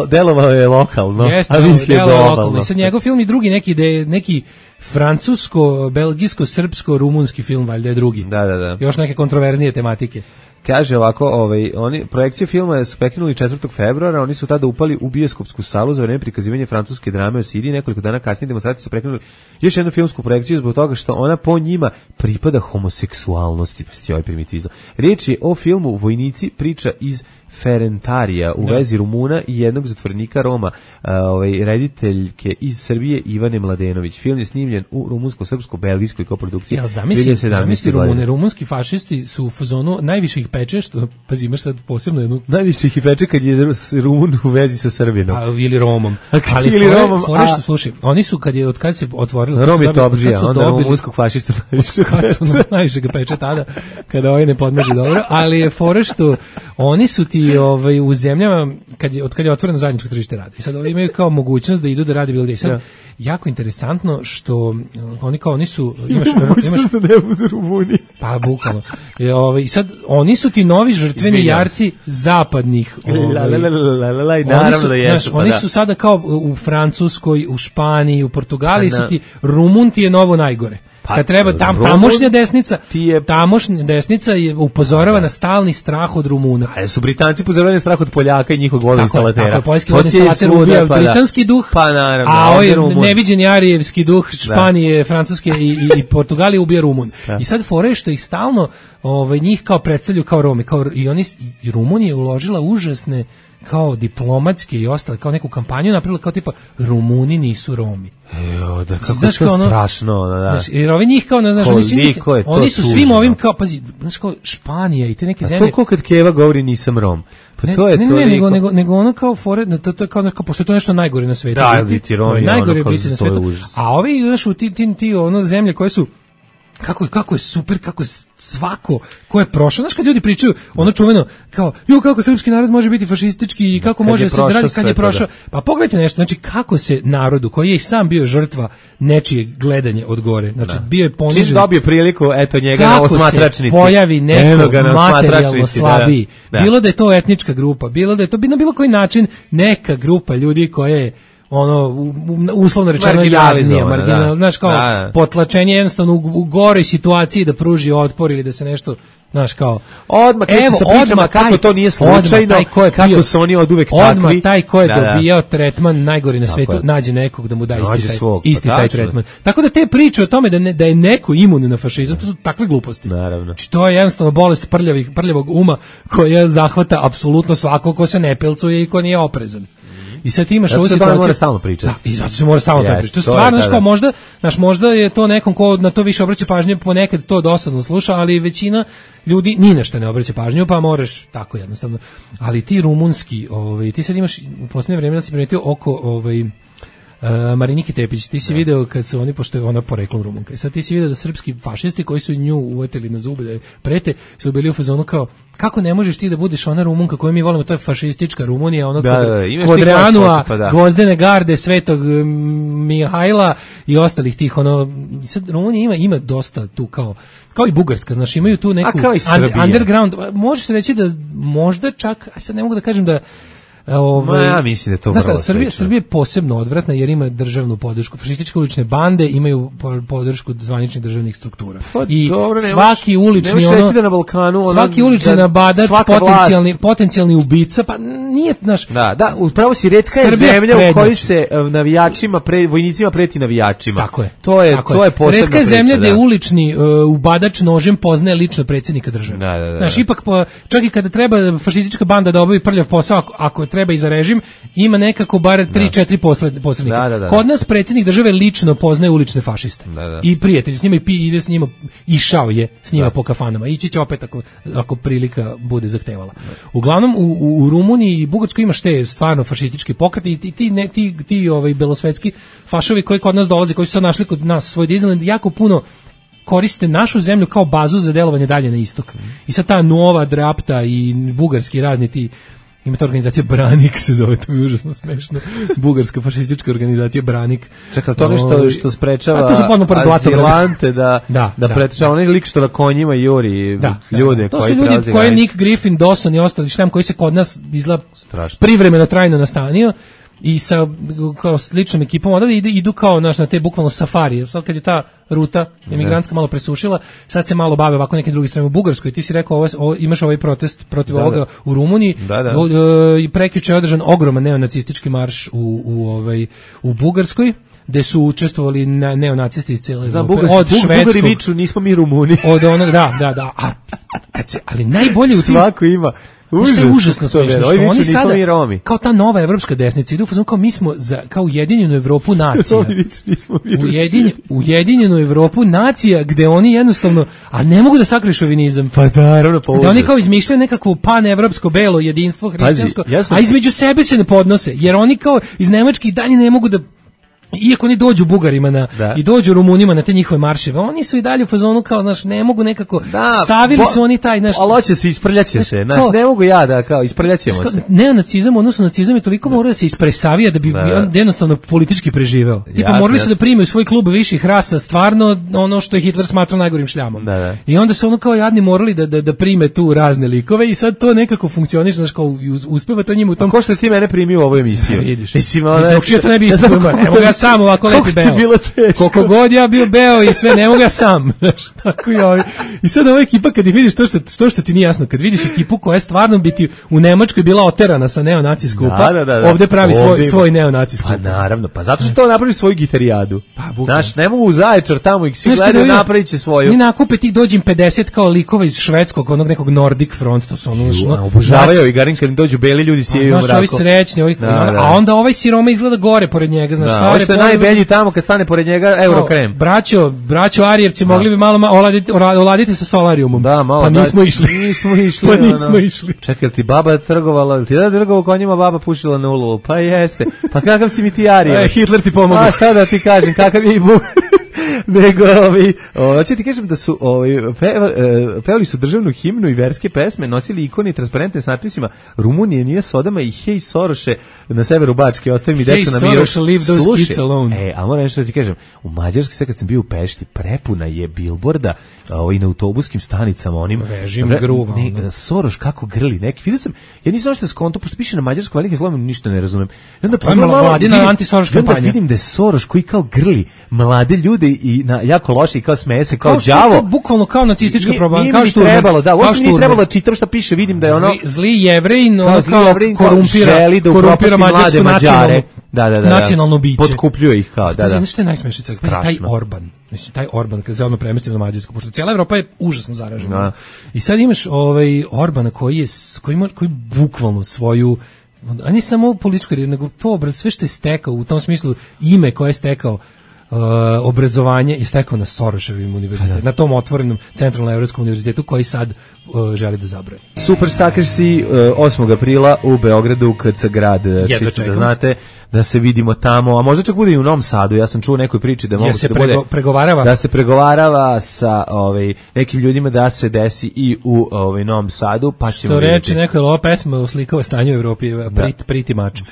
Delovao je lokalno, a mislio globalno. I sad njegov film i drugi neki francusko-belgijsko-srpsko-rumunski film, valjda je drugi. Da. Još neke kontroverznije tematike. Kaže ovako, oni projekcije filma su prekinuli 4. februara, oni su tada upali u bioskopsku salu za vreme prikazivanja francuske drame o Siriji, nekoliko dana kasnije demonstracije su prekinuli još jednu filmsku projekciju zbog toga što ona po njima pripada homoseksualnosti, pa ovaj primitivizam. Riječ je o filmu Vojnici, priča iz Ferentarija u vezi Rumuna i jednog zatvorenika Roma, rediteljke iz Srbije Ivane Mladenović. Film je snimljen u rumunsko-srpsko-belgijskoj koprodukciji. Ja zamisli rumunski fašisti su u fazonu najviše ih peče, što, pazi, imaš sad posebno jednu... Najviše ih peče kad je Rumun u vezi sa Srbinom. Pa, ili Romom. Ali fore što, slušaj, oni su, kad se otvorili... Rom je topđija, onda rumunskog fašista najviše peče. Najviše ga peče tada, kada ovaj ne podnoži dobro, ali je fore što oni su ti u zemljama od kad je otvoreno zajedničko tržište rada. I sad ovi imaju kao mogućnost da idu da rade bilo gde. Sad jako interesantno što oni su imaš da ne budu Rumuni. Pa bukvalno. I sad oni su ti novi žrtveni jarci zapadnih. Naravno da jesu. Oni su sada kao u Francuskoj, u Španiji, u Portugaliji su ti Rumun ti je novo najgore. Kad treba tamošnja desnica je upozorava na stalni strah od Rumuna. A su Britanci upozoravali na strah od Poljaka i njihovog vodoinstalatera. Tako je, poljski vodoinstalater ubija britanski duh, naravno, a ovaj neviđeni arijevski duh Španije, Francuske i Portugalije ubija Rumun. I sad fore što ih stalno njih kao predstavljaju kao Romi, i Rumunija je uložila užasne kao diplomatske i ostale, kao neku kampanju napravila kao tipa Rumuni nisu Romi. Da, kako znaš, to strašno, da. Znaš, jer ovi njih kao, znaš, oni su svim ovim kao, pazi, znaš, kao Španija i te neke zemlje. To kad Keva govori nisam Rom. Pa to je nego ono kao fore, to je kao, pošto je to nešto najgore na svetu. Da, biti Rom je najgore ono biti na svetu. A ovi, znaš, ti zemlje koje su kako je super, kako je svako ko je prošao, znaš kad ljudi pričaju ono čuveno kao, kako srpski narod može biti fašistički i kako može se raditi kad je prošao, pa pogledajte nešto, znači kako se narodu koji je i sam bio žrtva nečije gledanje od gore, znači bio je ponižen, čim dobio priliku, eto njega na osmatračnici, kako se pojavi neko materijalno slabiji, bilo da je to etnička grupa, bilo da je to na bilo koji način neka grupa ljudi koje uslovno rečeno jadnije, znaš, kao potlačenje jednostavno u goroj situaciji da pruži otpor ili da se nešto, znaš, kao odmah kreće sa pričama kako to nije slučajno, kako su oni od uvek takvi. Odmah taj ko je dobijao tretman najgori na svetu nađe nekog da mu da isti taj tretman. Tako da te priče o tome da je neko imun na fašizam, to su takve gluposti. Naravno. To je jednostavno bolest prljavog uma koja zahvata apsolutno svakog ko se ne pilcuje i ko nije oprezan. I sad ti imaš ovu situaciju. Zato se mora stalno pričati. Da, i zato se mora stalno pričati. To je stvarno, znaš, kao možda je to nekom ko na to više obraća pažnju, ponekad to dosadno sluša, ali većina ljudi ni na što ne obraća pažnju, pa moraš tako jednostavno. Ali ti rumunski, ti sad imaš u posljednje vrijeme da si primetio oko Marinike Tepić, ti si video kad su oni, pošto je ona poreklom Rumunka, i sad ti si video da srpski fašisti koji su nju uvetili na zube da je prete, su bili u fazonu kao, kako ne možeš ti da budeš ona Rumunka koju mi volimo, to je fašistička Rumunija, ono kod Reanua, Gvozdene garde, Svetog Mihajla i ostalih tih, sad Rumunija ima dosta tu kao i Bugarska, znaš, imaju tu neku underground, može se reći da možda čak, a sad ne mogu da kažem da ja mislim da je to vrlo slično. Srbija je posebno odvratna jer ima državnu podršku. Fašističke ulične bande imaju podršku zvaničnih državnih struktura. I svaki ulični svaki ulični nabadač, potencijalni ubica, pa nije naš. Da, upravo si retka je zemlja u kojoj se navijačima, vojnicima preti navijačima. Tako je. To je posebna priča. Retka je zemlja gdje ulični ubadač nožem poznaje lično predsjednika države. Znaš, ipak čak i kada treba fašistička banda da obavi prljav posao, ako treba i za režim, ima nekako bar 3-4 posrednika. Kod nas predsjednik države lično poznaje ulične fašiste. I prijatelji s njima i ide s njima, išao je s njima po kafanama. Ići će opet ako prilika bude zahtevala. Uglavnom u Rumuniji i Bugarskoj imaš te stvarno fašistički pokreti i ti belosvetski fašovi koji kod nas dolaze, koji su sad našli kod nas svoj Disneyland, jako puno koriste našu zemlju kao bazu za delovanje dalje na istok. I sad ta Nova Drapta i bugarski razni ti, ima ta organizacija Branik se zove, to je užasno smešno. Bugarska fašistička organizacija Branik. Čekaj, to nešto što sprečava azilante da pretečava onaj lik što na konjima juri ljude to koji prelaze granicu. To su ljudi koje Nick Griffin, Dawson i ostali štem koji se kod nas izgleda privremeno trajno nastanio i sa kao sličnom ekipom onda idu kao na te bukvalno safarije. Sad kad je ta ruta emigrantska malo presušila, sad se malo bave ovako nekim drugim stranama u Bugarskoj. Ti si rekao imaš ovaj protest protiv ovoga u Rumuniji. I prekjuče je održan ogroman neonacistički marš u Bugarskoj, gde su učestvovali neonacisti iz cijele Evrope. Od švedskog. Bugari viču, nismo mi Rumuni. Od onog, da. Ali najbolje u tim... Svako ima. Što je užasno smiješno, što oni sada, kao ta nova evropska desnica, idu kao mi smo kao ujedinjenu Evropu nacija. Ujedinjenu Evropu nacija, gde oni jednostavno, a ne mogu da sakriju šovinizam. Pa naravno, da oni kao izmišljaju nekakvo panevropsko belo jedinstvo hrišćansko, a između sebe se ne podnose, jer oni kao iz Nemačke i dalje ne mogu da, iako oni dođu Bugarima i dođu Rumunima na te njihove marševe, oni su i dalje u fazonu kao, znaš, ne mogu nekako, savili su oni taj, znaš... Ali hoće se, isprljaće se, znaš, ne mogu ja da, kao, isprljaćemo se. Neonacizam, odnosno nacizam je toliko morao da se ispresavija da bi jednostavno politički preživeo. Tipa, morali su da prime u svoj klub viših rasa, stvarno ono što je Hitler smatrao najgorim šljamom. I onda su ono kao jadni morali da prime tu razne likove i sad to nekako funkcioniše, znaš, kao uspeva to njima u tom... A ko što je ti mene primio u ovoj emisiji? Sam ovako lepi beo. Koliko god ja bio beo i sve, ne mogu ja sam. Tako i ovi. I sad ova ekipa, kad vidiš to što ti nije jasno, kad vidiš ekipu koja je stvarno biti u Nemačkoj bila oterana sa neonaci skupa, ovde pravi svoj neonaci skupa. Pa naravno, pa zato što to napravi svoju gitarijadu. Znaš, ne mogu u Zaječar tamo ih svi gledaju, napravit će svoju. Ni nakupe tih dođem 50 kao likova iz švedskog, onog nekog Nordic front, to su ono obožavaju i garim kad im dođu beli ljudi sijaju mrako. Znaš, ovi srećni, a onda ovaj siroma izgleda gore pored njega, znaš, što je najbelji tamo kad stane pored njega Eurokrem. Braćo Arijevci mogli bi malo oladiti sa solarijumom. Da, malo. Pa nismo išli. Čekaj, ti baba trgovala, ti da trgovao konjima, baba pušila na ulu. Pa jeste. Pa kakav si mi ti Arijev? Hitler ti pomogao. A šta da ti kažem, kakav je i Bog. Nego, hoće ti kažem da su pevali su državnu himnu i verske pesme, nosili ikone i transparentne s natpisima Rumunije nije sodama i hej Soroše na severu Bačke, ostavi mi decu na miru. Hey Soroše, leave those kids alone. A moram nešto da ti kažem, u Mađarskoj sve kad sam bio u Pešti, prepuna je bilborda i na autobuskim stanicama onim režim gruva. Soroš kako grli, neki vidio sam, ja nisam što skonto, pošto piše na mađarskom velike slovima, ništa ne razumem. Onda mladina antisoroš kampanja. Onda vidim da je Soroš koji kao grli mlade ljude i na jako loše i kao smeje se kao đavo. Bukvalno kao nacistička propaganda, kao što trebalo, da, uopšte nije trebalo da čitam šta piše, vidim da je ono zli Jevrejin, ono kao korumpira mađarsku Mađare. Nacionalno biće. Potkupljuje ih kao, da. Znaš što je najsmešnije? Taj Orban. Mislim, taj Orban, kad se ono premestio na Mađarsku, pošto cijela Evropa je užasno zaražena. I sad imaš Orbana koji bukvalno svoju, a ne samo političku, nego to sve što je stekao, u tom smislu ime koje je stekao, obrazovanje je stekao na Soroševim univerzitetu, na tom otvorenom centralnoevropskom univerzitetu koji sad želi da zabrani. Super Sakrsi 8. aprila u Beogradu KC grad, čisto da znate da se vidimo tamo, a možda čak bude i u Novom Sadu. Ja sam čuo nekoj priči da mogu se pregovarava. Da se pregovarava sa nekim ljudima da se desi i u Novom Sadu, pa ćemo što reći neko je ova pesma uslikava stanje u Evropi, Pretty Much.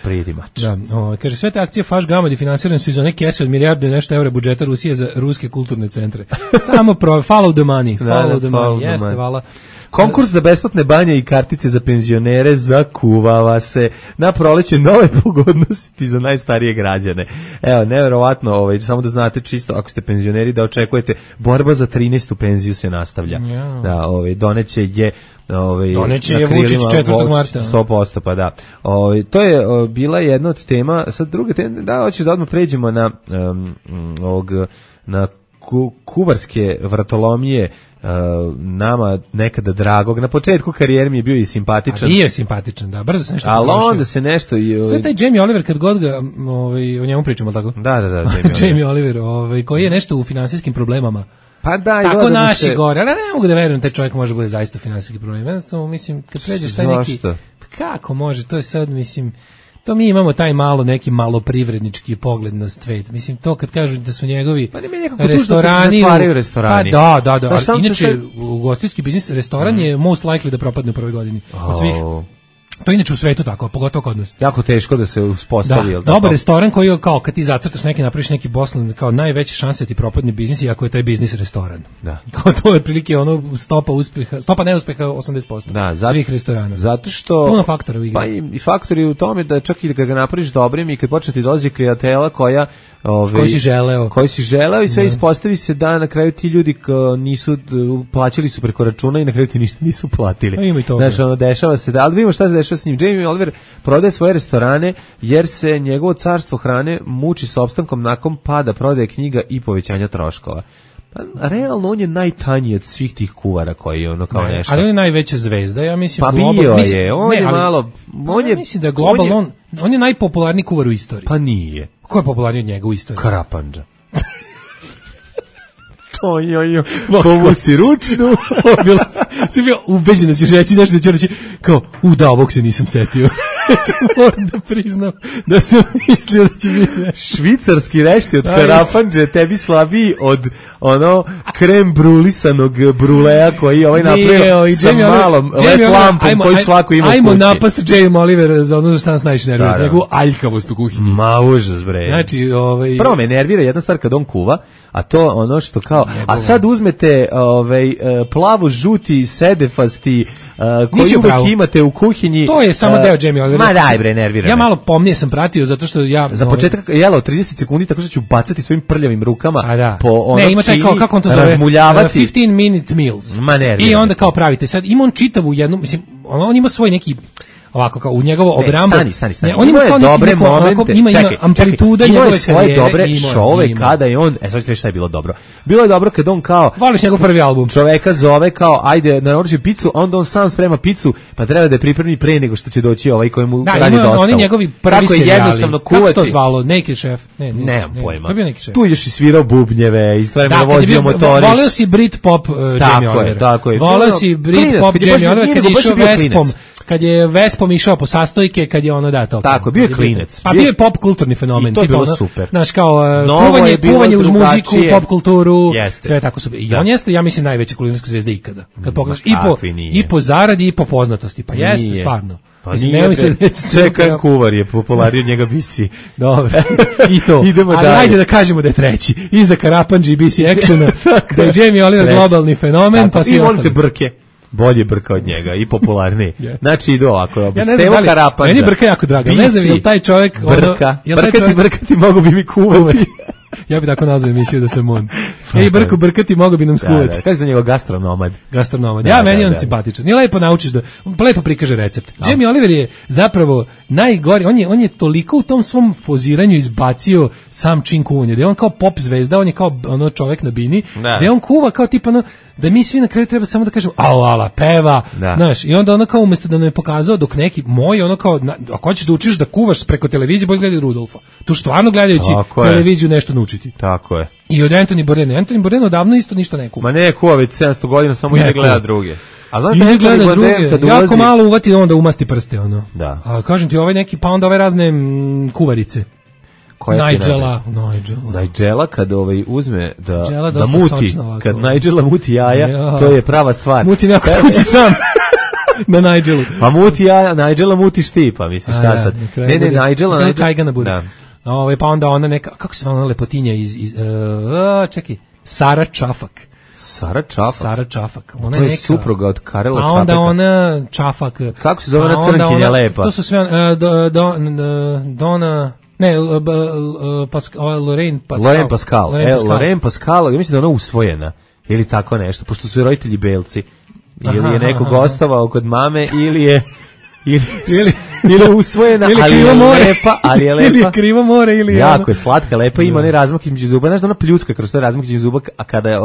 Da, kaže sve te akcije Faš Gamadi finansirane su iz one kese od milijardu i nešto evra budžeta Rusije za ruske kulturne centre. Samo follow the money. Jeste, vala. Konkurs za besplatne banje i kartice za penzionere zakuvava se. Na proleće nove pogodnosti za najstarije građane. Evo, neverovatno, samo da znate čisto, ako ste penzioneri, da očekujete, borba za 13. penziju se nastavlja. Ja. Da, doneće je Vučić 4. marta. 100%, pa da. To je bila jedna od tema. Sad druga tema, da, hoćeš da odmah pređemo na na kuvarske vratolomije, nama nekada dragog. Na početku karijere mi je bio i simpatičan. A nije simpatičan, da, brzo se nešto ali onda se nešto sve taj Jamie Oliver, kad god ga o njemu pričamo, tako? Da, Jamie Oliver, koji je nešto u finansijskim problemama. Pa da, tako naši gore, ali ne mogu da verujem taj čovjek može bude zaista u finansijskim problemima. Jednostavno, mislim, kad pređeš taj neki, pa kako može, to je sad, mislim, To mi imamo taj neki maloprivrednički pogled na svet. Mislim, to kad kažu da su njegovi restorani... restorani. Pa da. Ali, inače, ugostiteljski biznis, restoran je most likely da propadne u prvoj godini. Od svih. To je inače u svetu tako, pogotovo kod nas. Jako teško da se uspostavi. Da, dobar restoran koji kao kad ti zacrtaš neki, napraviš neki poslan, kao najveće šanse ti propadne biznis, iako je taj biznis restoran. Da. Kao to je otprilike ono stopa neuspeha 80%. Da, svih restorana. Zato što puno faktora u igri. Pa i faktori u tome da čak i kad ga napraviš dobrim i kad počne ti dolazi klijentela koja koji si želeo i sve ispostavi se da na kraju ti ljudi nisu plaćali su preko računa i na kraju ti ništa nisu platili. Ima i to. Znači, ono dešava se da, ali vidimo šta se dešava s njim. Jamie Oliver prodaje svoje restorane jer se njegovo carstvo hrane muči s opstankom nakon pada prodaje knjiga i povećanja troškova. Pa, realno, on je najtanji od svih tih kuvara koji je ono kao nešto. Ali on je najveća zvezda, ja mislim. Pa bio je, on je malo... Ja mislim da je globalno, on je najpopularniji kuvar u istoriji. Pa nije. Ko je popularniji od njega u istoriji? Karapandža. Povuci ručnu. Si bio ubeđen da ćeš reći nešto da ću reći kao, da, ovog se nisam setio. Moram da priznam da sam mislio da će biti švicarski rešti od Karapandže tebi slabiji od ono krem brulisanog bruleja koji ovaj napravio sa malom LED lampom koji svako ima u kući. Ajmo napast Jamie Oliver za ono šta nas najviše nervira, za njegovu aljkavost u kuhinji. Ma užas bre. Znači, prvo me nervira jedna stvar kad on kuva, a to ono što kao, a sad uzmete plavo-žuti sedefasti koji uvijek imate u kuhinji. To je samo deo Jamie Oliver. Ma daj bre, nervira. Ja malo pomnije sam pratio zato što ja... Za početak jelo 30 sekundi tako što ću bacati svojim prljavim rukama po ono čini, ima taj kao, kako on to zove? 15 minute meals. Ma nervira. I onda kao pravite. Sad ima on čitavu jednu, mislim, on ima svoj neki... Ovako kao u njegovo obrambo. Stani. On ima kao dobre momente. Ima amplituda njegove karijere. Svoje dobre šove kada je on, sad ćete šta je bilo dobro. Bilo je dobro kad on kao voliš njegov prvi album. Čoveka zove kao ajde naruči picu, onda on sam sprema picu, pa treba da je pripremi pre nego što će doći ovaj koji mu radi dostavu. Oni njegovi prvi serijali. Jednostavno kuvati. Kako to zvalo? Naked Chef. Nemam pojma. Kako je Naked Chef? Tu ideš i svirao bubnjeve, i stvarno vozio motorić. Voleo si Britpop Jamie Oliver. Tako je. Voleo si Britpop Jamie Oliver kad je išao Vespom. Kad je Vespom išao po sastojke, kad je ono da to. Tako, bio je klinec. Pa bio je pop kulturni fenomen. I to je bilo super. Znaš, kao kuvanje uz muziku, pop kulturu, sve tako super. I on jeste, ja mislim, najveća kulinarska zvezda ikada. Kad pogledaš i po zaradi i po poznatosti. Pa jeste, stvarno. Pa nije, čekaj kuvar je popularniji od njega BC. Dobro, i to. Ali ajde da kažemo da je treći. Iza Karapandži i BC Actiona, da je Jamie Oliver globalni fenomen, pa svi ostali. I volite Brke. Bolje Brka od njega i popularniji. Znači idu ovako. Ja ne znam da li, meni Brka jako draga. Ne znam, je li taj čovjek... Brkati mogu bi mi kuvati. Ja bi tako nazvao emisiju da sam on. Brkati mogu bi nam skuvati. Kaže za njega gastronomad. Ja, meni on simpatičan. Nije lepo naučiš da, lepo prikaže recept. Jamie Oliver je zapravo najgori, on je toliko u tom svom poziranju izbacio sam čin kuvanja, da je on kao pop zvezda, on je kao ono čovjek na bini, da je on kuva kao tipa ono, da mi svi na kraju treba samo da kažemo ala peva, znaš, i onda ono kao umjesto da nam je pokazao dok neki moj ono kao, ako hoćeš da učiš da kuvaš preko televizije, bolje gledaj Rudolfa. Tu stvarno gledajući televiziju nešto naučiti. Tako je. I od Anthony Bourdain odavno isto ništa ne kuva. Ma ne kuva već 700 godina, samo ide gleda druge. A znaš da gleda druge, jako malo uvati onda umasti prste ono. Da. A kažem ti ovaj neki, pa onda ove razne kuvarice. Nigela kad uzme da muti, kad Nigela muti jaja, to je prava stvar. Muti neko kući sam. Na Nigelu. Pa muti jaja, Nigela mutiš ti, pa misliš šta sad. Ne, Nigela. Pa onda ona neka, kako se ona lepotinja čekaj, Sara Čafak. Sara Čafak. Ona to je supruga od Karela Čapeka. A onda ona Čafak. Kako se zove ona crnkinja lepa? To su sve Dona... Ne, Lorraine Pascal, ja mislim da je ona usvojena, ili tako nešto, pošto su roditelji belci, ili je neko gostovao kod mame, ili je usvojena, ali je lepa. Ili je krivo more, ili je jako je slatka, lepa, ima onaj razmak između zuba, znaš da ona pljucka kroz taj razmak između zuba, a kada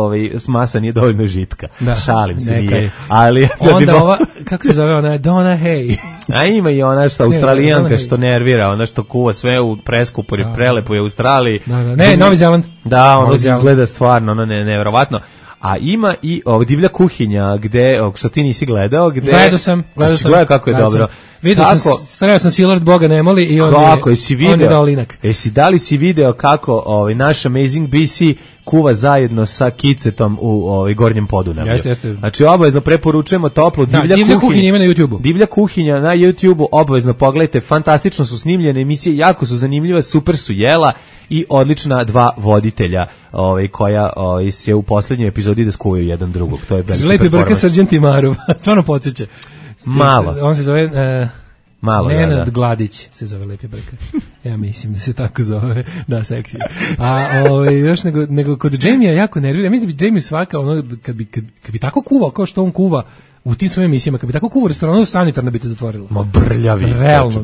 masa nije dovoljno žitka. Šalim se, nije. Ali onda ova, kako se zove ona, Donna Hay. A ima i ona što Australijanka što nervira, ona što kuva sve u preskupu i prelepo je u Australiji. Ne, Novi Zeland. Da, ono izgleda stvarno, ono nevjerovatno. A ima i divlja kuhinja, gde, što ti nisi gledao, gde... Gledao sam. Gledao kako je dobro. Stavio sam Silard Boga ne moli i on je dao linak. Da li si video kako naš Amazing BC kuva zajedno sa Kicetom u Gornjem Podunavlju. Jeste. Znači obavezno preporučujemo toplo Divlja kuhinja ima na YouTubeu. Divlja kuhinja na YouTubeu, obavezno pogledajte, fantastično su snimljene emisije, jako su zanimljive, super su jela i odlična dva voditelja koja se u poslednjoj epizodi da skuvaju jedan drugog. To je Lepi Brka Srđan Timarov, stvarno podsjeća. Malo. On se zove Nenad Gladić se zove Lepi Brka. Ja mislim da se tako zove. Da, seksi. Još nego kod Jamie jako nervira. Mislim da bi Jamie svaka kad bi tako kuvao kao što on kuva u tim svojim emisijama, kad bi tako kuvao restoranu, sanitarno bi te zatvorilo. Ma brljavi. Realno.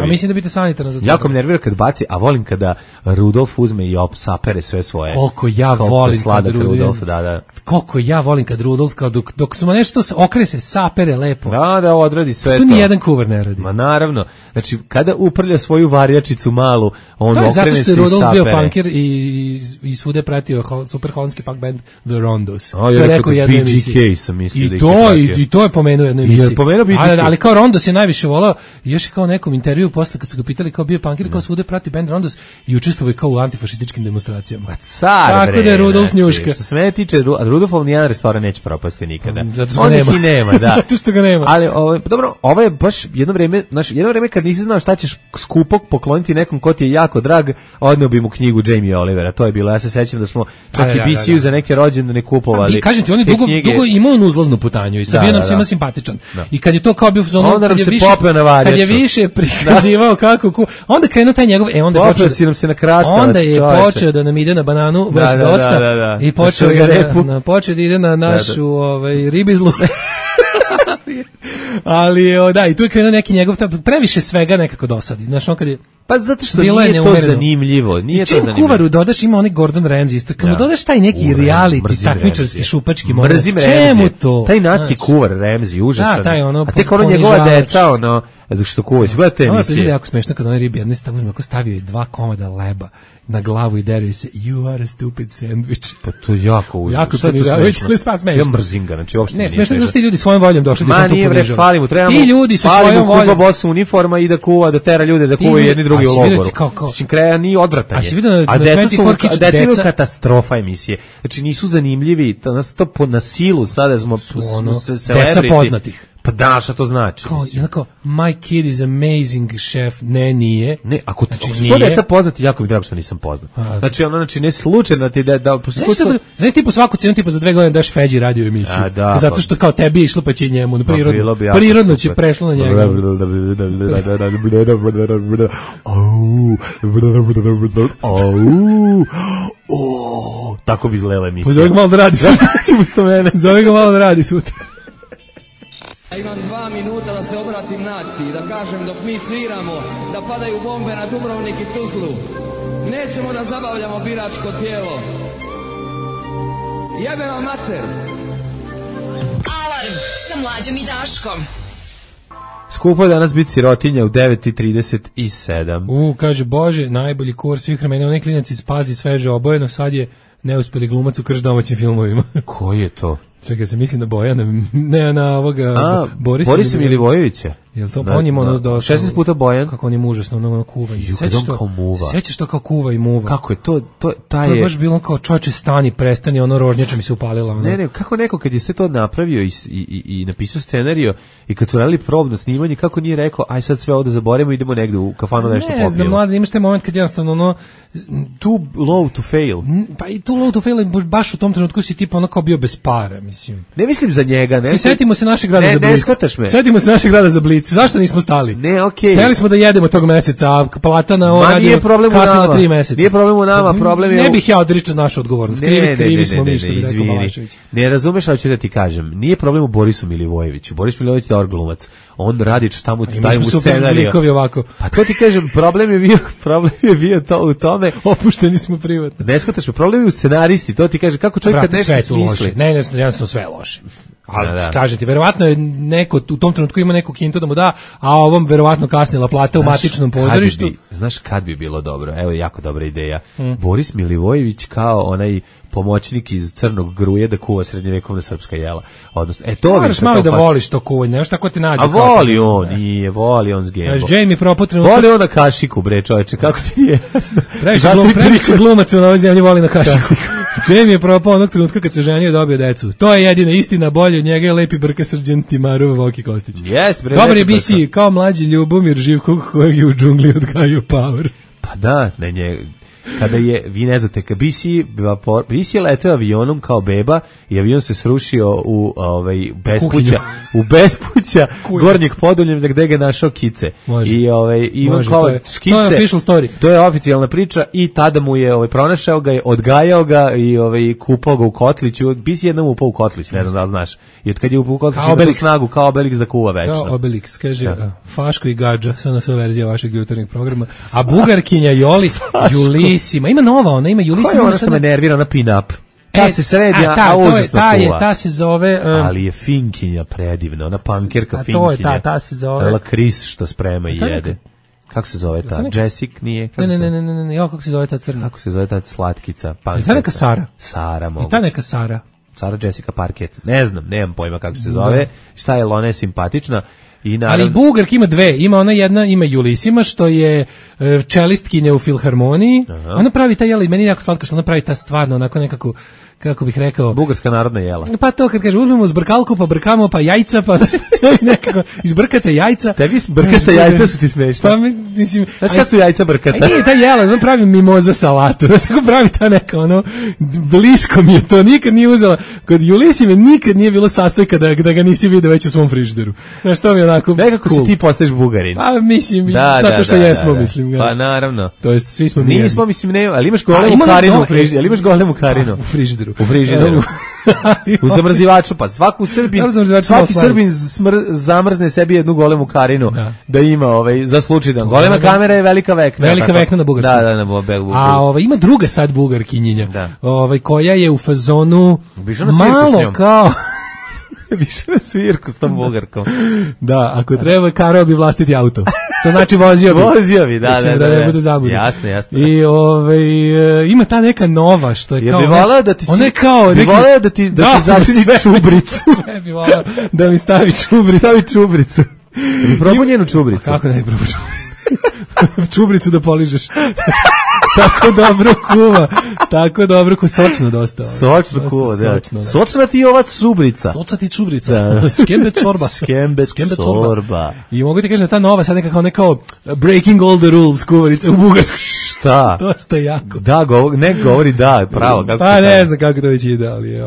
Mislim da bi te sanitarno zatvorilo. Jako me nervira kad baci, a volim kada Rudolf uzme i sapere sve svoje. Koliko ja volim kad Rudolf, da. Koliko ja volim kad Rudolf, dok smo nešto okre se, sapere lepo. Da, odradi sve to. To nijedan kuvar ne radi. Ma naravno. Znači, kada uprlja svoju varjačicu malu, on okrene se i sapere. Zato što je Rudolf bio punker i svude pratio super holandski punk band The Rondos. To je rekao BGK sam mislio da I to je pomenuo u jednoj emisiji. Ali kao Rondos je najviše volao. Još je kao nekom intervju posle kad su ga pitali kao bio punkir, kao svude prati band Rondos i učestvovao kao u antifašističkim demonstracijama. Tako da je Rudolf njuška. Što se mene tiče, Rudolfov nijedan restoran neće propasti nikada. Zato što ga nema. Nema, da. Zato što ga nema. Ali dobro, ovo je baš jedno vreme kad nisi znao šta ćeš skupo pokloniti nekom ko ti je jako drag, odneo bi mu knjigu Jamie Olivera. To je bilo. Ja se sećam da smo čak i BC-u za neke rođendane kupovali. Kažem ti, on je dugo imao uzlaznu putanju i sad bio nam svima simpatičan. I kad je to kao bio fazon, kad je više prikazivao kako onda krenuo taj njegov, onda je počeo da nam ide na bananu baš dosta i počeo da ide na našu ribizlu. Ali da, i tu je krenuo neki njegov previše svega nekako dosadi. Znaš, on kad je pa zato što nije to zanimljivo. Nije to zanimljivo. Kuvaru dodaš, ima onaj Gordon Ramsay isto. Kad mu dodaš taj neki reality, takmičarski, šupački moment. Mrzim čemu to? Taj naci kuvar Ramsay, užasan. A tek njegova deca, što kuva. Gledajte emisije. Ovo je jako smešno kad onaj ribi jedne stavio je 2 komada leba na glavu i deruje se you are a stupid sandwich. Pa to je jako užasno. Jako smešno. Ja mrzim ga, znači uopšte ne smešno zato što ti ljudi svojom voljom došli da to ponižavaju. Fali mu, trebamo. Ti ljudi su svojom voljom boss uniforma i da kuva, da tera ljude da kuvaju jedni drugi u logoru. Mislim kraja ni odvratan. A deca su katastrofa emisije. Znači nisu zanimljivi, to na silu sada smo deca poznatih. Pa da, šta to znači? Kao, my kid is amazing chef, nije. Ne, ako to deca poznati, jako mi drago što nisam poznat. Znači, ne slučajno ti da... Znaš ti po svaku cijenu tipa za 2 godine daš Feđi radio emisiju. Zato što kao tebi išlo pa će njemu, prirodno će prešlo na njega. Tako bi izgledala emisija. Zove ga malo da radi sutra. Imam 2 minuta da se obratim naciji, da kažem dok mi sviramo, da padaju bombe na Dubrovnik i Tuzlu. Nećemo da zabavljamo biračko tijelo. Jebe vam mater! Alarm sa Mlađom i Daškom. Skupo je danas biti sirotinja u 9:37. Kaže, Bože, najbolji kurs svih vremena, onaj klinac iz Pazi sveže obojeno, sad je neuspeli glumac u krš domaćim filmovima. Ko je to? Čekaj, se mislim da Bojana, ne na ovoga Borisa Milivojevića. Jel to on ima 16 puta Bojan? Kako on je užasno kuva. Sećaš to kao kuva i muva? Kako je to taj je baš bilo kao čoveče stani, prestani, rožnjača mi se upalila. Ne, kako neko kad je sve to napravio i napisao scenarijo i kad su radili probno snimanje, kako nije rekao aj sad sve ovo da zaboravimo, idemo negde u kafanu nešto popijemo. Ne znam, mladi, imaš taj moment kad jednostavno too low to fail. Pa i too low to fail, baš u tom trenutku si tipa kao bio bez para, mislim. Ne mislim za njega, ne. Setimo se našeg grada za Blic. Ne shvataš me. Setimo se našeg grada za Blic. Zašto nismo stali? Ne, okej. Hteli smo da jedemo tog meseca, a plata na ovo radio kasnila 3 meseca. Nije problem u nama, problem je... Ne bih ja odričao našu odgovornost. Krivi smo mi, što bi rekao Balašević. Ne razumeš, ali ću da ti kažem. Nije problem u Borisu Milivojeviću. Boris Milivojević je dobar glumac. On radi šta mu daju mu scenariju. Pa to ti kažem, problem je bio to u tome. Opušteni smo privatno. Ne shvataš me, problem je u scenaristi. To ti kaže kako čovjek kad nešto smisli. Ne, jednostavno sve loše. Ali kažem ti, verovatno je neko u tom trenutku ima neku kintu da mu da, a ovom verovatno kasnila plata u matičnom pozorištu. Znaš kad bi bilo dobro? Evo, jako dobra ideja. Boris Milivojević kao onaj pomoćnik iz Crnog Gruje da kuva srednjevekovna srpska jela. Odnosno, to moraš malo da voliš to kuvanje, nešto tako ti nađe. A voli on, nije, voli on s Gembo. Jamie propao trenutak. Voli on na kašiku, bre, čoveče, kako ti je jasno. Previše glumaca na ovoj zemlji voli na kašiku. Jamie je propao onog trenutka kad se ženio i dobio decu. To je jedina istina, bolje od njega je lepi brka Srđan Timarov, Voki Kostić. Yes, bre, dobar je BC, kao mlađi Ljubomir Živkog kojeg je u džungli odgajao Power. Pa da, kada je, vi ne znate, kad BC je leteo avionom kao beba i avion se srušio u bespuća Gornjeg Podoljem gde ga našao Kice. Može. I ima kao škice. To je official story. To je oficijalna priča i tada mu je pronašao ga, odgajao ga i kupao ga u kotliću. BC jednom upao u kotlić, ne znam da li znaš. I od kad je upao u kotlić ima tu snagu kao Obelix da kuva večno. Kao Obelix, kaže Faško i Gadža, sve verzija vašeg jutarnjeg programa. A Bugarkinja Joli Julisima, ima nova, ona ima Julisima. Koja je ona što me nervira, ona pin-up? Ta se sredi, a užasno kuva. Ta se zove... ali je finkinja predivna, ona pankirka finkinja. Ta se zove... Lakris što sprema i jede. Kako se zove ta? Jessica nije? Ne, kako se zove ta crna? Kako se zove ta slatkica? Je ta neka Sara? Sara, moguće. Je ta neka Sara? Sara Jessica Parket. Ne znam, nemam pojma kako se zove. Šta je, ona je simpatična. Ali Bugarka ima dve, ima ona jedna, ima Julisima što je čelistkinja u filharmoniji. Ona pravi ta jela i meni jako slatko što ona pravi ta stvarno onako nekako, kako bih rekao, bugarska narodna jela. Pa to kad kaže uzmemo zbrkalku pa brkamo pa jajca pa sve nekako izbrkate jajca. Tebi brkate jajca su ti smešne. Pa mislim, znaš kad su jajca brkata? Nije ta jela, ona pravi mimoza salatu. Znaš kako pravi ta neka blisko mi je to, nikad nije uzela. Kod Julisime nikad nije bilo sastojka da ga nisi vidio već u svom frižideru. Znaš, to mi je onako nekako si ti postaješ Bugarin. Pa mislim, zato što jesmo, mislim. Pa naravno. To jest, svi smo nismo, mislim, ne, ali imaš golemu karinu u frižideru. Ali imaš golemu karinu u frižideru. U frižideru. U zamrzivaču, pa svaki Srbin zamrzne sebi jednu golemu karinu da ima za slučaj da golema kamera je velika vekna. Velika vekna na bugarskom. Da, na bugarskom. A ima druga sad bugarkinjenja, koja je u fazonu malo kao više na svirku s tom bugarkom. Da, ako treba, karao bi vlastiti auto. To znači vozio bi. Vozio bi, da. Mislim da ne bude zabudno. Jasno. I ima ta neka nova što je kao... Ja bi volao da ti... Ona je kao... Bi volao da ti zaštini čubricu. Sve bi volao da mi stavi čubricu. Stavi čubricu. Bi probao njenu čubricu. Kako ne bi probao čubricu da poližeš. Tako dobro kuva. Tako dobro kuva. Sočno dosta. Sočno kuva, da. Sočna ti ova čubrica. Sočna ti čubrica. Skembe čorba. Skembe čorba. I mogu ti kažem da ta nova sad nekako breaking all the rules kuvarica u bugarsku. Šta? Dosta jako. Da, govori da, pravo. Pa ne znam kako to već ide, ali je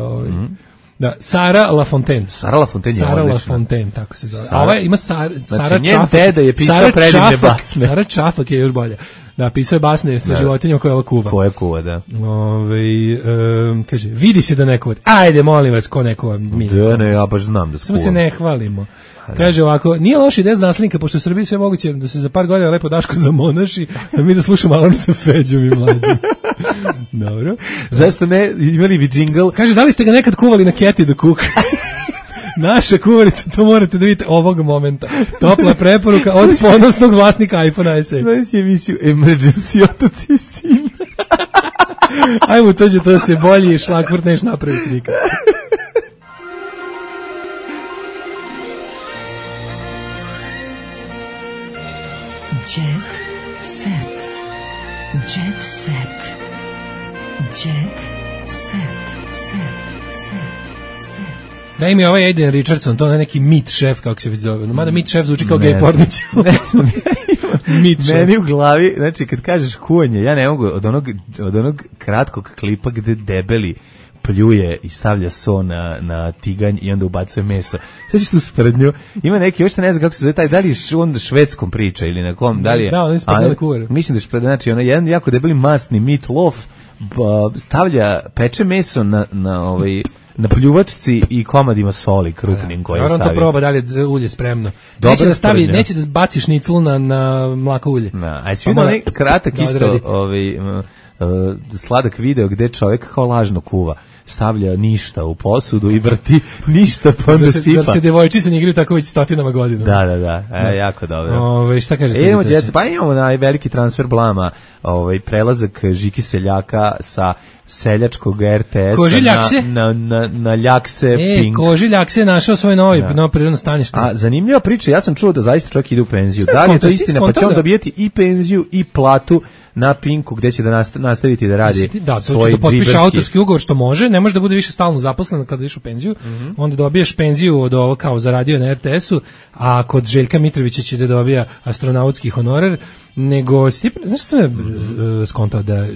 da, Sara Lafontaine. Sara Lafontaine je odlična. Sara Lafontaine, tako se zove. A ova ima Sara Čafak. Njen deda je pisao predivne basne. Sara Čafak je još bolja. Da, pisao je basne sa životinjama koje ova kuva. Koje kuva, da. Kaže, vidi se da ne kuva. Ajde, molim vas, ko ne kuva. Da, ne, ja baš znam da skuvam. Samo se ne hvalimo. Kaže ovako, nije loša ideja za naslinka, pošto u Srbiji sve moguće da se za par godina lepo Daško zamonaši, da mi da slušamo Alarm sa Feđom i Mlađom. Dobro. Zašto ne, imali bi džingl? Kaže, da li ste ga nekad kuvali na keti do kuka? Naša kuvarica, to morate da vidite ovog momenta. Topla preporuka od ponosnog vlasnika iPhone SE. Znaš si emisiju Emergency otac i sin. Ajmo, to će to se bolji šlagvrt neš napraviti nikad. Jet set. Jet set. Jet set. Da mi ovaj Aiden Richardson, to je neki meat chef, kako se već zove. Mada meat chef zvuči kao gay pornić. Meni u glavi, znači kad kažeš kuvanje, ja ne mogu od onog kratkog klipa gde debeli pljuje i stavlja so na tiganj i onda ubacuje meso. Sve ćeš tu sprednju. Ima neki, još ne znam kako se zove taj, da li je onda švedskom priča ili na kom, da li je... Da, on je sprednja na kuvaru. Mislim da je sprednja, znači ono jedan jako debeli masni meat loaf stavlja, peče meso na pljuvačci i komadima soli krupnim koje stavi. Naravno to proba da li je ulje spremno. Neće da baci šniclu na mlako ulje. A svi onaj kratak isto sladak video gde čovjek kao lažno kuva. stavlja ništa u posudu i vrti ništa pa onda sipa. Zar se devojčice ne igraju tako već stotinama godina? Da. Jako dobro. Šta kažete? Imamo veliki transfer blama, prelazak Žiki Seljaka sa seljačkog RTS-a na Ljakse Pink. Koži Ljakse je našao svoje novo prirodno stanište. A zanimljiva priča, ja sam čuo da zaista čovjek ide u penziju. Da li je to istina? Pa će on dobijeti i penziju i platu na Pinku gdje će da nastaviti da radi svoj džiberski. Da, to će da potpiše autorski ugovor što može, ne može da bude više stalno zaposlen kada ideš u penziju, onda dobiješ penziju od ovo kao zaradio na RTS-u, a kod Željka Mitrovića će da dobija astronautski honorar, nego, znaš što sam skontao da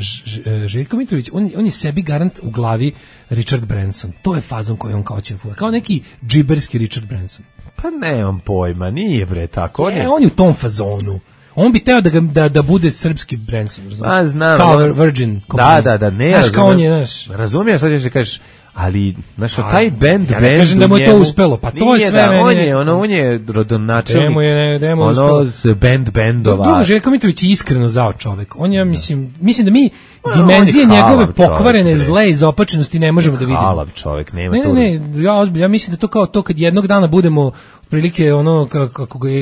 Željko Mitrović, on je sebi garant u glavi Richard Branson, to je fazon koji on kao će fura, kao neki džiberski Richard Branson. Pa nemam pojma, nije bre tako. On je u tom fazonu. On bi teo da bude srpski Branson, razumiješ? Znam. Kao Virgin. Da, ne. Znaš kao on je, znaš. Razumijem što ćeš da kažeš, ali, znaš, taj band, ja ne kažem da mu je to uspelo, pa to je sve meni. On je rodonačelnik, bendova. Drugo, Željko Mitrović je iskreno zao čovek. On je, mislim da mi dimenzije njegove pokvarene zle izopačenosti ne možemo da vidimo. Halav čovek, nema to. Ne, ja mislim da to kao to kad jednog dana budemo prilike ono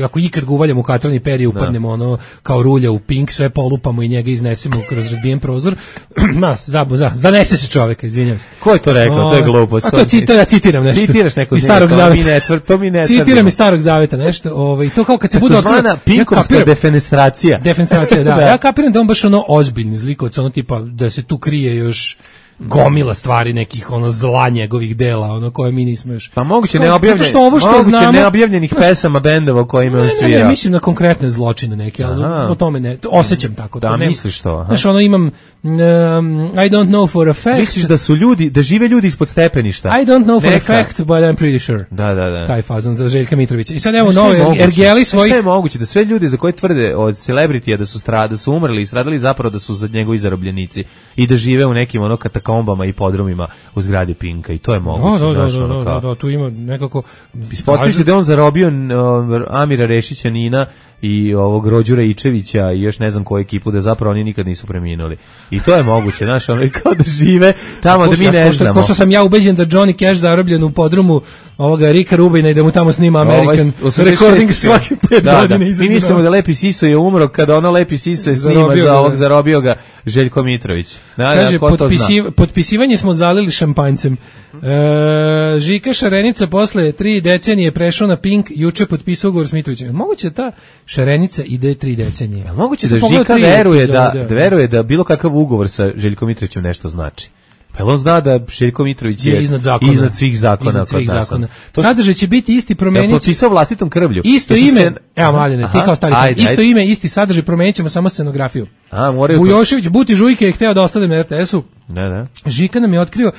ako ikad ga uvaljamo u katralni perije upadnemo ono kao rulja u Pink, sve polupamo i njega iznesemo kroz razbijen prozor. Zanese se čoveka, izvinjavam se. Ko je to rekao? To je glupost. A to citiram nešto. Citiraš neko iz Starog Zaveta. To mi ne citiram iz Starog Zaveta nešto. I to kao kad se bude otkrio Pinkovska defenestracija. Defenestracija, da. Ja kapiram da on baš ono ozbiljni zlikovac, ono tipa da se tu krije još gomila stvari nekih ono zla njegovih dela, ono koje mi nismo još. Pa moguće neobjavljenih pesama bendova u kojima on svira. Ne, mislim na konkretne zločine neke, ali o tome ne, osjećam tako. Da, misliš to? Znaš, ono imam I don't know for a fact. Misliš da žive ljudi ispod stepeništa? I don't know for a fact, but I'm pretty sure. Da. Taj fazon za Željka Mitrovića. I sad evo nove ergeli svojih. Šta je moguće da sve ljudi za koje tvrde od celebritija da su umrli i stradali zapravo da su za njegovi zarobljenici i da žive u nekim ono katakombama i podrumima u zgradi Pinka i to je moguće. Da, tu ima nekako. Ispostavlja se da on zarobio Amira Rešića, Nina i ovog Rođura Ičevića i još ne znam koju ekipu, da zapravo oni nikad nisu preminuli. I to je moguće, znaš, ono kao da žive tamo da mi ne znamo. Ko što sam ja ubeđen da Johnny Cash zarobljen u podrumu ovoga Rika Rubina i da mu tamo snima American Recording svaki 5 godina. Mi mislimo da Lepi Siso je umro kada ono Lepi Siso je snima za ovog zarobio ga Željko Mitrović. Kaže, potpisivanje smo zalili šampanjcem. Žika Šarenica posle 3 decenije prešao na Pink, juče potpisao ugovor s Mitrovićem. Moguće ta Šarenica ide 3 decenije. Moguće da Žika veruje da bilo kakav ugovor sa Željkom Mitrovićem nešto znači. Pa on zna da Željko Mitrović je iznad svih zakona. Sadržaj će biti isti, promenit će. Potpisao vlastitom krvlju. Isto ime, evo Mladene, ti kao stari, isto ime, isti sadržaj, promenit ćemo samo scenografiju. Bujošević, Buti Žujke je hteo da ostane na RTS-u. Da. Žika nam je otkrio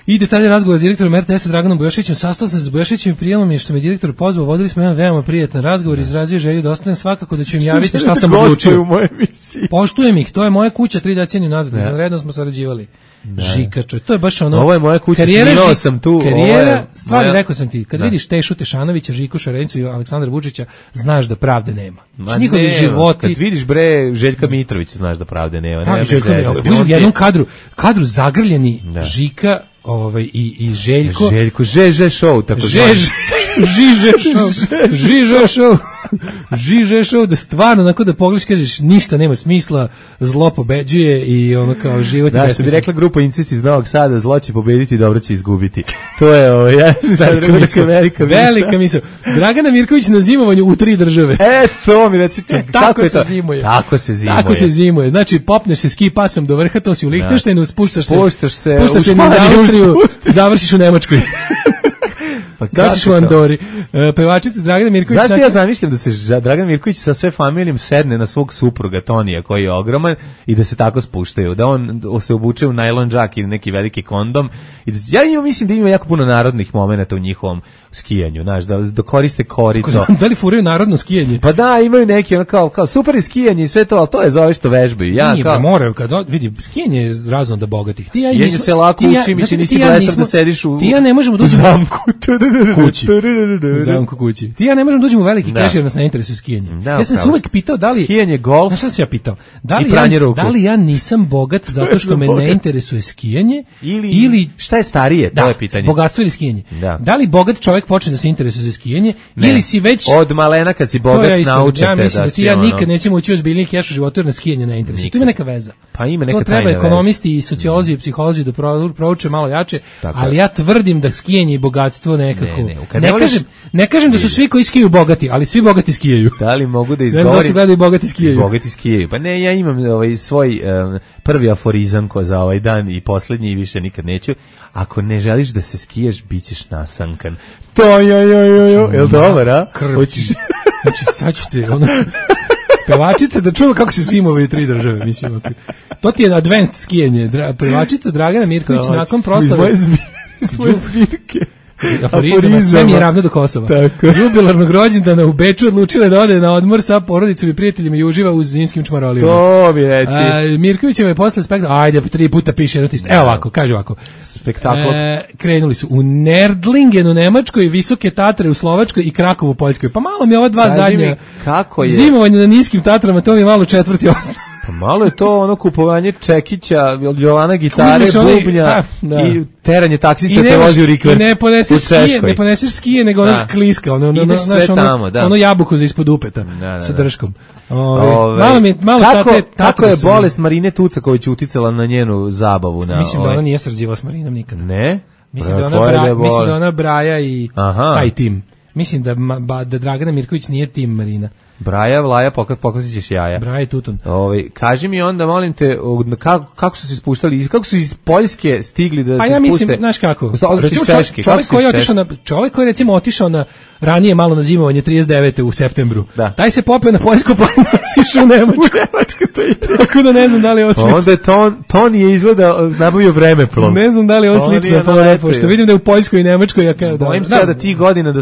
i detalje razgovora s direktorom RTS-a Draganom Bujoševićem. Sastao sam se s Bujoševićem i prijelo mi je što me direktor pozvao. Vodili smo jedan veoma prijatan razgovor, izrazio želju da ostanem, svakako da ću im javiti šta sam odlučio. Poštujem ih, to je moja kuća 3 decenije nazad, redno smo sarađivali. Žika, to je baš ono. Ovo je moja kuća, snimao sam tu. Stvari, rekao sam ti, kad vidiš Tešu Tešanovića, Žiku Šarenicu i Aleksandra Vučića, znaš da pravde nema. Njihovi životi. Kad vidiš bre Željka Mitrovića, znaš da pravde nema. U jednom kadru zagrljeni Žika i Željko. Žeže show, tako Žiže show, da stvarno onako da pogledaš, kažeš ništa nema smisla, zlo pobeđuje i ono kao život je besmislen. Da, što bi rekla grupa Incici iz Novog Sada, zlo će pobediti, dobro će izgubiti. To je velika misao. Dragana Mirković na zimovanju u 3 države. To mi recite, tako se zimuje. Tako se zimuje. Znači popneš se ski pasom do vrha, to si u Lihtenštajnu, spuštaš se na Austriju, završiš u Nemačkoj. Pa daš u Andori. Pevačica Dragana Mirković. Znaš ja zamišljam da se Dragan Mirković sa sve familijom sedne na svog supruga Tonija koji je ogroman i da se tako spuštaju, da on se obuče u najlon džak ili neki veliki kondom i da, ja mislim da ima jako puno narodnih momenata u njihovom skijanju, znaš, da koriste korito. Da li furaju narodno skijanje? Pa da, imaju neki ono kao super je skijanje i sve to, ali to je zove što vežbaju. Ja nije, kao moraju vidi, skijanje je razno da bogatih. Skijanje se lako uči, mislim nisi blesav da sediš u ja ne možemo doći u zamku kući. U zamku kući. Ti ja ne možemo doći u veliki keš jer nas ne interesuje skijanje. Ja sam se uvek pitao da li skijanje, golf. Znaš šta sam ja pitao? Da li ja nisam bogat zato što me ne interesuje skijanje ili šta je starije, to je pitanje. Bogatstvo ili skijanje. Da li bogat čovjek počne da se interesuje za skijanje ili si već od malena kad si bogat naučite ja mislim da ti ja nikad nećemo ući u ozbiljniji keš u životu jer na skijanje ne interesuje. To ima neka veza. Pa ima neka to treba ekonomisti i sociolozi i psiholozi da prouče malo jače, ali ja tvrdim da skijanje i bogatstvo nekako. Ne kažem da su svi koji skijaju bogati, ali svi bogati skijaju. Da li mogu da izgovorim? Ne znam da se gledaju bogati skijaju. Bogati skijaju. Pa ne, ja imam svoj prvi aforizam za ovaj dan i posljednji i više nikad neću. Ako ne želiš da se skiješ, bit ćeš nasankan. To jel dobar, a? Hoćeš? Znači, sad ćete, pevačica, da čujemo kako se simovaju 3 države, mislim. To ti je advanced skijanje. Pevačica Dragana Mirković nakon proslave. Svoje zbirke. Aforizama, sve mi je ravno do Kosova. Jubilarnog rođendana u Beču odlučila da ode na odmor sa porodicom i prijateljima i uživa u zimskim čmarolijama. To mi reci. Mirkovićeva je posle spektakla, ajde, 3 puta piše jedno tisto. Evo ovako, kaže ovako. Spektakl. Krenuli su u Nerdlingen u Nemačkoj, Visoke Tatre u Slovačkoj i Krakovu u Poljskoj. Pa malo mi ova dva zadnja. Kako je? Zimovanje na niskim Tatrama, to mi je malo četvrti osnov. Pa malo je to ono kupovanje čekića, Jovana gitare, bubnja i teranje taksista te vozi u rikverc. I ne poneseš skije, nego ono kliska, ono jabuku za ispod upeta sa drškom. Kako je bolest Marine Tucaković uticala na njenu zabavu? Mislim da ona nije srđiva s Marinom nikada. Ne? Mislim da ona Braja i taj tim. Mislim da Dragana Mirković nije tim Marina. Braja, Vlaja, pokazit ćeš jaja. Braja i Tutun. Kaži mi onda, molim te, kako su se spuštali, kako su iz Poljske stigli da se spuste? Pa ja mislim, znaš kako, čovjek koji je recimo otišao na ranije malo na zimovanje 39. u septembru, taj se popeo na Poljsku planinu i išao u Nemačku. Tako da ne znam da li je ovo slično. Onda je Toni je izgleda nabavio vremeplov. Ne znam da li je ovo slično, pošto vidim da je u Poljskoj i Nemačkoj. Bojim se da ti godina,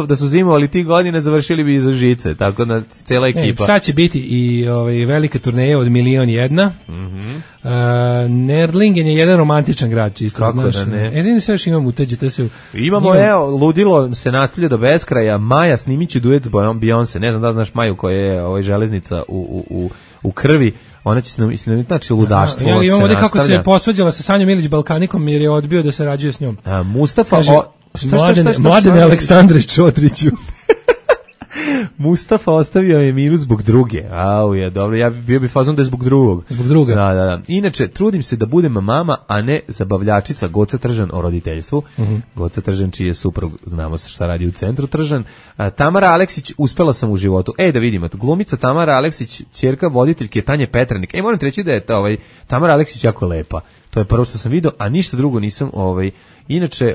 da su zimovali ti godine, završili bi iza žice, tako da cela ekipa. Sad će biti i velika turneja od 1.000.000. Nerdlingen je jedan romantičan grad, čisto. Kako da ne? Sve još imamo uteđete se. Imamo, ludilo se nastavlja do beskraja. Maja snimići duet s Beyoncé. Ne znam da znaš Maju koja je železnica u krvi. Ona će snimiti, znači ludaštvo. Imamo ovdje kako se posvađala sa Sanjom Ilić Balkanikom jer je odbio da se rađuje s njom. Mustafa... Mladene Aleksandre Čotriću. Mustafa ostavio je Milu zbog druge. Je dobro, ja bio bi fazon da je zbog drugog. Zbog druga. Da. Inače, trudim se da budem mama, a ne zabavljačica. Goca Tržan o roditeljstvu. Goca Tržan, čiji je suprug, znamo se šta radi u centru Tržan. Tamara Aleksić, uspela sam u životu. Da vidimo, glumica Tamara Aleksić, ćerka voditeljke Tanje Petranik. Moram ti reći da je Tamara Aleksić jako lepa. To je prvo što sam vidio, a ništa drugo nisam. Inače,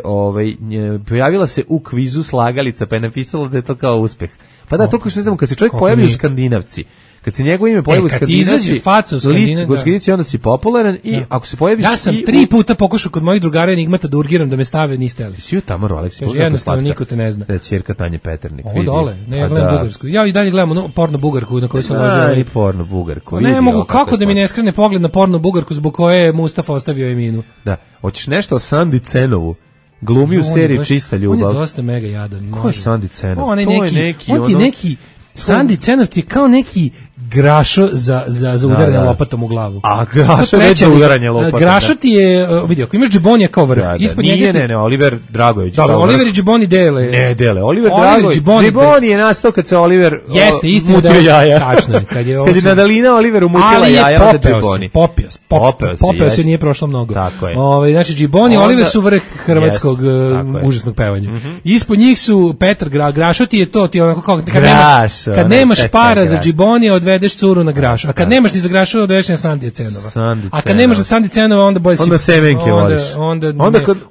pojavila se u kvizu Slagalica, pa je napisala da je to kao uspeh. Pa da, to kao što ne znamo, kad se čovjek pojavi u Skandinavci, kad se njegovo ime pojavi u Skandinavci, onda si popularan i ako se pojaviš... Ja sam 3 puta pokušao kod mojih drugara Enigmata da urgiram da me stave, niste li. Si u Tamaru Aleksić? Jednostavno, niko te ne zna. Da je ćerka Tanje Peternik. Ovo dole, ne, ja gledam bugarsku. Ja i dalje gledam porno bugarku na kojoj sam ložio. I porno bugarku. Ne mogu, kako da mi ne skrene pogled na porno bugarku zbog koje je Mustafa ostavio Eminu. Da, hoćeš nešto o Sandi Cenovu? Glumi u seriji Čista ljubav. On je dosta mega jadan. Ko je Sandi Cenov? On ti je neki Sandi Cenov ti je kao neki Grašo za udaranje lopatom u glavu. A Grašo je za udaranje lopatom. Grašo ti je, vidi, ako imaš Džibonija kao vrh. Ne, Oliver Dragović. Dobro, Oliver i Džiboni dele. Ne, dele. Oliver Dragović. Džiboni je nastao kad se Oliver mutio jaja. Tačno je. Kad je Nadalina Oliveru mutila jaja, onda Džiboni. Popeo se, nije prošlo mnogo. Tako je. Znači, Džiboni i Oliver su vrh hrvatskog užasnog pevanja. Ispod njih su Petar Grašo ti je to, ti onako kao, kad nemaš para za Džibonija, odvedi dovedeš curu na graš, a kad nemaš ni za grašu, dovedeš na Sandi Cenova. A kad nemaš za Sandi Cenova, onda bolje si... Onda semenke voliš.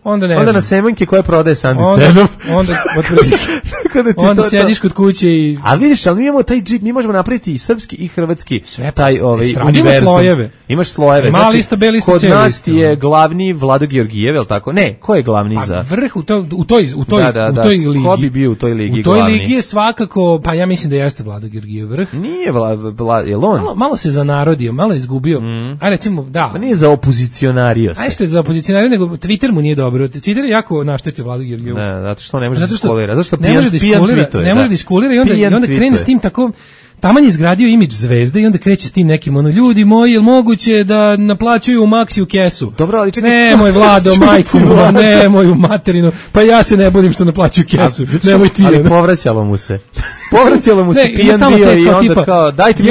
Onda na semenke koje prodaje Sandi Cenov. Onda sediš kod kuće i... A vidiš, ali mi imamo taj džip, mi možemo napraviti i srpski i hrvatski taj univerzum. Imaš slojeve. Mala lista, B lista, kod nas ti je glavni Vlado Georgijev, je li tako? Ne, ko je glavni za... Vrh u toj ligi. Ko bi bio u toj ligi glavni? U toj ligi je svakako, pa ja mislim da jeste Vlado Georgijev vrh. Nije je on? Malo se zanarodio, malo je izgubio. A recimo, da. Pa nije za opozicionario se. A što je za opozicionario, nego Twitter mu nije dobro. Twitter je jako naštetio Vlado Georgijevu. Ne, zato što ne može da iskulira. Zato što ne može da iskulira i onda krene s tim tako... Taman je izgradio imidž zvezde i onda kreće s tim nekim ljudi moji, je li moguće da naplaćuju u Maxiju kesu? Dobro, ali čekaj. Nemoj Vlado, majku, nemoj u materinu, pa ja se ne budim što naplaćuju kesu, nemoj ti. Ali povraćalo mu se pijan bio i onda tipa, kao, dajte mi...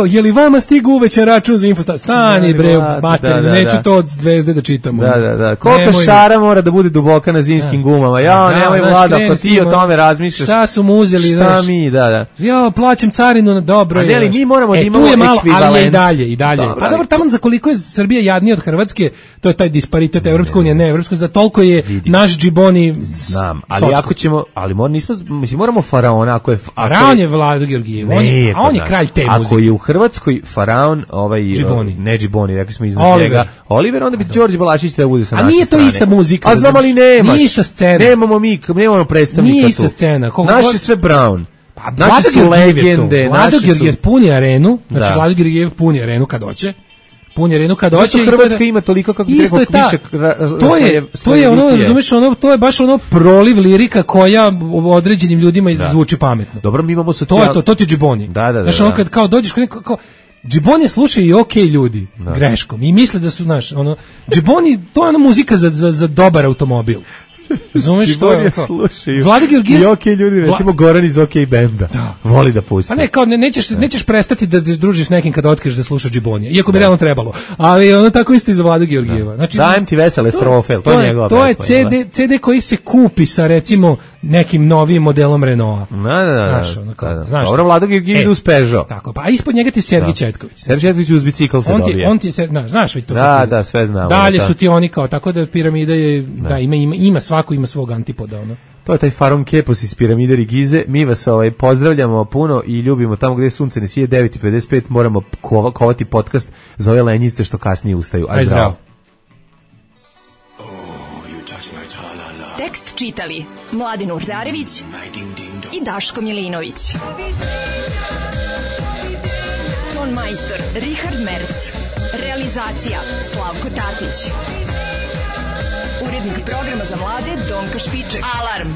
Je li vama stigu uvećan račun za infostat? Stani bre, materinu, neću to od zvezde da čitamo. Da. Koliko šara mora da bude duboka na zimskim gumama? Nemoj Vlado, ako ti o tome razmišljaš. Šta su mu uzeli? Šta mi, da. Plaćam carinu na dobro. Ali mi moramo da imamo ekvivalent. Ali je i dalje. Pa dobro, tamo za koliko je Srbija jadnija od Hrvatske, to je taj disparitet, Evropska unija, ne Evropska, za toliko je naš džiboni. Znam, ali ako ćemo, moramo faraona, ako je faraon je Vlado Georgijev, a on je kralj te muzike. Ako je u Hrvatskoj faraon, ne džiboni, rekli smo iznad njega, Oliver, onda bi Đorđe Balašić da bude sa naše strane. A nije to ista muzika. A znam, ali nemaš. Nije ista scena. Nemamo predstavnika tu. Nije ista scena. Naš je sve Brown. Naše su legende. Vlado Georgijev puni arenu, znači Vlado Georgijev puni arenu kad hoće. Zašto Hrvatska ima toliko kako bi trebalo više to je ono, razumeš, to je baš ono proliv lirika koja određenim ljudima zvuči pametno. Dobro, mi imamo to ti je džiboni. Znaš, ono kad kao dođeš kod nekog, kao džiboni slušaju i okej ljudi, greškom, i misle da su, znaš, ono, džiboni, to je ono muzika za dobar automobil. Razumeš što je? Vlado Georgijev i okej ljudi, recimo Goran iz okej benda. Voli da pusti. Pa ne, kao nećeš prestati da družiš s nekim kada otkriješ da sluša džibonija, iako bi realno trebalo. Ali ono tako isto i za Vladu Georgijeva. Znači, dajem ti vesele strofe, to je njegova pesma. To je CD koji se kupi sa recimo nekim novim modelom Renaulta. Znaš. Dobro, Vlado Georgijev ide uz Peugeot. Tako, pa ispod njega ti Sergij Četković. Sergij Četković uz bicikl se dobije. On ti je, znaš već to. Da, sve znamo. Dalje su ti oni kao, tako da piramida je, ima svako ima svog antipoda, ono. To je taj Faron Kepos iz piramide Gize. Mi vas pozdravljamo puno i ljubimo tamo gdje sunce ne sije. 9:55 moramo kovati podcast za ove lenjice što kasnije ustaju. Aj zdravo. Tekst čitali Mladen Urdarević i Daško Milinović. Ton majstor Richard Merc. Realizacija Slavko Tatić. Urednik programa za mlade Donka Špiček. Alarm!